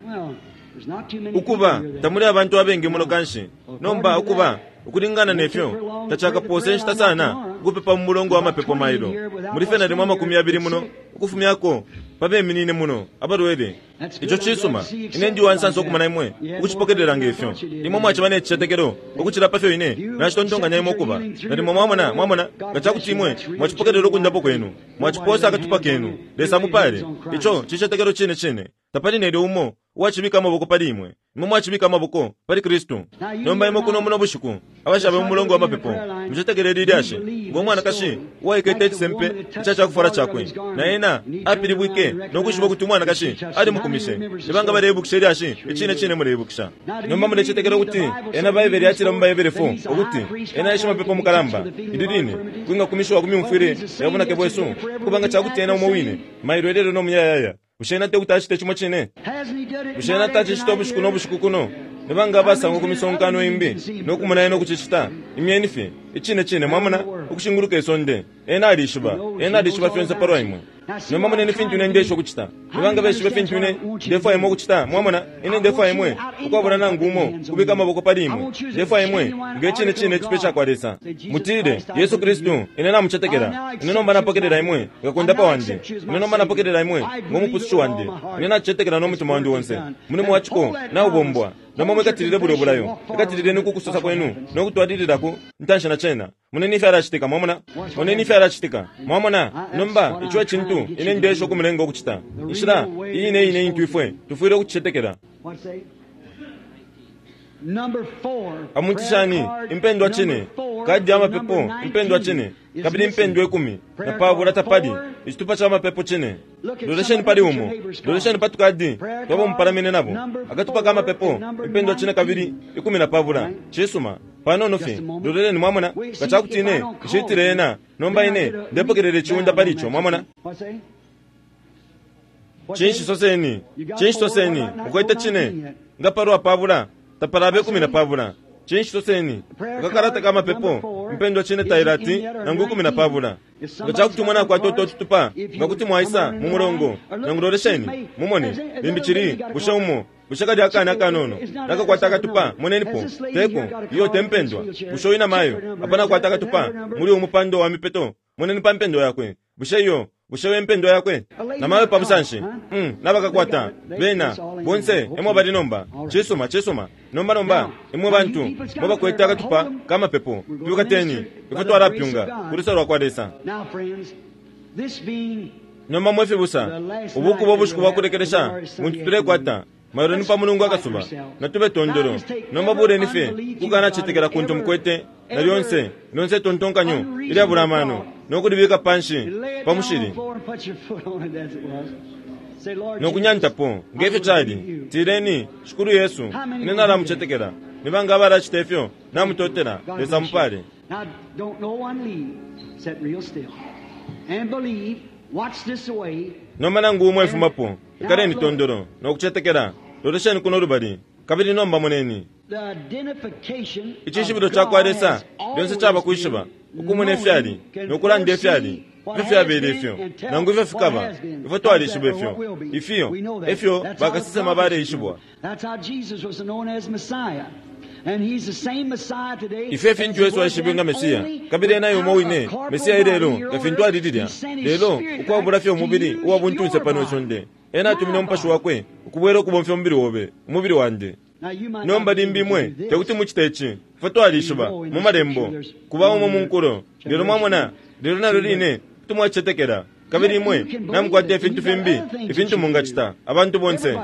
Speaker 3: Ukuba tamuli abantu abengi muno kanshi nomba ukuba ukulingana nefyo tacakapose nshita sana ukupepa mu mulongo wa mapepo mailo muli fye nalimo amakumi yabili muno ukufumyako pabeminine muno abalwele. Ico cisuma ine ndi wansansa okumana imwe ukucipokelela ngefyo imwe mwaciba ne cicetekelo ukucila pafyo ine nacitontonkanya imwe ukuba nalimo mwamona mwamona nga cakuti imwe mwacipokelela ukundapo kwenu mwaciposa akatupa kenu Lesa mupale. Ico cicetekelo cine cine tapali nelyo umo uwacibika amaboko pali imwe imwe mwacibika amaboko pali Kristu. Nomba imwe kuno muno bushiku abashabe mu mulongo wa mapepo mucetekelele ilyashi ngo mwanakashi uwaikete icisempe ica cakufwala cakwe na ena apilibwike nokwishiba ukuti umwanakashi alimukumishe. Nibanga baleibukisha ilyashi icine cine muleibukisha. Nomba mulecetekela ukuti ena Baibele yatila mu Baibele four ukuti ena e shimapepo mukalamba ili line kwingakumishiwa ku myumfwile ya bunake bwesu kubanga cakuti ena umo wine mailo elelo no muyayaya. Bushe ena tekuti acite cimo cine? Bushe ena tacicita ubushiku no bushiku kuno? Nibanga abasangwa ku misonkano imbi nokumona ena ukucicita imyeni fye icine cine mwamona ukushinguluka isonde. Ena alishiba ena alishiba fyonse palwa imwe. Nomba moneni fintu ine ndesha ukucita nibanga beshibe fintu ine ndefwaya imwe ukucita mwamona ine ndefwaya imwe ukwabula nangu umo kubika amaboko pali imwe ndefwaya imwe nge cine cine icipe cakwa Lesa. Mutile Yesu Kristu ine namucetekela ine nomba napokelela imwe nga kundapa wandi ine nomba napokelela imwe ngomupusushi wandi ine nacicetekela n'omutima wandi wonse mulimu waciko naubombwa. Nomba mwikatilile bulyo bulayo ikatilileni kukusosa kwenu nokutwalililako ntanshi na cena. Moneni ifyo alacitika mwamona moneni ifyo alacitika mwamona. Nomba ico ecintu ine ndesha ukumulenga ukucita inshila iyi ine ine intu ifwe tufwile ukucicetekela. Amutishani impendwa cine kadi ya mapepo impendwa cine kabili impendwa ikumi na pabula tapali icitupa ca mapepo cine. Lolesheni pali umo lolesheni patukadi twabo mupalamine nabo akatupa ka mapepo impendwa cine kabili ikumi na pabula cisuma panono fye loleleni mwamona nga cakuti ine nshitile ena nomba ine ndepokelela iciunda pali ico mwamona. Cinshi soseni cinshi soseni ukwete cine nga palwa pabula tapalabe ikumi na pabula. Cinshi soseni akakalata ka mapepo impendwa cine tailati nangu ikumi na pabula. Nga cakuti umwana akwata utotutupa nga kuti mwaisa mu mulongo nangu lolesheni mumone limbi cili bushe umo bushe kali akana akanono nakakwata akatupa monenipo teko iyo tempendwa bushe uyu namayo apana akwata akatupa muli umupando wa mipeto moneni pa mpendwa yakwe bushe iyo bushe wempendwa yakwe namayo pabusanshi mm, nabakakwata bena Bonse emwe bali nomba. Cisuma, cisuma. Nomba nomba imwe bantu mwe bakwete akatupa kamapepo, twikateni ifwe twalapyunga ku lusa lwa kwa Lesa.
Speaker 2: Now, friends, this being
Speaker 3: Nomba mwe fibusa, ubu kuba ubushiku bwa kulekelesha muntu tulekwata mailo ni pa Mulungu akasuba natube tondolo. Nomba buleni fye kukanacetekela kuntu mukwete na lyonse lyonse tontonkanyo ilyabula amano nokulibika panshi
Speaker 2: lay it
Speaker 3: pa
Speaker 2: down on
Speaker 3: mushili
Speaker 2: the floor and put your foot on it as it was. Say, Lord
Speaker 3: nokunyantapo ngefyo cali. Tileni, Shikulu Yesu, ine nalamucetekela. Nibanga abalacita ifyo namutotela.
Speaker 2: God
Speaker 3: Lesa
Speaker 2: bless you.
Speaker 3: mupale.
Speaker 2: Now, don't no one leave. Sit real still. And believe. Watch this away.
Speaker 3: Nomba nangu umwe efumapo, ikaleni tondolo nokucetekela. Lolesheni kuno lubali kabili nomba moneni.
Speaker 2: The identification
Speaker 3: Icishibilo
Speaker 2: of
Speaker 3: ca kwa
Speaker 2: God
Speaker 3: Lesa
Speaker 2: has
Speaker 3: lyonse caba
Speaker 2: always
Speaker 3: kwishiba
Speaker 2: been
Speaker 3: ukumona ifyali
Speaker 2: knowing, can
Speaker 3: nokulanda ifyali
Speaker 2: foresee what
Speaker 3: ifyo fyabele
Speaker 2: has
Speaker 3: ifyo
Speaker 2: been and tell
Speaker 3: nangu ifyo
Speaker 2: what
Speaker 3: fikaba.
Speaker 2: has been.
Speaker 3: Ifwe twalishiba
Speaker 2: Or
Speaker 3: ifyo
Speaker 2: what will be.
Speaker 3: ifyo
Speaker 2: We know that.
Speaker 3: efyo
Speaker 2: That's how the
Speaker 3: bakasesema
Speaker 2: prophets
Speaker 3: baleishibwa.
Speaker 2: were. That's how Jesus was known as Messiah. And he's the same Messiah today
Speaker 3: Ifyo
Speaker 2: as
Speaker 3: fintu
Speaker 2: he
Speaker 3: Yesu
Speaker 2: was
Speaker 3: aishibwe nga
Speaker 2: then,
Speaker 3: Mesiya
Speaker 2: only
Speaker 3: kabili ena yumo
Speaker 2: without
Speaker 3: wine
Speaker 2: a corporal
Speaker 3: Mesiya ilelo
Speaker 2: body here
Speaker 3: nga
Speaker 2: on
Speaker 3: fintu
Speaker 2: earth.
Speaker 3: alililya.
Speaker 2: He sent his
Speaker 3: Lelo
Speaker 2: spirit
Speaker 3: ukwabula
Speaker 2: back
Speaker 3: fye
Speaker 2: to
Speaker 3: umubili
Speaker 2: use
Speaker 3: uwa buntunse
Speaker 2: your
Speaker 3: pano
Speaker 2: body.
Speaker 3: isonde, ena atumine umupashi wakwe ukubwela ukubomfya umubili obe, umubili wandi.
Speaker 2: Now, you might
Speaker 3: Nomba
Speaker 2: not be
Speaker 3: limbi
Speaker 2: able to
Speaker 3: imwe
Speaker 2: do this.
Speaker 3: tekuti mucite ici. Ifwe twalishiba mu malembo kuba umo mu nkulo, lelo mwamona, lelo nalyo line kuti mwacetekela kabili imwe namukwata ifintu fimbi ifintu mungacita. Abantu bonse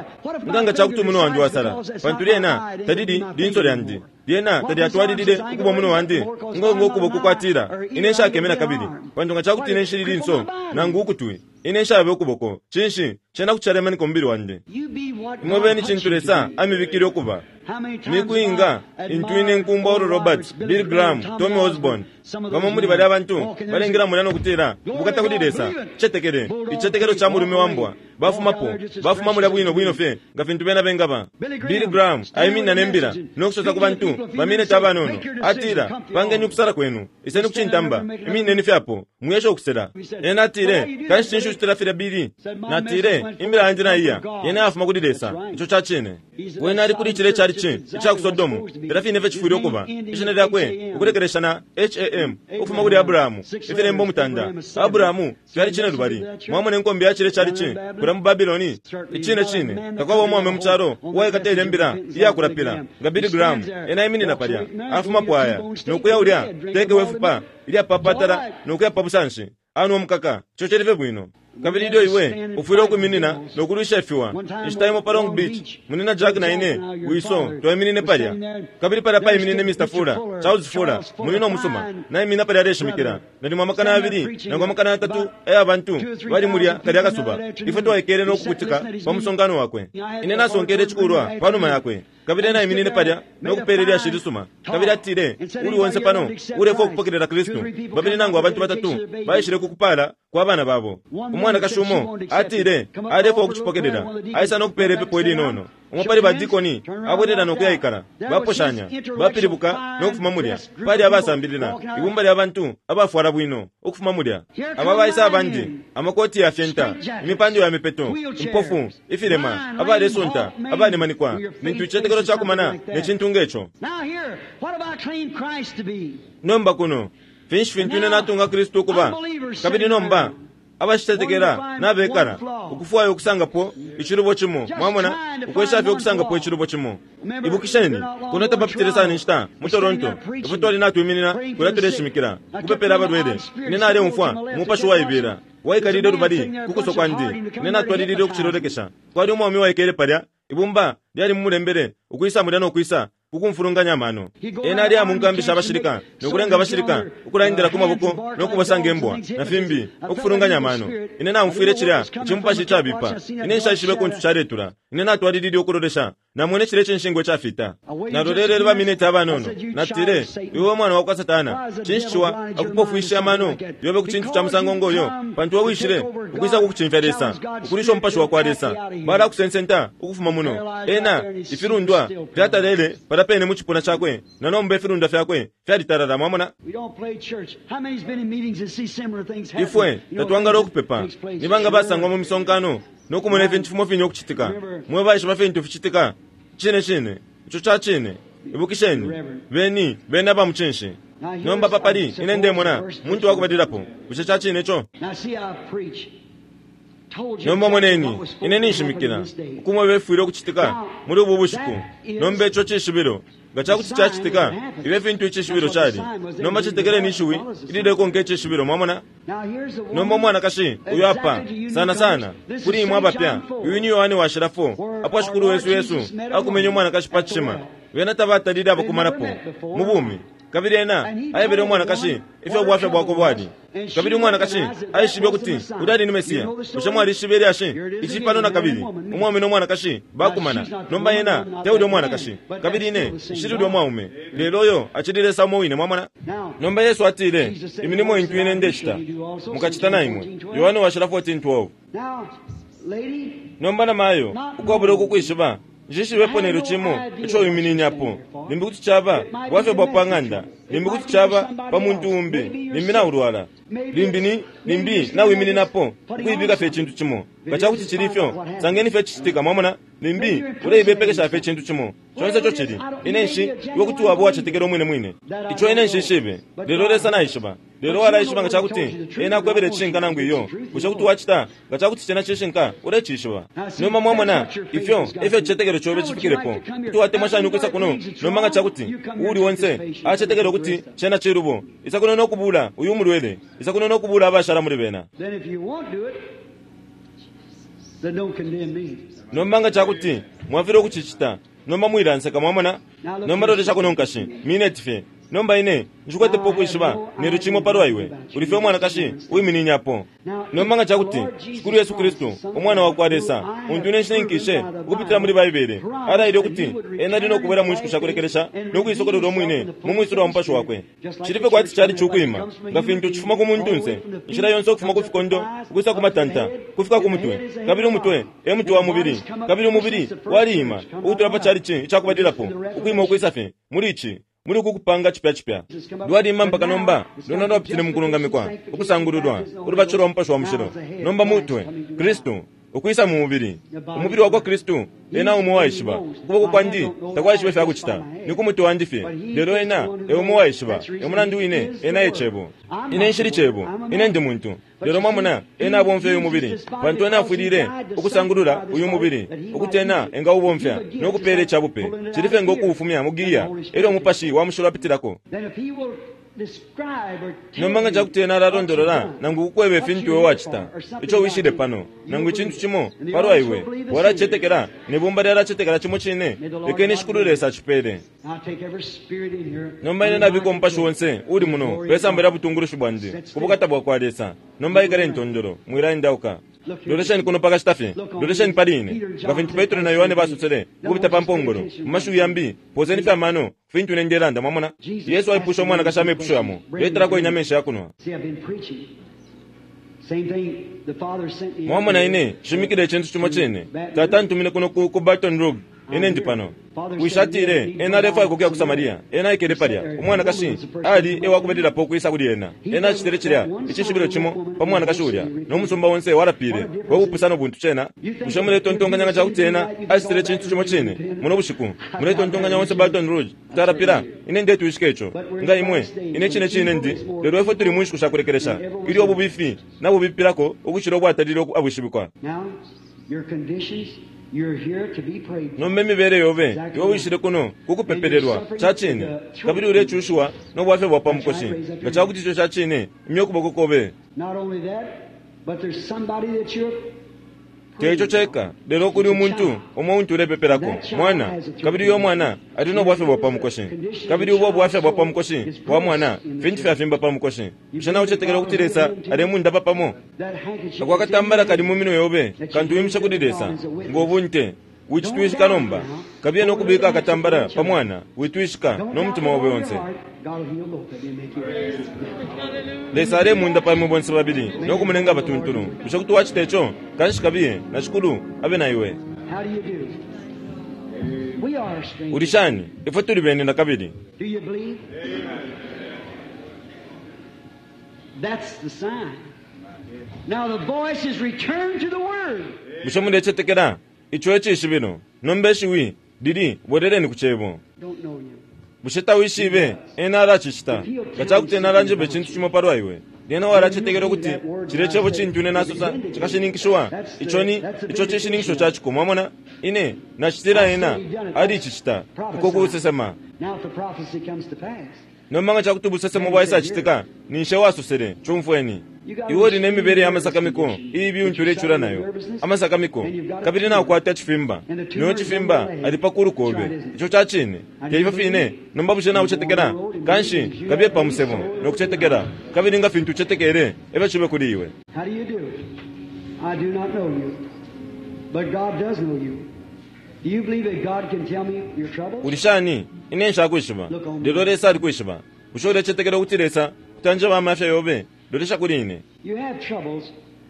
Speaker 3: nga nga cakuti umuno wandi wasala, pantu lyena talili linso lyandi, lyena talyatwalilile ukuba umuno wandi ngo ngo ukuboko kwatila ine nshakeme na kabili, pantu nga cakuti ine nshili linso nangu ukutwi, ine nshabe ukuboko, cinshi cena kuti calemanika umubili wandi.
Speaker 2: You be what
Speaker 3: Imwe
Speaker 2: God
Speaker 3: beni
Speaker 2: puts you
Speaker 3: cintu
Speaker 2: to
Speaker 3: Lesa
Speaker 2: be.
Speaker 3: amibikile ukuba.
Speaker 2: How many times
Speaker 3: Mikuinga
Speaker 2: I
Speaker 3: intu ine
Speaker 2: admired
Speaker 3: nkumba Oral
Speaker 2: Oral
Speaker 3: Roberts,
Speaker 2: Roberts, Billy
Speaker 3: Bill Graham,
Speaker 2: Graham, Tommy
Speaker 3: Tommy
Speaker 2: Osborne,
Speaker 3: Osborne,
Speaker 2: some of those
Speaker 3: bamo muli
Speaker 2: men
Speaker 3: balya bantu
Speaker 2: walking there
Speaker 3: balengela
Speaker 2: and
Speaker 3: mulya nokutila
Speaker 2: Glory
Speaker 3: ubukata
Speaker 2: to
Speaker 3: kuli
Speaker 2: God,
Speaker 3: Lesa
Speaker 2: believe it.
Speaker 3: cetekele
Speaker 2: Bulldog
Speaker 3: icitetekelo ca mulume
Speaker 2: walk
Speaker 3: wa mbwa
Speaker 2: away.
Speaker 3: bafumapo
Speaker 2: Walk out there just as
Speaker 3: bafuma mulya
Speaker 2: fresh as
Speaker 3: bwino
Speaker 2: they
Speaker 3: bwino
Speaker 2: can
Speaker 3: fye nga fintu bena bengaba.
Speaker 2: Billy Graham,
Speaker 3: Billy Graham
Speaker 2: stand
Speaker 3: aiminina
Speaker 2: with the
Speaker 3: ne mbila
Speaker 2: message and
Speaker 3: nokusosa ku
Speaker 2: speak to the
Speaker 3: bantu
Speaker 2: people a few
Speaker 3: baminete
Speaker 2: minutes, say,
Speaker 3: abanono
Speaker 2: "Make your decision,
Speaker 3: atila
Speaker 2: come to
Speaker 3: pangeni
Speaker 2: the
Speaker 3: ukusala kwenu iseni
Speaker 2: Stand
Speaker 3: kucintamba
Speaker 2: there and make
Speaker 3: imineni fyapo muyeshe ukusela. Ena atile kanshi cinshi ucitila filya Billy?
Speaker 2: Said, "My
Speaker 3: Natile
Speaker 2: message went
Speaker 3: imbila yandi
Speaker 2: forth
Speaker 3: naiya
Speaker 2: from God."
Speaker 3: yena yafuma kuli Lesa.
Speaker 2: That's right.
Speaker 3: Ico ca cine.
Speaker 2: He's in
Speaker 3: Wene
Speaker 2: that
Speaker 3: ali kuli cile cali ci
Speaker 2: Sodom church
Speaker 3: ica ku
Speaker 2: exactly
Speaker 3: Sodomu
Speaker 2: what's supposed to be.
Speaker 3: filya fine fye cifwile
Speaker 2: His
Speaker 3: ukuba
Speaker 2: name ending
Speaker 3: ishina
Speaker 2: in
Speaker 3: lyakwe
Speaker 2: H A M.
Speaker 3: ukulekelesha na H A M ukufuma kuli
Speaker 2: Abraham,
Speaker 3: Abrahamu
Speaker 2: six
Speaker 3: ifilembo
Speaker 2: letters,
Speaker 3: mutanda
Speaker 2: Abraham is seven.
Speaker 3: Abrahamu fyali cine lubali. Mwamona inkombe ya cile cali ci kulya mu Babiloni icine cine takwaba umwaume mu calo uwaikata ilya mbila iyakulapila nga Billy Graham. Ena aiminina palya afumapo aya nokuya ulya teke wefupa ilyapapatala nokuya pa busanshi anwa umukaka ico cali fye bwino. Kabili ilyo iwe ufwile ukwiminina nokulwisha ifiwa. Inshita imo pa Long Beach, munina Jack na ine wiso twaiminine palya kabili palya paiminine Mister Fuller, Charles Fuller, munina umusuma naiminina palya aleshimikila nalimo amakana yabili nangu amakana yatatu aya bantu bali mulya kalya kasuba. Ifwe twaikele nokukutika pa musonkano wakwe. Ine nasonkele icikulwa panuma yakwe kabili ena aiminine palya nokupela ilyashi lisuma kabili atile uli onse pano ulefwa ukupokelela Kristu. Babili nangu abantu batatu baishile kukupala kwa bana babo. Umwanakashi umo atile alefwa ukucipokelela aisa nokupela ipepo ilinono. Umo pali badikoni abwelela nokuyaikala baposhanya bapilibuka nokufuma mulya pali abasambilila ibumba lya bantu abafwala bwino ukufuma mulya. Aba baisa abandi amakoti ya fyenta imipando ya mipeto impofu ifilema abalesunta abalemanikwa nintu icitetekelo cakumana ne cintu ngeco.
Speaker 2: Now here, what have I claimed Christ to be?
Speaker 3: Nomba kuno finshi fintu ine natunga Kristu ukuba? Kabili nomba abashitetekela nabekala ukufwaya ukusangapo icilubo cimo. Mwamona ukwesha fye ukusangapo icilubo cimo. Ibukisheni kuno tapapitile sana inshita mu Toronto ifwe twali natwiminina kulya tuleshimikila kupepela abalwele. Ine naleumfwa umupashi waibela waikalile lubali kukuso kwandi. Ine natwalilile ukucilolekesha. Kwali umwaume waikele palya ibumba lyali mumulembele ukwisa mulya nokwisa kukumfulunganya amano. Ena ali amunkambisha abashilika nokulenga abashilika ukulandila ku maboko nokubasanga imbwa na fimbi ukufulunganya amano. Ine naumfwile cilya icimupashi icabipa. Ine nshaishibe kuntu caletula. Ine natwalilile ukulolesha namwene cilya icinshingwa icafita. Nalolelele baminete abanono natile iwe mwana wakwa Satana, cinshi ciwa akupofwisha amano yobe ku cintu ca musango ngoyo? Pantu we wishile ukwisa kukucimfya Lesa ukulisha umupashi wa kwa Lesa balakusensenta ukufuma muno. Ena ifilundwa fyatalele palya pene mu cipuna cakwe na nomba ifilundwa fyakwe fyalitalala. Mwamona
Speaker 2: We don't play church. How many's been in meetings and see similar things happen?
Speaker 3: ifwe
Speaker 2: You know,
Speaker 3: tatwangala
Speaker 2: things that
Speaker 3: ukupepa
Speaker 2: takes place.
Speaker 3: nibanga basangwa mu misonkano nokumona ifintu fimo fine ukucitika. Mwe baishiba fintu ficitika cine cine ico ca cine. Ibukisheni beni beni aba mucinshi. Nomba papali ine ndemona muntu wakubalilapo. Bushe ca cine ico?
Speaker 2: Now see, I preach.
Speaker 3: Nomba moneni, ine ninshimikila ukumweba ifwile ukucitika muli ubu bushiku. Nomba ico cishibilo nga cakuti cacitika, ibe fintu icishibilo cali. Nomba cetekeleni ishiwi ililekonka icishibilo, mwamona. Nomba umwanakashi uyu apa, sana sana kuli imwe abapya, uyu ni Yohane washila four, apo Shikulu wesu Yesu akumenye umwanakashi pa cishima. Bena tabatalile abakumanapo mu bumi. Kabili ena aebele umwanakashi ifyo bwafya bwakwe bwali. Kabili umwanakashi aishibe ukuti ulya ali ni Mesiya. Bushe mwalishibe ilyashi? Ici pano nakabili, umwaume no mwanakashi bakumana. Nomba ena te ulya umwanakashi, kabili ine nshili ulya umwaume, lelo uyo acili Lesa umo wine, mwamona. Nomba Yesu atile, imilimo intu ine ndecita mukacita na imwe. Yohane washila fourteen twelve. Nomba namayo, ukwabula ukukwishiba, nshishibepo nelyo cimo ico wimininapo. Limbi kuti caba bwafya bwa pa ng'anda, limbi kuti caba pa muntu umbi, limbi naulwala, limbi ni limbi nawimininapo ukuibika fye icintu cimo. Nga cakuti cili ifyo, sangeni fye cicitika, mwamona. Limbi uleibepekesha fye icintu cimo. Conse ico cili, ine nshi iwe kuti waba uwacetekela umwine mwine. Ico ine nshishibe, lelo Lesa naishiba. Lelo walaishiba nga cakuti ena akwebele icishinka nangu iyo. Bushe kuti wacita nga cakuti cena cishinka, ulecishiba. Nomba mwamona ifyo ifyo icicetekelo cobe cifikilepo. Kuti watemwa shani ukwisa kuno nomba nga cakuti uuli onse acetekela ukuti cena cilubo. Isa kuno no kubula uyu mulwele, isa kuno no kubula abashala muli bena. Nomba nga cakuti mwafilwa ukucicita, nomba mwilanseka, mwamona. Nomba lolesha kuno nkashi, mineti fye. Nomba ine nshikwetepo ukwishiba nelyo cimo palwa iwe, uli fye umwanakashi uwimininyapo. Nomba nga cakuti Shikulu Yesu Kristu, Umwana wa kwa Lesa, untu ine nshininkishe ukupitila muli Baibele, alaile ukuti ena ali no kubwela mu nshiku sha kulekelesha no kuisokolola umwine mu mwisulo wa Mupashi wakwe. Cili fye kwati cali cukwima, nga fintu cifuma ku muntunse, inshila yonse ukufuma ku fikondo ukwisa ku matanta, kufika ku mutwe. Kabili umutwe e mutwe wa mubili, kabili umubili waliima ukutula pa calici icakubalilapo, ukwima ukwisa fye muli ici, muli uku kupanga cipya cipya. Lwaliima mpaka nomba lwena lwapitile mu kulungamikwa, ukusangululwa, ulubatisho lwa Mupashi wa Mushilo. Nomba mutwe Kristu ukwisa mu mubili, umubili wakwa Kristu. Ena umo waishiba ukuboko kwandi takwaishiba ifya kucita, ni ku mutwe wandi fye, lelo ena e umo waishiba. E mulandu wine ena e Cebo. Ine nshili Cebo, ine ndi muntu. Lelo mwamona, ena abomfya uyu mubili, pantu ena afwilile ukusangulula uyu mubili, ukuti ena engaubomfya no kupeela icabupe. Cili fye ngo kuufumya mu giya, elyo Umupashi wa Mushilo apitilako. Nomba nga cakuti ena alalondolola nangu kukweba ifintu iwe wacita, ico wishile pano, nangu icintu cimo palwa iwe, walacetekela, ne bumba lyalacetekela cimo cine, lekeni Shikulu Lesa acipele. Nomba ine nabika umupashi onse uli muno pe samba lya butungulushi bwandi ku bukata bwa kwa Lesa. Nomba ikale ntondolo, mwilaendauka. Lolesheni kuno pakashita fye, lolesheni pali ine, nga fintu Petro na Yohane basosele ukupita pa mpongolo. Mu mashiwi yambi, poseni fye amano fintu ine ndelanda, mwamona. Yesu aipusha umwanakashi amepusho yamo, letelako ine amenshi ya kunwa. Mwamona, ine nshimikile icintu cimo cine. Tata antumine kuno ku, ku Baton Rouge, ine ndi pano. Wishi atile ena alefwaya ukuya ku Samaria. Ena aikele palya. Umwanakashi ali e wakubalilapo ukwisa kuli ena. Ena acitile cilya icishibilo cimo pa mwanakashi ulya, no musumba onse walapile. We bupusano buntu cena! Bushe muletontonkanya nga cakuti ena acitile icintu cimo cine muno bushiku? Muletontonkanya onse Baton Rouge kuti alapila? Ine ndetwishika ico. Nga imwe, ine cine cine ndi. Lelo ifwe tuli mu nshiku sha kulekelesha, ilyo ububifi nabubipilako ukucila ubwatalile abwishibikwa. Nomba imibele yobe, iwe wishile kuno ku kupepelelwa, ca cine, kabili ulecushiwa no bwafya bwa pa mukoshi. Nga cakuti ico ca cine, imya ukuboko kobe. Te ico ceka, lelo kuli umuntu umo untu ulepepelako, mwana, kabili uyo mwana ali no bwafya bwa pa mukoshi. Kabili ubo bwafya bwa pa mukoshi bwa mwana, fintu fyafimba pa mukoshi. Bushe naucetekela ukuti Lesa alemundapa pamo? Ako akatambala kali mu minwe yobe, kantu wimishe kuli Lesa ngo bunte. Wicitwishika nomba. Kabiye no kubika akatambala pa mwana, witwishika no mutima obe onse. Lesa alemunda imwe bonse babili no kumulenga abatuntulu. Bushe kuti wacita ico? Kanshi kabiye, na Shikulu abe na iwe. Uli shani? Ifwe tuli bene na kabili. Bushe mulecetekela? Ico e cishibilo. Nomba ishiwi lili bweleleni ku Cebo. Bushe tawishibe? Ena alacicita. Nga cakuti ena alanjeba icintu cimo palwa iwe, Lyena walacetekela ukuti cilye cebo cintu ine nasosa cikashininkishiwa. Ico ni ico cishininkisho ca ciko, mwamona. Ine nacitila ena alicicita uko kusesema.
Speaker 2: Now if the prophecy comes to pass,
Speaker 3: Nomba nga cakuti ubusesemo bwaisacitika, ninshi wasosele, cumfweni. Iwe uli ne mibele ya masakamiko iibi untu ulecula nayo, amasakamiko, kabili nakwata cifimba, niyo cifimba ali pa kulu kobe. Ico ca cine, te ifyo fine. Nomba bushe naucetekela? Kanshi kabiye pa musebo nokucetekela, kabili nga fintu ucetekele efyo cibe kuli iwe.
Speaker 2: how do you do? I do not know you, but God does know you. Do you believe that God can tell me your troubles?
Speaker 3: Uli shani? Ine nshakwishiba, lelo Lesa alikwishiba. Bushe ulecetekela ukuti Lesa kuti anjeba amafya yobe? Lolesha kuli ine.
Speaker 2: You have troubles,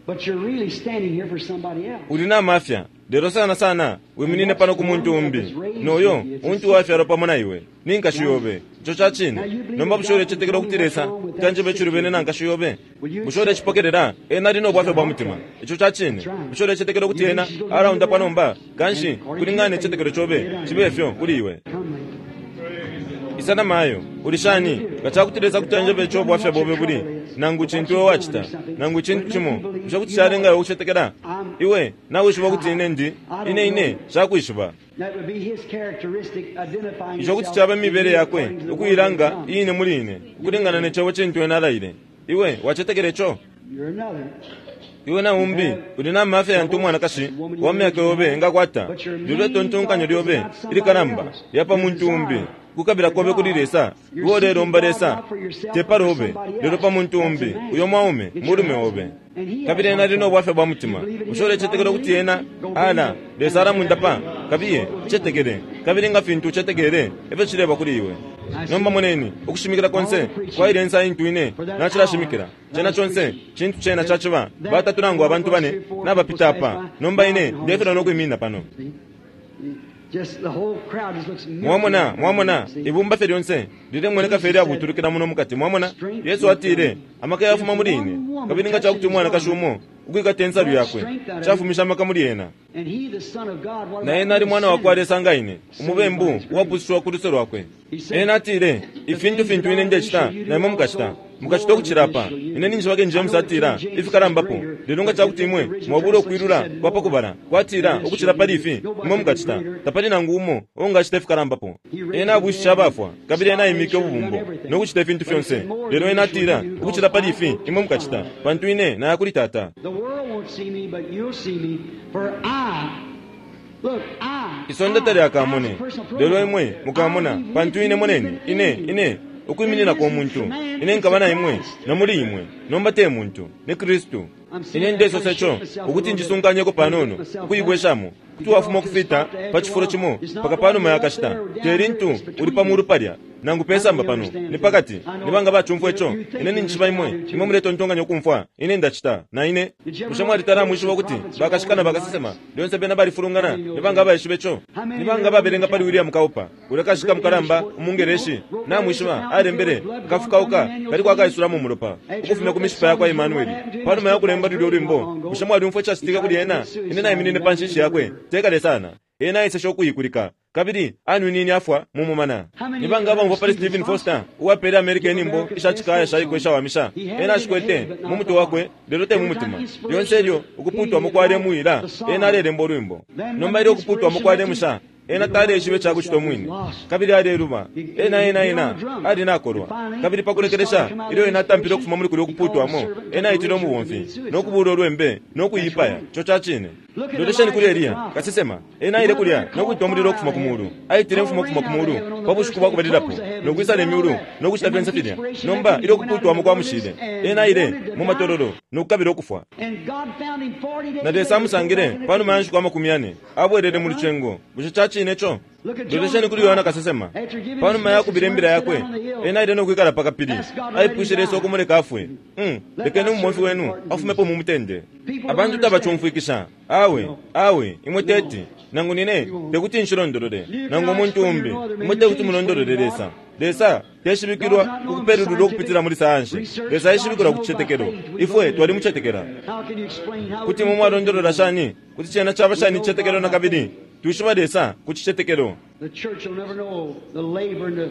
Speaker 2: but you're really standing here for somebody else.
Speaker 3: Uli na mafya, lelo sana sana wiminine pano ku muntu umbi, noyo untu wafyalwa pamo na iwe ni nkashi yobe. Ico ca cine. Nomba bushe ulecetekela ukuti Lesa kuti anjeba icilubene na nkashi yobe? Bushe ulecipokelela? Ena ali no bwafya bwa mutima. Ico ca cine. Bushe ulecetekela ukuti ena alaundapwa nomba? Kanshi kulingana ne cicetekelo cobe cibe fyo kuli iwe.
Speaker 2: Come, lady.
Speaker 3: Isa mayo, uli shani? Nga cakuti Lesa kuti anjeba ico bwafya bobe buli, nangu cintu iwe wacita, nangu cintu cimo, bushe kuti calenga iwe ukucetekela? Iwe nawishiba ukuti ine ndi, ine ine shakwishiba.
Speaker 2: That would be his characteristic identifying
Speaker 3: Ico kuti
Speaker 2: himself
Speaker 3: caba imibele yakwe
Speaker 2: according to the word
Speaker 3: ukuilanga
Speaker 2: of God.
Speaker 3: iine muli ine, ukulingana ne cebo cintu ena alaile. Iwe wacetekela ico?
Speaker 2: You're another.
Speaker 3: Iwe na umbi uli na mafya yantu umwanakashi wa myaka yobe engakwata, lelo itontonkanyo lyobe ilikalamba lyapa muntu umbi. Kukabila kobe kuli Lesa, iwe ulelomba Lesa te pali obe, lelo pa muntu umbi, uyo mwaume mulume obe. Kabili ena ali no bwafya bwa mutima. Bushe ulecetekela ukuti ena ala Lesa alamundapa? Kabiye cetekele, kabili nga fintu ucetekele efyo cileba kuli iwe. Nomba moneni ukushimikila konse kwaile nsa intu ine nacilashimikila cena conse cintu cena caciba batatu nangu abantu bane nabapita apa. Nomba ine ndefilwa nokwiminina pano.
Speaker 2: See? Just the whole crowd just looks milky.
Speaker 3: Mwamona, mwamona,
Speaker 2: See?
Speaker 3: ibumba fye lyonse lilemoneka fye lyabutulukila muno mukati. Mwamona, Yesu atile amaka yafuma muli ine, kabili nga cakuti umwanakashi umo ukwikata insalu yakwe cafumisha amaka muli ena.
Speaker 2: And he, the Son of God, what
Speaker 3: Na
Speaker 2: about
Speaker 3: ena ali
Speaker 2: the
Speaker 3: mwana wakwa
Speaker 2: sinner?
Speaker 3: Lesa nga ine, umubembu uwapusishwa ku luse lwakwe. Ena atile ifintu fintu ine ndecita na imwe mukacita, mukacita ukucila apa. Ine ninjibake James atila ifikalambapo, lelo nga cakuti imwe mwabula ukwilula kwa pakubala kwatila ukucila pali ifi imwe mukacita, tapali nangu umo ungacita ifikalambapo. Ena abwishisha abafwa, kabili ena aimike ububumbo no kucita ifintu fyonse, lelo ena atila ukucila pali ifi imwe mukacita, pantu ine naya kuli Tata.
Speaker 2: The world won't see me, but you'll see me, for I, look, I,
Speaker 3: Isonde
Speaker 2: I,
Speaker 3: talyakamone,
Speaker 2: as a personal
Speaker 3: lelo imwe mukamona,
Speaker 2: I'll be
Speaker 3: pantu
Speaker 2: with
Speaker 3: ine
Speaker 2: you
Speaker 3: moneni,
Speaker 2: even
Speaker 3: ine
Speaker 2: in you.
Speaker 3: ine ukuimininako umuntu, ine nkaba na imwe na muli imwe. Nomba te muntu, ni Kristu. Ine ndesosa ico ukuti njisunkanyeko panono ukuibweshamo, kuti wafuma ukufita pa cifulo cimo paka panuma ya kashita, te lintu uli pa mulu palya nangu pesamba pano, ni pakati. Ni banga bacumfwa ico? Ine ninjishiba imwe, imwe muletontonkanya ukumfwa ine ndacita na ine. Bushe mwalitala mwishiba ukuti bakashika na bakasesema lyonse bena balifulungana? Ni banga abaishiba ico? Ni banga babelenga pali William Cowper, ulya kashika mukalamba umungereshi? Namwishiba alembele kafukauka kali kwakaisulamo umulopa ukufumya ku mishipa yakwa Emmanueli panuma ya kulemba lulyo lwimbo. Bushe mwalyumfwa icacitika kuli ena? Ine naiminine pa nshishi yakwe tekale sana, ena aiseshe ukuyikulika kabili anwinini afwa mumumana. Ni banga abamva pali Stephen Foster uwapele America inyimbo ishacikaya shaiko ishawamisha? Ena ashikwete mu mutwe wakwe lelo te mu mutima. Lyonse ilyo ukuputwamo kwalemuwila, ena alelemba ulwimbo. Nomba ilyo ukuputwamo kwalemusha, ena taleishiba icakucita umwine, kabili aleluba. Ena ena ena ali nakolwa, kabili pakulekelesha ilyo ena atampile ukufuma muli kulya ukuputwamo, ena aitile umubomfi nokubula ulwembe nokuyipaya. Ico ca cine. Lolesheni kuli Eliya kasesema. Ena aile kulya nokwita umulilo ukufuma ku mulu, aitile imfumu ukufuma ku mulu pa bushiku bwa kubalilapo, nokwisala imyulu nokucita fyonse filya. Nomba ilyo ukuputwamo kwamushile, ena aile mu matololo nokukabila ukufwa.
Speaker 2: And God found him forty days
Speaker 3: Na Lesa amusangile panuma ya nshiku amakumi yane abwelele mu lucengo. Bushe ca cine ico? Lolesheni kuli Yohana kasesema. Panuma ya kubila imbila yakwe, ena aile nokwikala pa kapili, aipwishe Lesa ukumuleka afwe. Mm, lekeni umubomfi wenu afumepo mu mutende. Abantu tabacumfwikisha. Awe, awe, imwe teti nangu nine tekuti nshilondolole, nangu umuntu umbi, imwe tekuti mulondolole Lesa. Lesa teshibikilwa kukupelulula ukupitila muli sayansi. Lesa aishibikilwa ku cicetekelo. Ifwe twalimucetekela.
Speaker 2: How can you explain how
Speaker 3: Kuti mwe mwalondolola shani kuti cena caba shani icicetekelo na kabili? Twishiba Lesa ku cicetekelo.
Speaker 2: The church will never know the labor and the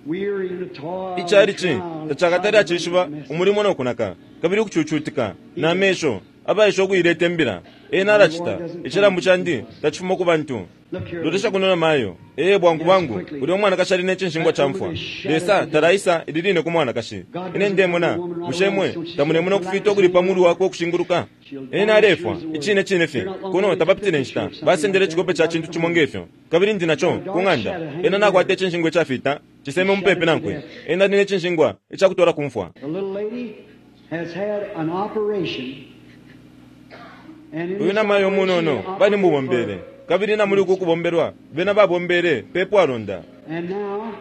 Speaker 2: Weary in the toil and
Speaker 3: Icalici
Speaker 2: trial,
Speaker 3: tacakatali acishiba umulimo no kunaka kabili ukucucutika na mesho abaisha ukuileta imbila. Ena alacita icilambu candi tacifuma ku bantu. Lolesha kuno na mayo ee bwangu bwangu ulya umwanakashi ali ne cinshingwa ca mfwa. Lesa talaisa ili line ku mwanakashi. Ine ndemona bushe mwe tamulemona ukufita ukuli pa mulu wakwe ukushinguluka. Ena alefwa icine cine fye kuno tapapitile nshita basendele icikope ca cintu cimo ngefyo kabili ndi naco ku ng'anda. Ena nakwata icinshingwa icafita ciseme mupepi nankwe. Ena ali ne cinshingwa icakutwala ku mfwa.
Speaker 2: The little lady has had an operation. And in
Speaker 3: Uyu
Speaker 2: this
Speaker 3: namayo
Speaker 2: operation,
Speaker 3: munono
Speaker 2: they
Speaker 3: bali mubombele
Speaker 2: operated
Speaker 3: kabili namuli uku kubombelwa bena babombele pepwalonda.
Speaker 2: for- And now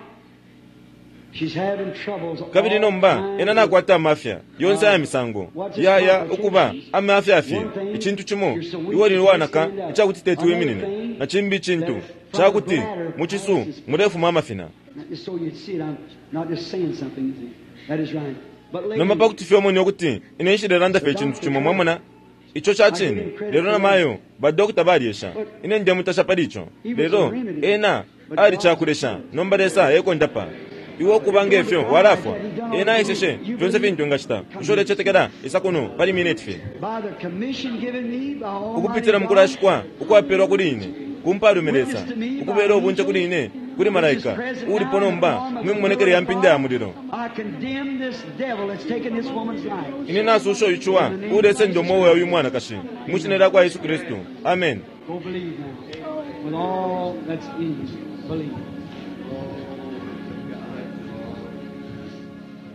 Speaker 2: she's having troubles
Speaker 3: Kabili
Speaker 2: all
Speaker 3: nomba
Speaker 2: kinds
Speaker 3: ena
Speaker 2: of-
Speaker 3: nakwata amafya yonse aya misango yaya ukuba amafya fye icintu cimo iwe lili wanaka icakuti teti wiminine na cimbi icintu cakuti mucisu mulefuma amafina.
Speaker 2: Just so you'd see it, I'm not just saying something. That is right. But lady,
Speaker 3: Nomba pakuti fye omone ukuti ine nshilelanda fye icintu cimo mwamona ico ca cine. Lelo namayo badokota balyesha ine ndemutasha pali ico lelo ena ali cakulesha nomba Lesa ekondapa iwe ukuba ngefyo walafwa. Ena aiseshe fyonse fintu engacita usho ulecetekela isa kuno pali mineti fye
Speaker 2: by the commission given me by Almighty
Speaker 3: ukupitila
Speaker 2: God,
Speaker 3: mukulashikwa ukwapelwa kuli ine kumpalume Lesa ukubela ubunte kuli ine kuli malaika ulipo nomba mwimumonekele ya mpinda ya mulilo.
Speaker 2: I condemn this devil that's taken this woman's life.
Speaker 3: Ine nasusha uyu ulesenda umwoyo uyu mwanakashi mwishina lya kwa Yesu Kristu, amen.
Speaker 2: Go believe now. With all that's in you. Believe.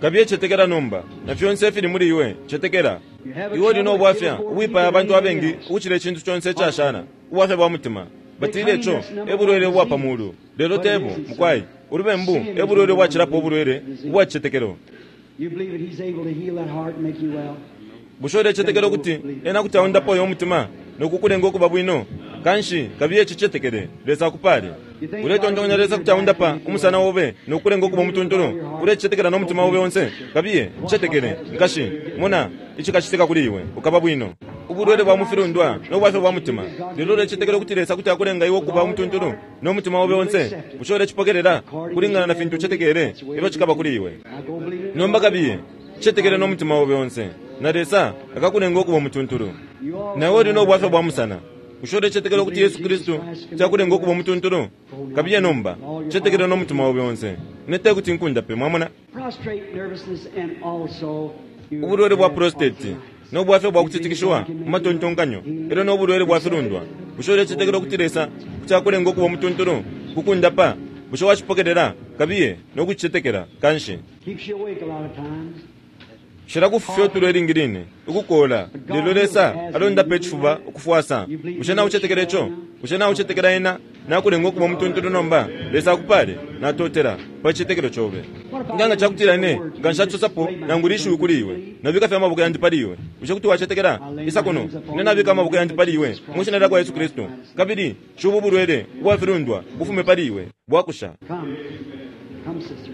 Speaker 3: Kabiye cetekela nomba na fyonse ifili muli iwe cetekela. Iwe uli no bwafya ubwipaya abantu abengi ukucila icintu conse icashala ubwafya bwa mutima. Batile ico ebulwele ubwa pa mulu lelo tebo mukwai ulubembu ebulwele ubwacilapo ubulwele ubwa cicetekelo.
Speaker 2: You believe that he's able to heal that heart and make you well.
Speaker 3: Bushe ulecetekela ukuti ena kuti aundapo uyo mutima nokukulenga ukuba bwino? Kanshi kabiye cicetekele Lesa akupale. Uletontonya Lesa kuti aundapa umusana obe nokukulenga ukuba umutuntulu. Ulecetekela no mutima obe onse kabiye cicetekele nkashi mona icikacitika kuli iwe ukaba bwino. Ubulwele bwa mufilundwa no bwafya bwa mutima lelo ulecetekela ukuti Lesa kuti akulenga iwe ukuba umutuntulu no mutima obe onse. Bushe ulecipokelela kulingana na fintu ucetekele ilyo cikaba kuli iwe?
Speaker 2: Now go believe it.
Speaker 3: Nomba kabiye cicetekele no mutima obe onse na Lesa akakulenga ukuba umutuntulu. Nawe uli no bwafya bwa musana. Bushe ulecetekela ukuti Yesu Kristu cakulenga ukuba umutuntulu? Kabiye nomba cicetekele no mutima obe onse. Ine tekuti nkundape mwamona.
Speaker 2: Prostrate nervousness and also you
Speaker 3: Ubulwele bwa
Speaker 2: have
Speaker 3: prostate
Speaker 2: arthritis.
Speaker 3: no bwafya bwa kutitikishiwa mu matontonkanyo elyo no bulwele bwa filundwa. Bushe ulecetekela ukuti Lesa kuti akulenga ukuba umutuntulu kukundapa? Bushe wacipokelela? Kabiye no kucicetekela kanshi.
Speaker 2: Keeps you awake a lot of times.
Speaker 3: Shilakufufya utulo ilingi line ukukola lelo Lesa alondapa icifuba ukufwasa. Bushe naucetekela ico? Bushe naucetekela ena nakulenga ukuba umutuntulu nomba? Lesa akupale natotela pa cicetekelo cobe. Nganga cakutila ine nga nshacosapo nangu lishiwi kuli iwe nabika fye amaboko yandi pali iwe. Bushe kuti wacetekela? Isa kuno ine nabika amaboko yandi pali iwe mwishina lya kwa Yesu Kristu kabili shubu bulwele ubwa filundwa bufume pali iwe bwakusha.
Speaker 2: Come. Come, sister.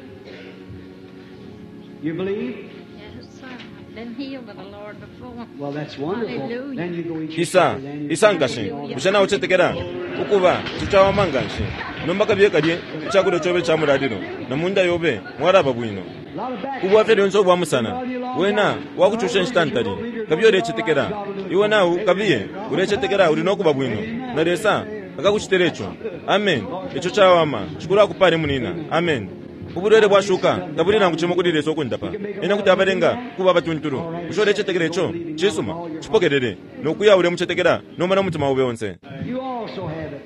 Speaker 2: You believe?
Speaker 4: Yes, sir. I've been healed by the Lord before.
Speaker 2: Well, that's wonderful.
Speaker 4: Hallelujah.
Speaker 2: Then you go eat your
Speaker 3: Isa
Speaker 2: supper. Then you
Speaker 3: isa nkashi bushe naucetekela ukuba cicawama nganshi nomba kabiye kalye icakulya cobe ca mulalilo na munda yobe mwalaba bwino.
Speaker 2: A lot of back
Speaker 3: Ubwafya lyonse ubwa musana wena wakucusha inshita ntali kabiye ulecetekela iwe nawu kabiye ulecetekela uli nokuba bwino na Lesa akakucitila ico. Amen. Ico cawama cikulu akupale munina. Amen. Ubulwele bwashuka tabuli nangu cimo kuli Lesa ukundapa ena kuti abalenga kuba abatuntulu. Bushe ulecetekela ico? Cisuma cipokelele nokuya ulemucetekela nomba no mutima obe onse.
Speaker 2: You also have it.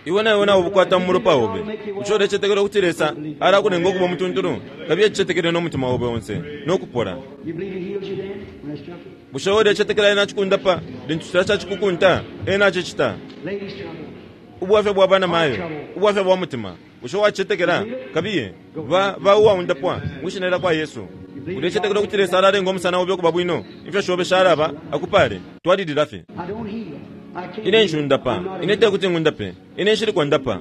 Speaker 3: Iwe nawe nawe ubukwata mu mulopa obe. Bushe ulecetekela ukuti Lesa alakulenga ukuba umutuntulu? Kabiye cicetekele no mutima obe onse nokupola.
Speaker 2: You believe he heals you then when I struck you?
Speaker 3: Bushe ulecetekela ena acikundapa lintu cila cacikukunta ena acicita?
Speaker 2: Ladies trouble.
Speaker 3: Ubwafya bwa bana mayo ubwafya bwa mutima bushe wacicetekela? Kabiye ba ba uwaundapwa mwishina lya kwa Yesu. Ulecetekela ukuti Lesa alalenga umusana obe ukuba bwino? Ifyo shobe shalaba akupale twalilila fye.
Speaker 2: I don't heal.
Speaker 3: Ine nshundapa, ine tekuti ngundape, ine nshili kondapa.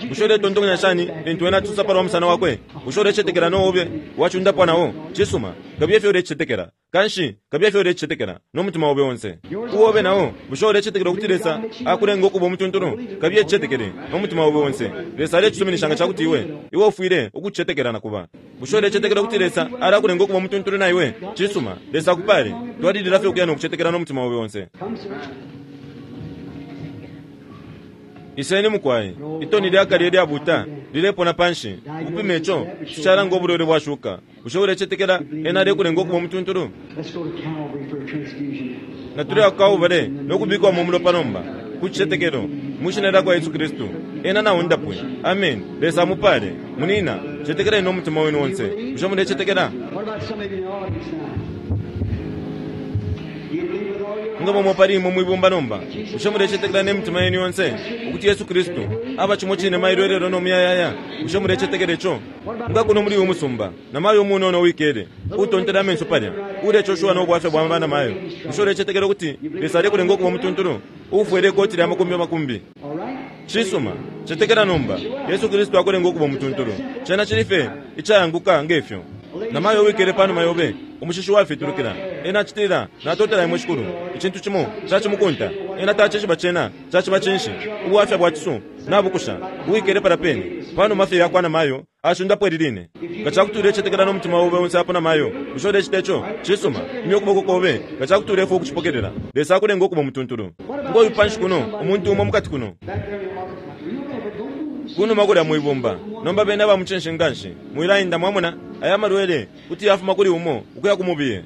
Speaker 3: Bushe uletontonkanya shani lintu ena atusa palwa musana wakwe? Bushe ulecetekela no obe wacundapwa nao? Cisuma, kabiye fye ulecetekela. Kanshi kabiye fye ulecetekela no mutima obe onse. Uobe nao, bushe ulecetekela ukuti Lesa akulenga ukuba umutuntulu? Kabiye cetekele no mutima obe onse. Lesa alecisuminisha nga cakuti iwe iwe ufwile ukucetekela na kuba. Bushe ulecetekela ukuti Lesa alakulenga ukuba umutuntulu na iwe? Cisuma, Lesa akupale. Twalilila fye ukuya no kucetekela no mutima obe onse. Iseni mukwai, itoni lyakale lyabuta lilepona panshi. Ukupima ico cishalanga ubulwele bwashuka. Bushe ulecetekela ena alekulenga ukuba umutuntulu? Na tuli akawubale nokubikwamo umulopa nomba ku cicetekelo mu shina lyakwa Yesu Kristu. Ena naundapwe. Amen. Lesa amupale. Munina, cetekeleni no mutima wenu onse. Bushe mulecetekela? Nga momwe pali imwe mwibumba nomba, bushe mulecetekela ne mitima yenu yonse ukuti Yesu Kristu aba cimo cine mailo elelo no muyayaya? Bushe mulecetekela ico? Nga kuno muli uyu musumba na mayo umunono wikele utontela amenso palya ulecoshiwa no bwafya bwa bana mayo, bushe ulecetekela ukuti Lesa alekulenga ukuba umutuntulu ufwele ikoti lya makumbi makumbi? Cisuma, cetekela nomba Yesu Kristu akulenga ukuba umutuntulu. Cena cili fye icayanguka ngefyo. Na mayo wikele panuma yobe umushishi wafitulukila. Ena acitila, natotela imwe Shikulu. Icintu cimo cacimukunta. Ena tacishiba cena caciba cinshi. Ubwafya bwa cisu nabukusha. Uwikele pala pene panuma fye yakwa na mayo ashundapo eliline. Nga cakuti ulecetekela no mutima obe onse apo na mayo, bushe ulecita ico? Cisuma, imya ukuboko kobe nga cakuti ulefwa ukucipokelela. Lesa akulenga ukuba umutuntulu. Ngoyu panshi kuno umuntu umo mukati kuno kunuma kulya mwibumba. Nomba bena bamucinshi nganshi mwilainda mwamona aya malwele kuti yafuma kuli umo ukuya kumubiye.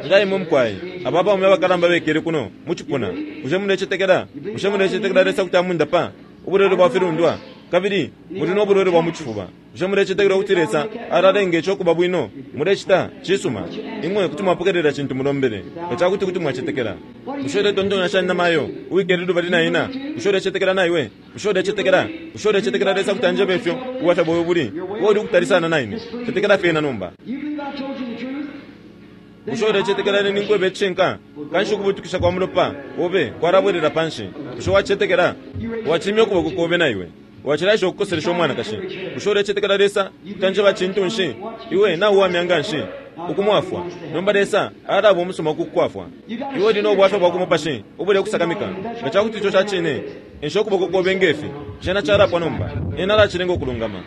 Speaker 3: Nga imwe mukwai aba baume abakalamba bekele kuno mucipuna, bushe mulecetekela? Bushe mulecetekela Lesa kuti amundapa ubulwele bwa filundwa? Kabili muli no bulwele bwa mucifuba. Bushe mulecetekela ukuti Lesa alalenga ico kuba bwino? Mulecita? Cisuma, imwe kuti mwapokelela cintu mulombele nga cakuti kuti mwacetekela. Bushe uletontonkanya shani na mayo uwikele lubali na ina? Bushe ulecetekela na iwe? Bushe ulecetekela? Bushe ulecetekela Lesa kuti anjebe ifyo ubwafya bwawe buli? Uwe uli ukutali sana na ine. Cetekela fye ena nomba. Bushe ulecetekela ine ninkweba icishinka? Kanshi ukubutukisha kwa mulopa obe kwalabwelela panshi. Bushe wacetekela? Wacimya ukuboko kobe na iwe. Wacilaisha ukukoselesha umwanakashi. Bushe ulecetekela Lesa kuti anjeba cintu nshi? Iwe nauwamya nganshi ukumwafwa. Nomba Lesa alaba umusuma kukukwafwa. Iwe uli no bwafya bwa kumupashi ubule kusakamika. Nga cakuti ico ca cine, ensha ukuboko kobe ngefi. Cena calapwa nomba. Ena alacilenga ukulungama.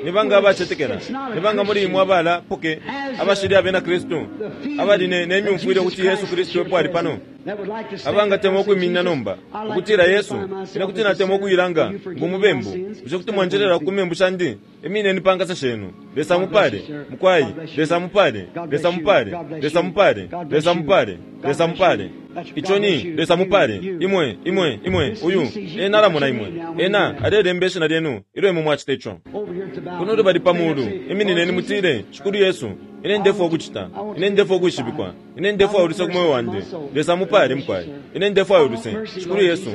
Speaker 3: Ni banga abacetekela? Ni banga muli imwe abala poke abashili abena Kristu abali ne nemyumfwile ukuti Yesu Kristu epo ali pano? Abangatemwa ukwiminina nomba ukutila Yesu, ine kuti natemwa ukuyilanga ngumubembu. Bushe kuti mwanjelela ku membu shandi? Imineni pa nkasa shenu. Lesa mupale mukwai. Lesa mupale. Lesa mupale. Lesa mupale. Lesa mupale. Lesa mupale. Ico ni Lesa mupale. Imwe, imwe, imwe, uyu ena alamona imwe. Ena alelemba ishina lyenu ilyo imwe mwacita ico. Kuno lubali pa mulu, iminineni mutile, Shikulu Yesu, ine ndefwa ukucita, ine ndefwa ukwishibikwa, ine ndefwa uluse ku moyo wandi. Lesa mupale mukwai. Ine ndefwa uluse, Shikulu Yesu.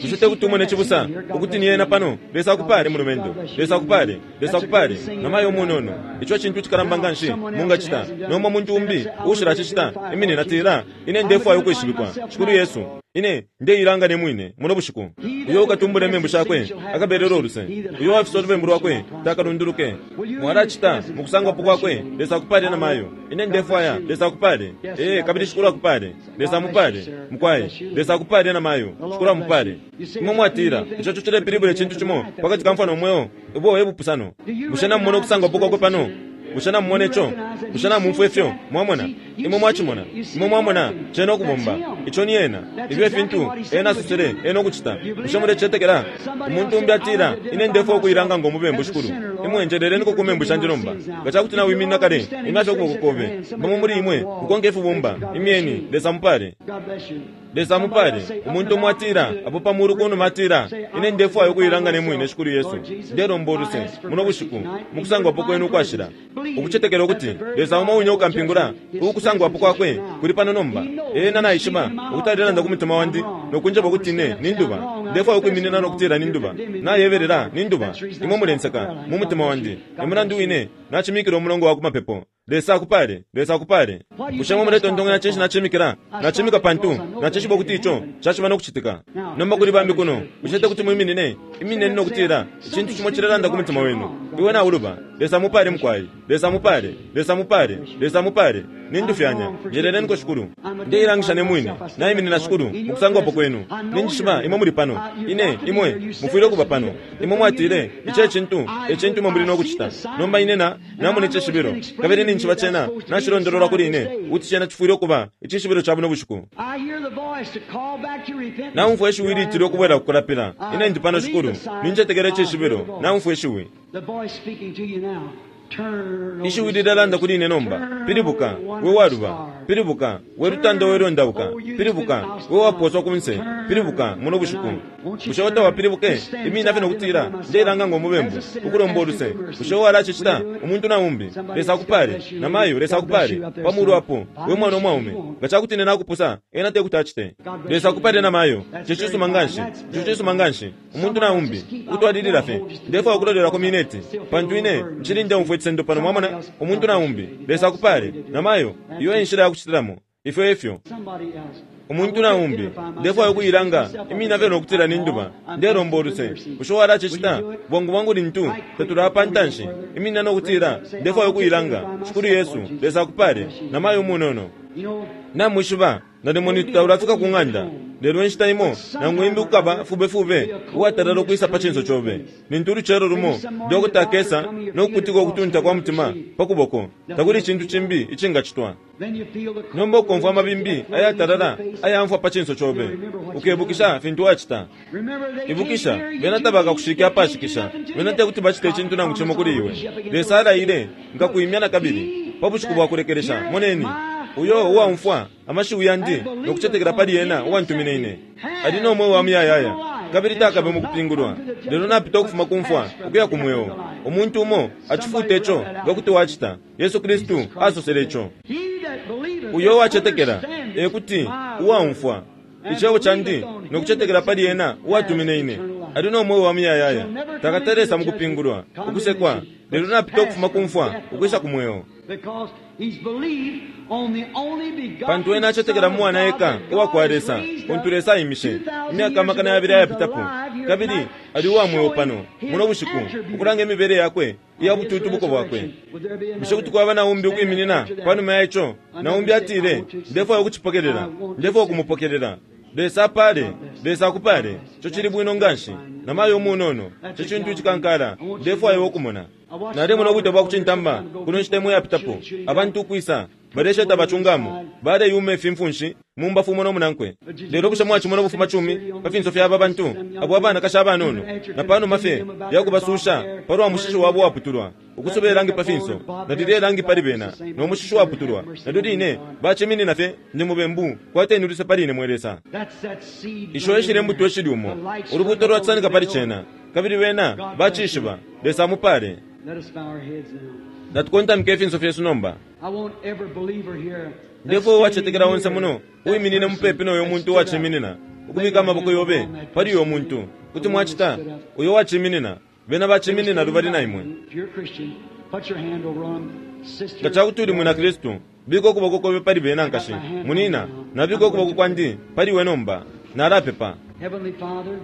Speaker 3: Bushe tekuti umone cibusa ukuti ni ena pano? Lesa akupale mulumendo. Lesa akupale. Lesa akupale. Na mayo umunono. Ico cintu cikalamba nganshi mungacita. Nomba muntu umbi ushila cicita. Iminina tila, ine ndefwa ukwishibikwa, Shikulu Yesu. Ine ndeilanga ne mwine muno bushiku. Uyo ukatumbula imembu shakwe akabelela uluse. Uyo wafisa ulubembu lwakwe takalunduluke. Mwalacita mukusangwapo kwakwe. Lesa akupale na mayo. Ine ndefwaya Lesa akupale. Eh, kabili Shikulu akupale. Lesa mupale mukwai. Lesa akupale na mayo. Shikulu amupale. Imwe mwatila ico cilepilibula icintu cimo pakati ka mfano mweo ubo ebupusano. Bushe namumona ukusangwapo kwakwe pano? Bushe namumona ico? Bushe namumfwa ifyo? Mwamona? Imwe mwacimona? Imwe mwamona cena ukubomba. Ico ni ena. Ifyo efintu ena asosele ena ukucita. Bushe mulecetekela? Umuntu umbi atila, ine ndefwa ukuyilanga ngomubembu Shikulu. Imwe njeleleniko ku membu shandi nomba. Nga cakuti nawiminina kale, imyafye ukuboko kobe. Bamo muli imwe mukonke ifibumba. Imyeni, Lesa mupale. Lesa mupale. Umuntu umwe atila, apo pa mulu kunuma atila, ine ndefwayo ukuyilanga ne mwine Shikulu Yesu. Ndelomba uluse muno bushiku mukusangwapo kwenu ukwashila. Ukucetekela ukuti Lesa umo wine ukampingula ukusangwapo kwakwe kuli pano nomba. Ena naishiba ukuti alelanda ku mutima wandi nokunjeba ukuti ine ninduba. Ndefwaya ukwiminina no kutila ninduba. Nayebelela ninduba. Imwe mulenseka mu mutima wandi. E mulandu wine nachimikila umulongo wa kumapepo. Lesa akupale, Lesa akupale. Bushe mwe muletontonkanya cinshi nachimikila? Nachimika pantu nachishiba ukuti ico caciba no kucitika. Nomba kuli bambi kuno, bushe te kuti mwiminine? Imineni no kutila icintu cimo cilelanda ku mutima wenu. Iwe nauluba. Lesa mupale mukwai. Lesa mupale. Lesa mupale. Lesa mupale. Nindufyanya. Njeleleniko Shikulu. Ndeilangisha ne mwine. Naiminina Shikulu mukusangwapo kwenu. Ninjishiba imwe muli pano. Ine imwe mufwile ukuba pano. Imwe mwatile ici ecintu ecintu imwe muli no kucita. Nomba ine na namona icishibilo. Kabili ninjishiba cena nacilondololwa kuli ine ukuti cena cifwile ukuba icishibilo ca buno bushiku.
Speaker 2: I hear the voice to call back to repentance.
Speaker 3: Naumfwa ishiwi litile ukubwela kukulapila. Ine ndi pano Shikulu. Nincetekela icishibilo. Naumfwa ishiwi.
Speaker 2: The voice speaking to you now. Turn.
Speaker 3: Ishiwi lilelanda kuli ine nomba. Pilibuka, we waluba. Pilibuka, we lutanda we lwendauka. Pilibuka, we waposwa kunse. Pilibuka, muno bushiku. Bushe utawapilibuke? Imina fye nokutila ndeilanga ngo mubembu ukulomba uluse. Bushe walacicita umuntu na umbi? Lesa akupale. Namayo Lesa akupale. Pamulu apo, we mwana umwaume. Nga cakuti ine nakupusa, ena te kuti acite. Lesa akupale namayo. Ico cisuma nganshi. Ico cisuma nganshi. Umuntu na umbi utwalilila fye. Ndefwaya ukulolelako mineti. Pantu ine nchili ndeumfwa icisendo pano, mwamona, umuntu na umbi. Lesa akupale. Namayo, iyo e nshila ya kucitilamo. Ifyo efyo.
Speaker 2: Somebody else.
Speaker 3: Umuntu na umbi ndefwaya ukuyilanga imina fye nokutila ninduba. Ndelomba uluse. Bushe walacicita? Bwangu bwangu lintu tatulaya pa ntanshi, imina nokutila ndefwaya ukuyilanga. Shikulu Yesu, Lesa akupale. Namayo umunono.
Speaker 2: You know,
Speaker 3: Namwishiba nalimo nitutaulafika ku ng'anda. Lelo inshita imo nangu imbi kukaba fubefube uwatalala ukwisa pa cinso cobe. Lintu ulucelo lumo dokota akesa nokukutika ukutunta kwa mutima pa kuboko, takuli icintu cimbi icingacitwa.
Speaker 2: then you feel the
Speaker 3: Nomba ukomfwa amabimbi ayatalala ayamfwa pa cinso cobe, ukebukisha fintu wacita.
Speaker 2: Remember they
Speaker 3: Ibukisha
Speaker 2: can't hear
Speaker 3: bena
Speaker 2: you.
Speaker 3: tabakakushike apashikisha.
Speaker 2: They can't do
Speaker 3: Bena
Speaker 2: nothing
Speaker 3: te kuti bacite icintu nangu cimo kuli iwe. Lesa alaile nkakuimya na kabili pa bushiku bwa kulekelesha. Moneni, uyo uwaumfwa amashiwi yandi no kucetekela pali ena uwantumine ine ali no mweo wa muyayaya, kabili takabe mu kupingulwa, lelo napita ukufuma ku mfwa ukuya ku mweo. Umuntu umo acifuta ico nga kuti wacita. Yesu Kristu asosele ico.
Speaker 2: He that believeth
Speaker 3: Uyo uwacetekela,
Speaker 2: understandeth
Speaker 3: ekuti
Speaker 2: my
Speaker 3: uwaumfwa icebo candi no kucetekela pali ena uwatumine ine ali no mweo wa muyayaya, takatalesa mu kupingulwa ukusekwa, lelo napita ukufuma ku mfwa ukwisa ku mweo.
Speaker 2: Because he's believed on the only begotten
Speaker 3: Pantu ena acetekela mu mwana eka uwa kwa Lesa, untu Lesa aimishe imyaka amakana yabili ayapitapo, kabili ali uwa mweo pano muno bushiku ukulanga imibele yakwe iya bututubuko bwakwe. Bushe kuti kwaba na umbi ukwiminina panuma ya ico? Na umbi atile, ndefwaya ukucipokelela, ndefwaya ukumupokelela. Lesa apale, Lesa akupale. Ico cili bwino nganshi. Namayo umunono, ico cintu icikankala, ndefwaya ukumona. Nalemona ubwite bwa kucintamba kuno nshita imwe yapitapo, abantu ukwisa balesheta bacungamo, baleyuma ifimfunshi mumbafu umo no munankwe. Lelo bushe mwacimona ubufuma cumi pa finso fya aba bantu abo abanakashi abanono, na panuma fye yakubasusha palwa mushishi wabo waputulwa, ukusoba ilangi pa finso, na lilya ilangi pali bena no mushishi waputulwa, nalyo line baciminina fye, ndi mubembu, kwateni uluse pali ine mwe Lesa.
Speaker 2: That's that seed.
Speaker 3: Isho eshili imbuto eshili umo, ulubuto lwasanika pali cena, kabili bena bacishiba. Lesa amupale.
Speaker 2: Let us bow our heads now.
Speaker 3: Natukontamike ifinso fyesu nomba.
Speaker 2: I want every believer here.
Speaker 3: Ndefo uwacetekela onse muno uwiminine mupepi noyo muntu uwaciminina ukubika amaboko yobe pali uyo muntu. Kuti mwacita uyo uwaciminina, bena baciminina lubali na imwe.
Speaker 2: If you're a Christian, put your hand over on 'em. Sister,
Speaker 3: Nga cakuti uli mwina Kristu, bika ukuboko kobe pali bena nkashi munina, nabika ukuboko kwandi pali iwe nomba. Nalapepa.
Speaker 2: Heavenly Father,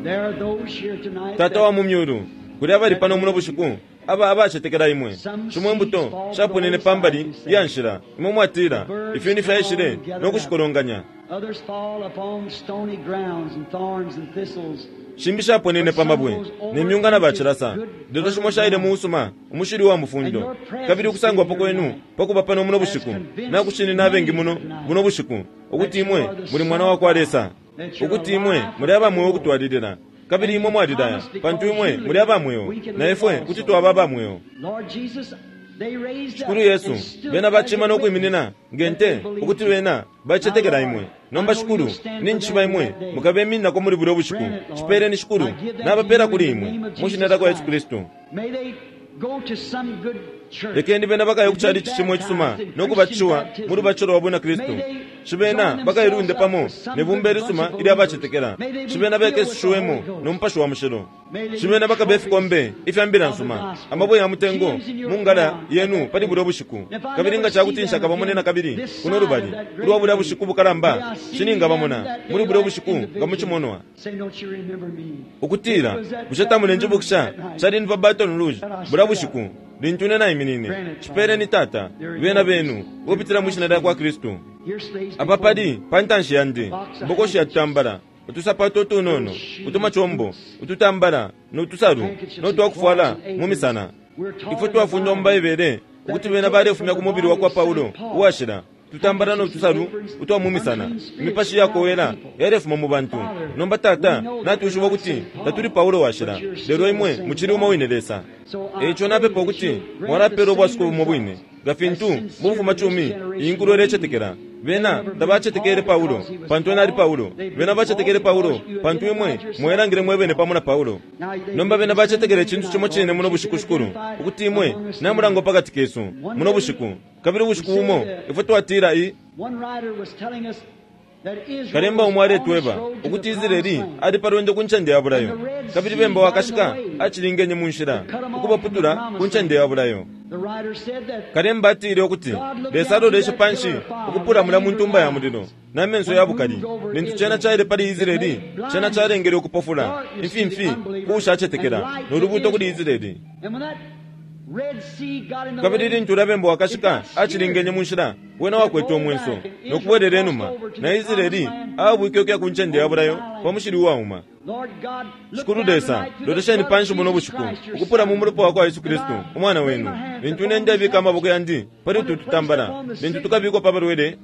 Speaker 2: there are those here tonight
Speaker 3: Tata wa
Speaker 2: that
Speaker 3: mu myulu, kuli abali pano muno bushiku aba abacetekela imwe. Shimo imbuto shaponene pambali ya nshila, imwe mwatila ifyuni fyaishile no kushikolonganya.
Speaker 2: others fall upon stony grounds and thorns and thistles.
Speaker 3: Shimbi shaponene pa mabwe ne myunga na bacilasa, lelo shimo shaile mu usuma umushili wa mufundo. Kabili ukusangwapo kwenu pakuba pano muno bushiku nakushinina abengi muno buno bushiku ukuti imwe muli mwana wa kwa Lesa, ukuti imwe muli abamweo ukutwalilila, kabili imwe mwalilaya, pantu imwe muli abamweo na ifwe kuti twaba abamweo.
Speaker 2: Lord Jesus, they raised up
Speaker 3: Shikulu Yesu,
Speaker 2: and stood
Speaker 3: bena bacima
Speaker 2: as a
Speaker 3: no kwiminina ngente
Speaker 2: witness that they
Speaker 3: ukuti
Speaker 2: believed.
Speaker 3: bena bacetekela imwe. Nomba Shikulu, ninjishiba imwe mukabemininako muli bulya bushiku. Cipeleni Shikulu, nabapela kuli imwe mu shina lya kwa Yesu Kristu.
Speaker 2: May they go to some good church
Speaker 3: Lekeni bena bakaye ku chalichi chimwe cisuma no kubatishiwa mu lubatisho lwa bwina Kristu. Shibena bakailunde pamo ne bumba ilisuma ilya bacetekela. Shibena bekesushiwemo no Mupashi wa Mushilo. Shibena bakabe ifikombe ifya mbila nsuma, amabwe ya mutengo mu ngala yenu pali bulya bushiku. Kabili nga cakuti nshakabamone na kabili kuno lubali ulwa bulya bushiku bukalamba, shiningabamona muli bulya bushiku nga mucimonwa. Ukutila bushe tamulenjibukisha cali ni pa Baton Rouge bulya bushiku lintu ine naiminine. Cipeleni Tata, bena benu ukupitila mwi shina lya kwa Kristu. Apa pali pa ntanshi yandi mbokoshi ya tutambala, utusapato utunono, utumacombo, ututambala no tusalu no twakufwala mu misana. Ifwe twafundwa mu Baibele ukuti bena balefumya ku mubili wa kwa Paulo uwashila tutambala no tusalu utwa mu misana. Imipashi yakowela yalefuma mu bantu. Nomba Tata, natwishiba ukuti tatuli Paulo washila, lelo imwe mucili umo wine Lesa. Eico napepa ukuti mwalapela ubwasuko bumo bwine nga fintu mu bufumacumi iyi nkulo ilecetekela. Bena tabacetekele Paulo pantu ena ali Paulo. Bena bacetekele Paulo pantu imwe mwelangile mwebene pamo na Paulo. Nomba bena bacetekele icintu cimo cine muno bushiku, Shikulu, ukuti imwe namulangwa pakati kesu muno bushiku. Kabili ubushiku bumo ifwe twatila i kalemba umo aletweba ukuti Israeli ali pa lwendo ku ncende ya bulayo, kabili bemba wakashika acilingenye mu nshila ukubaputula ku ncende ya bulayo. Kalemba atile ukuti Lesa aloleshe panshi ukupula mula mu ntumba ya mulilo na menso ya bukali. Lintu cena caile pali Israeli, cena calengele ukupofula imfimfi kuushacetekela no lubuuto kuli Israeli. Kabili lintu ulya bemba wakashika acilingenye mu nshila, wena wakwete umwenso no kubwelela inuma, na Israeli aabwike ukuya ku ncende ya bulayo pa mushili uwauma. Shikulu Lesa, lolesheni panshi muno bushiku ukupula mu mulopa wa kwa Yesu Kristu umwana wenu. Lintu ine ndebika amaboko yandi pali utu tutambala, lintu tukabikwa pa balwele,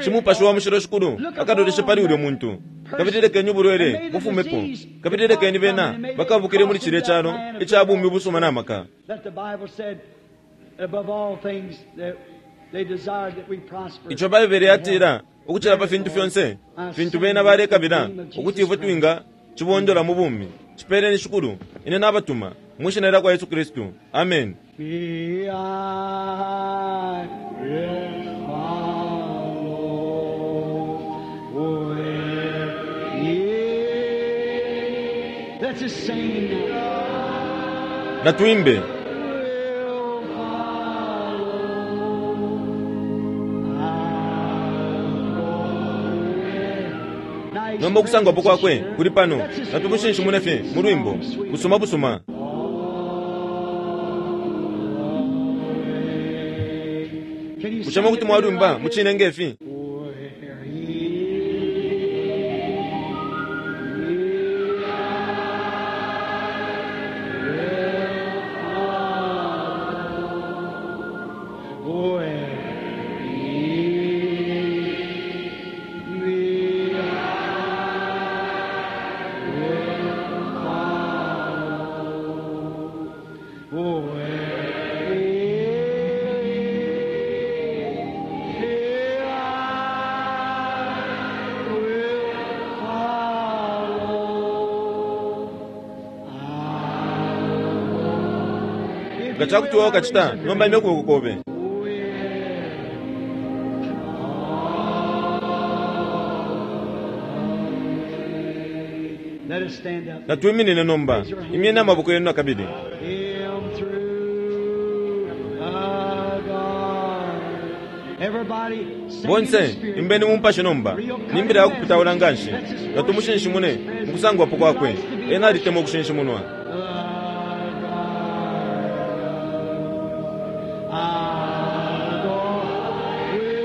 Speaker 3: Cimupashi wa Mushilo Shikulu akaloleshe pali ulyo muntu, kabili lekeni ubulwele bufumepo, kabili lekeni bena bakabukile muli cilya calo ica bumi busuma na maka. Ico Baibele yatila ukucila pa fintu fyonse fintu bena balekabila ukuti ifwe twinga cibondola mu bumi. Cipeleni Shikulu, ine nabatuma mwi shina lya kwa Yesu Kristu. Amen.
Speaker 2: Me, I will follow where ye. Let's just sing now.
Speaker 3: Natuimbe.
Speaker 2: Will follow. I'll go with. Now he's
Speaker 3: Nomba ukusangwapo kwakwe
Speaker 2: here.
Speaker 3: kuli pano,
Speaker 2: Let's just
Speaker 3: natumushinshimune fye mu lwimbo busuma busuma.
Speaker 2: Can you
Speaker 3: Bushe
Speaker 2: sing
Speaker 3: kuti
Speaker 2: it
Speaker 3: mwalwimba
Speaker 2: like
Speaker 3: mu cine ngefi?
Speaker 2: Where he will follow, where he me I will follow, where he I will follow.
Speaker 3: Nga cakuti wewe ukacita, nomba imya ukuboko kobe.
Speaker 2: Let us stand up.
Speaker 3: Natwiminine nomba, imyeni amaboko yenu nakabili.
Speaker 2: Him through the garden. Everybody sing in the
Speaker 3: Bonse
Speaker 2: spirit.
Speaker 3: imbeni mu mpashe nomba, nimbila ya kupitaula nganshi. Natumushinshimune mu kusangwapo kwakwe. Ena alitemwa ukushinshimunwa.
Speaker 2: The garden. I'll go with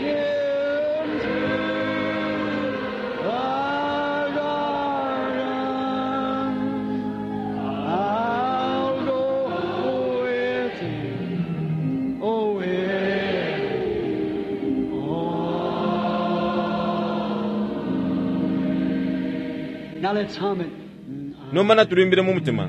Speaker 2: him through the garden. I'll go with him. Oh, with oh. Now let's hum it.
Speaker 3: Nomba natulimbile mu mutima.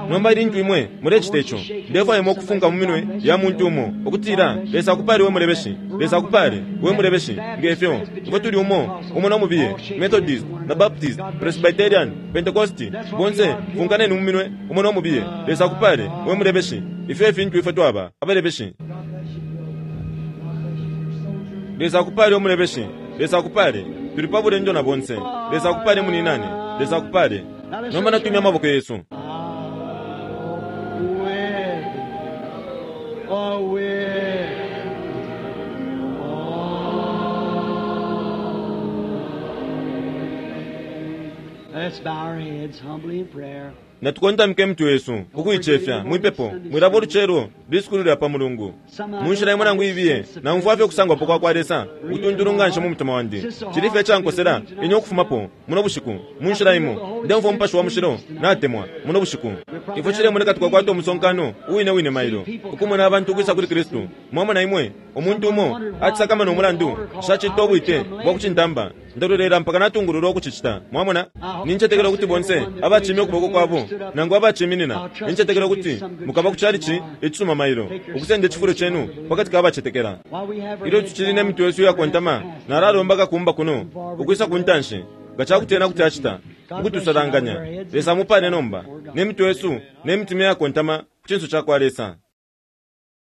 Speaker 3: Nomba ilintu imwe mulecita ico, ndefwaya imwe ukufunka mu minwe ya muntu umo ukutila Lesa akupale we mulebeshi, Lesa akupale we mulebeshi. Ngefyo ifwe tuli umo umo no mubiye, Methodist na Baptist, Presbyterian, Pentecost, bonse funkaneni mu minwe umo no mubiye. Lesa akupale we mulebeshi. Ifyo efintu ifwe twaba abalebeshi.
Speaker 2: God bless you.
Speaker 3: Lesa akupale umulebeshi. Lesa akupale. Tuli pa bulendo na bonse. Lesa akupale muninane. Lesa akupale. Nomba natumya amaboko yesu.
Speaker 2: With, oh, with. Let's bow our heads humbly in prayer.
Speaker 3: Natukontamike mutwe wesu ukuicefya mwipepo. Mwilabo ulucelo lisukulu lya pa Mulungu. Munshila imo nangu ibiye naumfwa fye ukusangwapo kwa kwa Lesa utuntulu nganshi mu mutima wandi. Cili fye cankosela ine ukufumapo muno bushiku. Munshila imo ndemfwa Umupashi wa Mushilo natemwa muno bushiku. Ifwe cilemoneka twakwata umusonkano uwine wine mailo ukumona abantu ukwisa kuli Kristu. Mwamona imwe umuntu umo acisakamana umulandu nshacita ubwite bwa kucintamba ndalolela mpaka natungululwa ukucicita. Mwamona nincetekela ukuti bonse abacimya ukuboko kwabo nangu abaciminina nincetekela ukuti mukaba ku chalichi icisuma mailo ukusenda icifulo cenu pakati ka bacetekela.
Speaker 2: While we have our
Speaker 3: Ilyo
Speaker 2: heads
Speaker 3: tucili ne
Speaker 2: bowed,
Speaker 3: mitwe yesu iyakontama nalalomba kakumba kuno ukwisa ku ntanshi nga cakuti ena kuti acita ukutusalanganya. Lesa mupale nomba ne mitwe yesu ne mitima iyakontama ku cinso ca kwa Lesa.